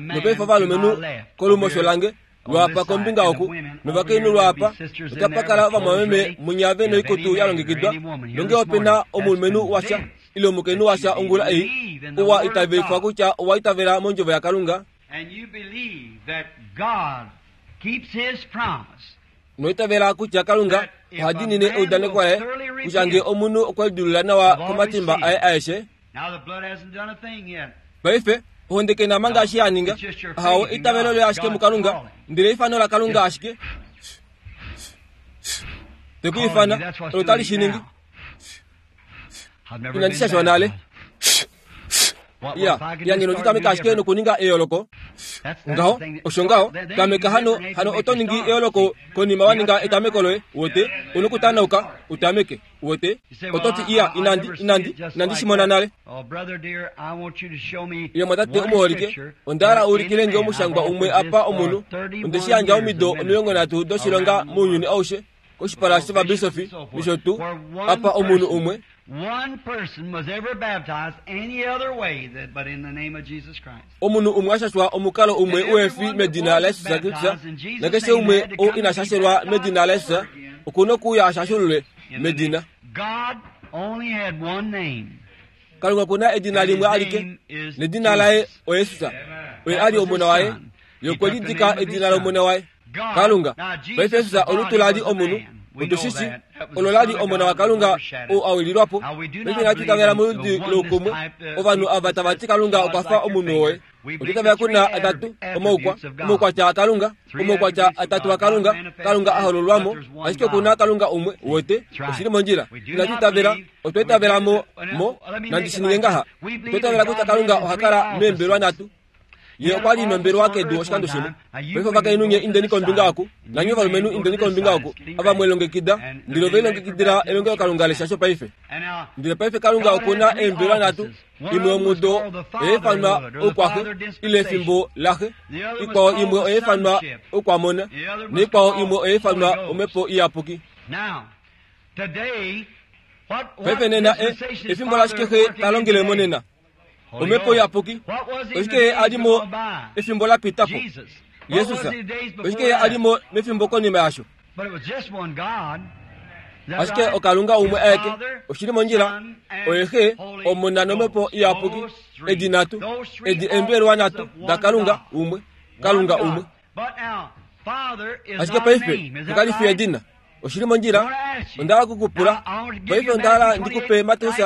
Nopaife ovalumenhu kolumosho lange lwaapa kombinga oku novakainhu lwaapa. Otapakala ovamwameme munyave noikutu yalongekidwa. Nonge opena omulumenhu washa ile omukainhu washa ongula ei owa itavelifwa kutya owa itavela mondjovo yaKalunga. And you believe that God keeps his promise. Noitavela kutya Kalunga oha diinine eudaneko laye kutya ngee omunhu okwe lidilulula nawa komatimba aye aeshe. Now the blood hasn't done a thing yet. Paife ohonde kena manga eshi ya ninga. Ahawe eitavelo loye ashike muKalunga, ndele eifano laKalunga ashike te ku ifana olo tali shi ningi. I've never Inandi been shashwa nale. baptized. What, Ya, if I could ya just ngeno start nditameka to do ashike different. nokuninga eyooloko. That's, that's Ngaho, the thing that- osho ngaho, Then- then tameka you hano, different hano age oto to ningi start. eyooloko konima wa ninga etameko loye, wote, onokutanauka, utameke, wote, You say, well, oto ti I- iya, I- I inandi, never seen inandi, it just inandi like shimona that. nale. Oh, brother dear, I want you to show me Ye mwatate one omuholike, scripture onda hala where ulikile any nge man omushangwa I've umwe offered apa this for omunhu, thirty-one onde shi yandja years omido of omilongo nhatu doshilonga around the mounyuni world. aushe, koshipala shovabisofi, nisho tuu, Where one apa omunhu person- umwe, One person was ever baptized any other way that, but in the name of Jesus Christ. omunhu umwe ashashwa omukalo umwe uefi medina laJesus Kristus, nakeshe umwe ou ina shashelwa medina laJesus, okuna okuuya ashashululwe In the medina. name- God only had one name. Kalunga kuna edina limwe alike, nedina laye oYesus, oye ali omona waye, ye okwe lidika edina lomona waye. Kalunga, paife Jesus olutu lali omunhu, otushishi olo lali omona waKalunga ou awililwapo. Paife inatu itavela moludi loukumwe, ovanhu ava tava ti Kalunga okwa fa omunhu woye. Otwa kuna atatu omaukwa omaukwatya aKalunga omaukwatya atatu aKalunga Kalunga a hololwamo ashike kuna Kalunga umwe wote oshili mondjila inatu itavela otwa itavela mo mo nandi shininge ngaha otwa itavela kutya Kalunga oha kala meembelwa nhatu ye okwa li nombelwa kedu oshikando shimwe paife ovakainhu nye indeni kombinga oku nanye ovalumenhu indeni kombinga oku ava mwelongekida ndele ove longekidila elongelokalunga leshasho paife ndele paife Kalunga okuna eembelwa nhatu imwe omudo oyeefanwa oukwaxe ile efimbo laxe ikwao imwe oyeefanwa oukwamona neikwao imwe oyeefanwa omhepo iyapuki paife nena efimbo lashike xe talongele monena omhepo iyapuki oshike alimo efimbo lapitapo Jesus oshike alimo mefimbo konima yasho ashike okalunga umwe aeke oshili mondjila oye xe omona nomhepo iyapuki edi nhatu edi embelwa nhatu dakalunga umwe Kalunga umwe ashike paife ekalifi edina oshili mondjila ondala kukupula paife ondala ndikupe Mateus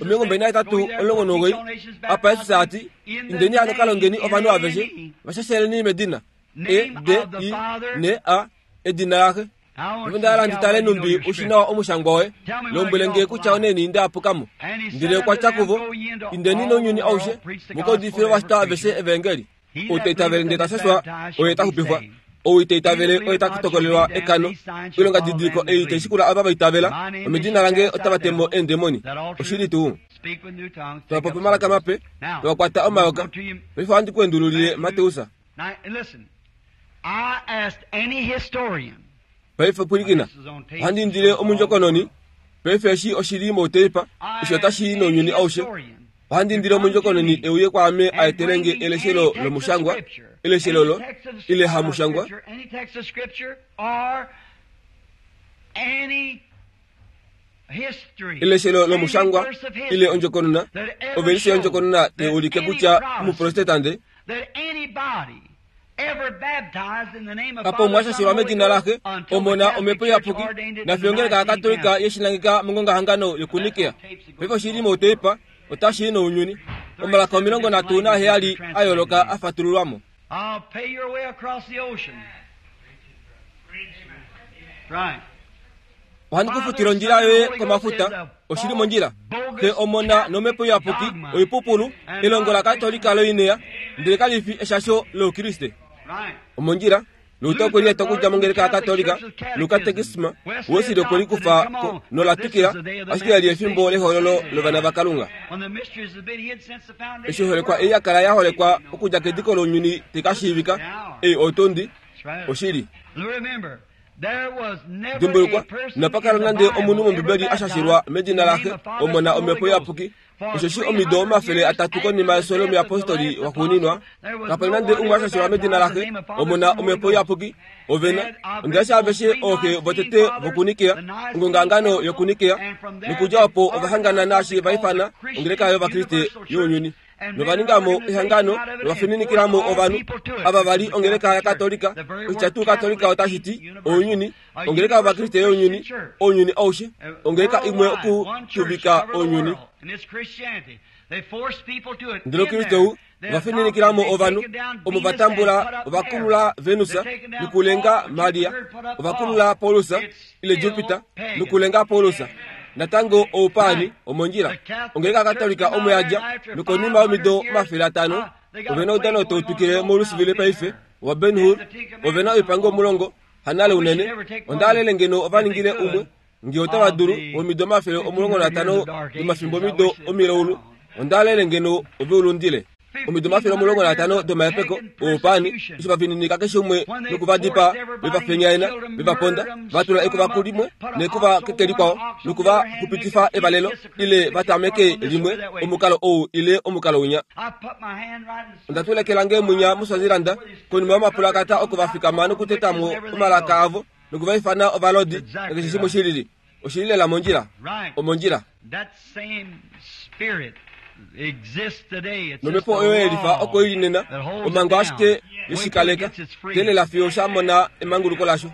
omilongo mbali nahetatu omulongo nomugoyi apa Yesus ati indeni hano kalongeni ovanhu aveshe vashasheleni medina E D I N A edina laxe ondala nditale numbi ushinawa omushangwa woye lombwele nge kutya oneni ndaapukamo ndele okwatya kuvo indeni nounyuni aushe mukaudifile ovashitwa aveshe evangeli ou taitavele ndele tashashwa oye taxupifwa ou itaitavele oye takutokolelwa ekano oilonga didiliko ei taishikula ava vaitavela omedina lange otava temo eendemoni oshili tuu twapopi omalaka mape twakwata omayoka paife ohandi kuendululile Mateus paife pwilikina ohandi indile omundjokononi paife eshi oshili mouteipa osho otashi nounyuni aushe ohandi indile omundjokononi euye kwaame aetelenge eleshelo lomushangwa eleshelo lo ile hamushangwa eleshelo lomushangwa ile ondjokonona ovelise yondjokonona teulike kutya omuprotestante kapo mwashashelwa medina laxe omona omhepo iyapuki nafyongeleka akatolika yeshilangika mongongahangano yokunikea paife oshili mouteipa otashi nounyuni omalaka omilongo nhatu naheyali a yooloka a fatululwamo ohandi kufutila ondjila yoye komafuta oshili mondjila xe omona nomhepo iyapuki oipupulu elongo lakatolika loinea ndele kalifi eshasho loukriste omondjila Luther okwe lieta okudja mongeleka yakatolika lukatekisma Wesley okwe likufa nolatukila ashike yali efimbo lehololo lovana vaKalunga eshi oholekwa ei yakala yaholekwa okudja kediko lounyuni tekashiivika ei otondi oshili dimbulukwa inapakala nande omunhu mombibeli ashashilwa medina laxe omona omhepo iyapuki osheshi omido omafele atatu konima yeso lomuyapostoli waxuuninwa kapali nande umwe ashashilwa medina laxe omona omhepo iyapuki ovena ondeasha aveshe ooxe votete vokunikea ongongahangano yokunikea nokudja opo ovahangana naashi vaifana ongeleka yovakriste younyuni novaningamo ehangano novafininikilamo ovanhu ava vali ongeleka yakatolika oshitya tuu katolika otashi ti ounyuni ongeleka yovakriste younyuni ounyuni aushe ongeleka imwe okutuvika ounyuni ndele Kristu ovafininikilamo ovanhu omo vatambula ovakulula Venus nokulenga Maria ovakulula Paulus ile Jupiter nokulenga Paulus natango oupani omondjila ongeleka katolika omo yadja nokonima yomido omafele atano ovena oudano tautukile molusivile paife wa Ben Hur ovena oipango omulongo hanale unene ondaalele ngeno ovaningile umwe nge otava dulu womido omafele omulongo natano domafimbo mido omilaulu ondaalele ngeno oveulundile omido omafele omulongo natano domahepeko oupani eshi vafininika keshe umwe nokuvadipa vevafenyaena vevaponda vatula ekuva limwe nekuva keke likwao nokuvaxupitifa evalelo ile vatameke limwe omukalo ou ile omukalo winya ondatulekela mwinya muSwazilanda konima yomapulakata oko vafikama nokutetamo omalaka avo nokuvaifana ovalodi nakeshe shimwe shilili oshili lela mondjila omondjila nomhepo oyo yelifa oko ili nena omhango ashike yeshikaleka telela fiyo shamona emanguluko lasho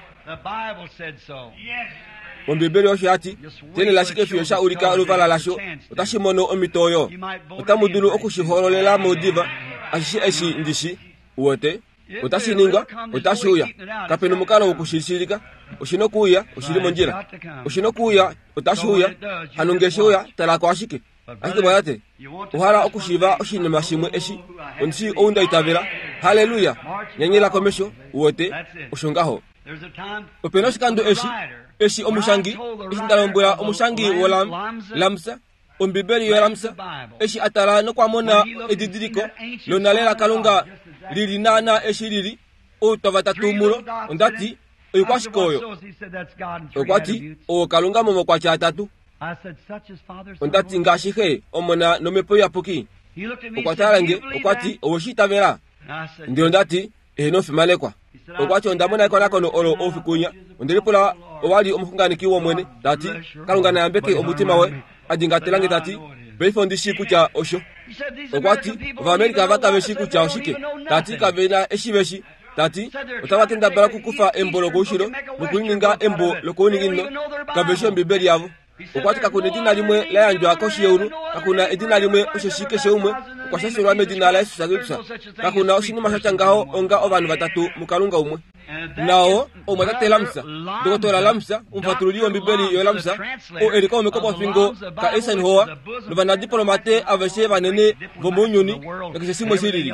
ombibeli osho yati telela ashike fiyo sha ulika oluvala lasho otashi mono omhito oyo otamu dulu okushihololela modiva Ashishe eshi ndishi uwete otashi ningwa otashi uya kapena omukalo wokushishilika oshina okuuya oshili mondjila oshina okuuya otashi uya hano nge sheuya talako ashike ashike mwayate ohala okushiiva oshinima shimwe eshi ondishi ou nda itavela haleluya nyanyela komesho uwete osho ngaho opena oshikando eshi eshi omushangi eshi ndalombwela omushangi wolam lamsa ombibeli yolamsa eshi atala nokwamona edidiliko lonale lakalunga lili naana eshi lili outwa vatatu mulo ondati oikwashike oyo okwati owo kalunga momokwatya atatu ondati ngaashi xe omona nomhepo iyapuki okwatala nge okwati oweshi itavela ndele ondati eheno ofimanekwa okwati ondamona ekonakono olo oufikunya ondelipula owali omuxunganeki womwene tati kalunga nayambeke omutima we adingatelange tati paife ondishi kutya osho okwati ovaamerica vakaveshi kutya oshike tati kavena eshi veshi tati otava kendabala okukufa embo lokoushilo nokulininga embo lokouninginino kaveshi ombibeli yavo okwati kakuna edina limwe la yandjwa koshi yeulu kakuna edina limwe osheshi keshe umwe okwa shashelwa medina laYesus Kristus kakuna oshinima shatya ngaho onga ovanhu vatatu mukalunga umwe nao omwatate Lamsa Dr Lamsa omufatululi wombibeli yoLamsa oo eli kaume kopofingo ka Eisenhower novanadiplomate aveshe vanene vomounyuni nakeshe shimwe shilili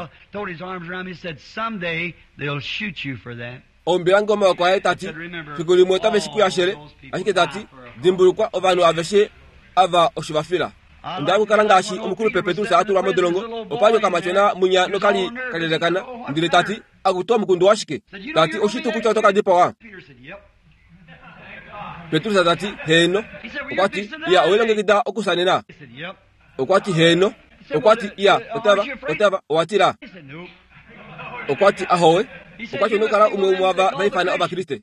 ombilange omaoko aye tati fiku limwe otave shi kuyashele ashike tati dimbulukwa ovanhu aveshe ava osho vafila onda kukala ngaashi omukulupe Petrus atulwa modolongo opali okamatyona munya nokali kalelekana ndele tati akutoa omukundu washike tati oshitu kutya oto kadipawa Petrus tati heeno okwati iya owelongekida okusanena okwati heeno okwati iya otava otava owatila okwati ahowe okwati onokala umwe umwe ava vaifana ovakriste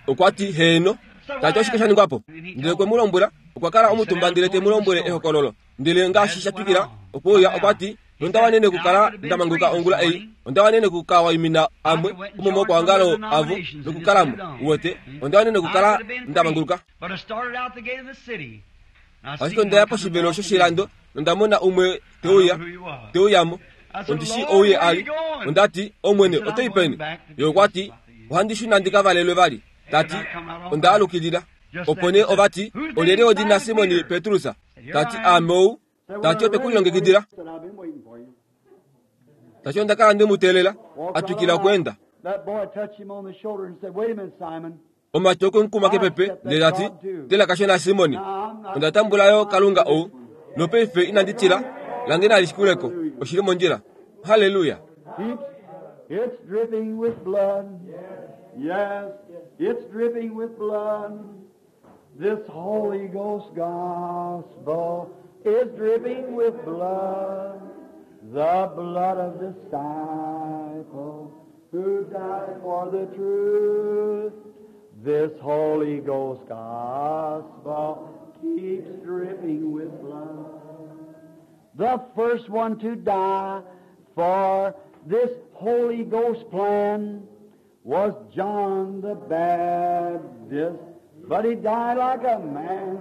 okwati heeno tati oshike shaningwapo ndele kwe mu lombwela okwa kala omutumba ndele te mu lombwele ehokololo ndele ngaashi shatwikila okuuya okwati nondawanene okukala ndamanguka ongula ei ondawanene okukawaimina amwe omomokwaongalo avo nokukalamo uwete ondawanene okukala ndamanguluka ashike ondaya poshivelo shoshilando nondamona umwe teuya teuyamo ondishi ouye ali ondati omwene otoi peni ye okwati ohandi shuna ndikavalelwe vali tati ondaalukilila opo nee ovati olyelye odina Simoni Petrus tati aame ou tati otwe kulilongekidila tati ondakala ndimuteelela atwikila okuenda omati okwe kepepe ndele tati tela kashona Simoni onda tambulayo kalunga ou nopaife inandi tila lange nalishikuleko oshili mondjila haleluya. It's dripping with blood. Yes, it's dripping with blood. This Holy Ghost gospel is dripping with blood. The blood of disciple who died for the truth. This Holy Ghost gospel keeps dripping with blood. The first one to die for this Holy Ghost plan was John the Baptist, but he died like a man.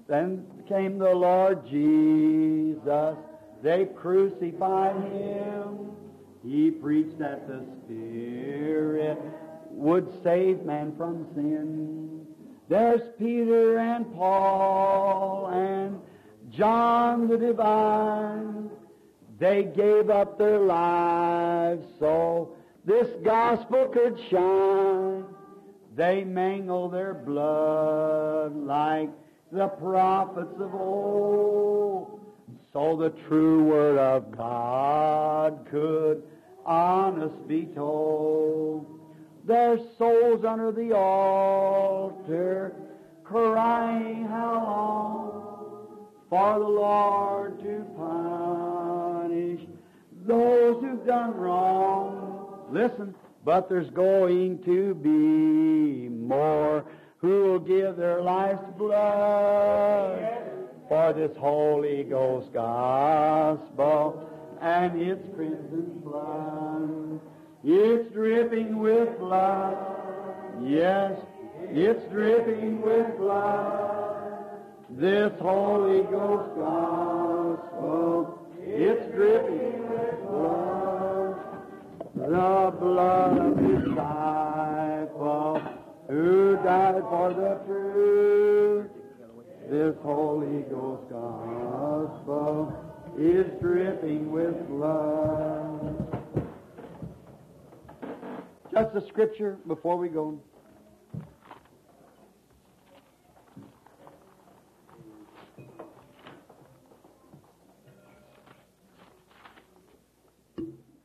Then came the Lord Jesus. They crucified him. He preached that the Spirit would save man from sin. There's Peter and Paul and John the Divine. They gave up their lives so this gospel could shine. They mingled their blood like the prophets of old, so the true word of God could honest be told. Their souls under the altar crying, how long for the Lord to punish those who've done wrong. Listen, but there's going to be more who will give their life's blood for this Holy Ghost gospel and its crimson flood. It's dripping with blood. Yes, it's dripping with blood. This Holy Ghost gospel, it's dripping. For the truth, this Holy Ghost gospel is dripping with love. Just a scripture before we go.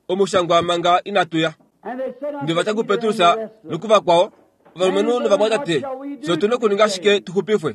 Omushangwa manga inatu ya. And they said unto Ndeva ta Peter and kuPetrus the rest of them, nokuvakwao ovalumenhu novamwatate fye otu na okuninga shike tu xupifwe?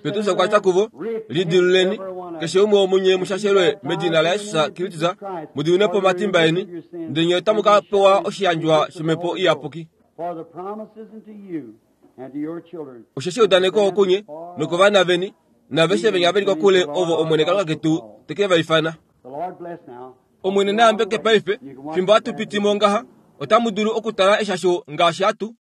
Petrus okwa tya kuvo, lidiluleni keshe umwe womunye mushashelwe medina laJesus Kristus mu po omatimba eni ndele nye otamu ka pewa oshiyandjwa shomhepo iyapuki. For the promises unto you and to your children. Osheshi eudaneko okunye nokovana veni naaveshe venya veli kokule ovo Omwene Kalunga ketu te ke va ifana. The Lord bless now. Omwene na yambeke paife fimbo hatu piti mo ngaha otamu dulu okutala eshasho ngaashi hatu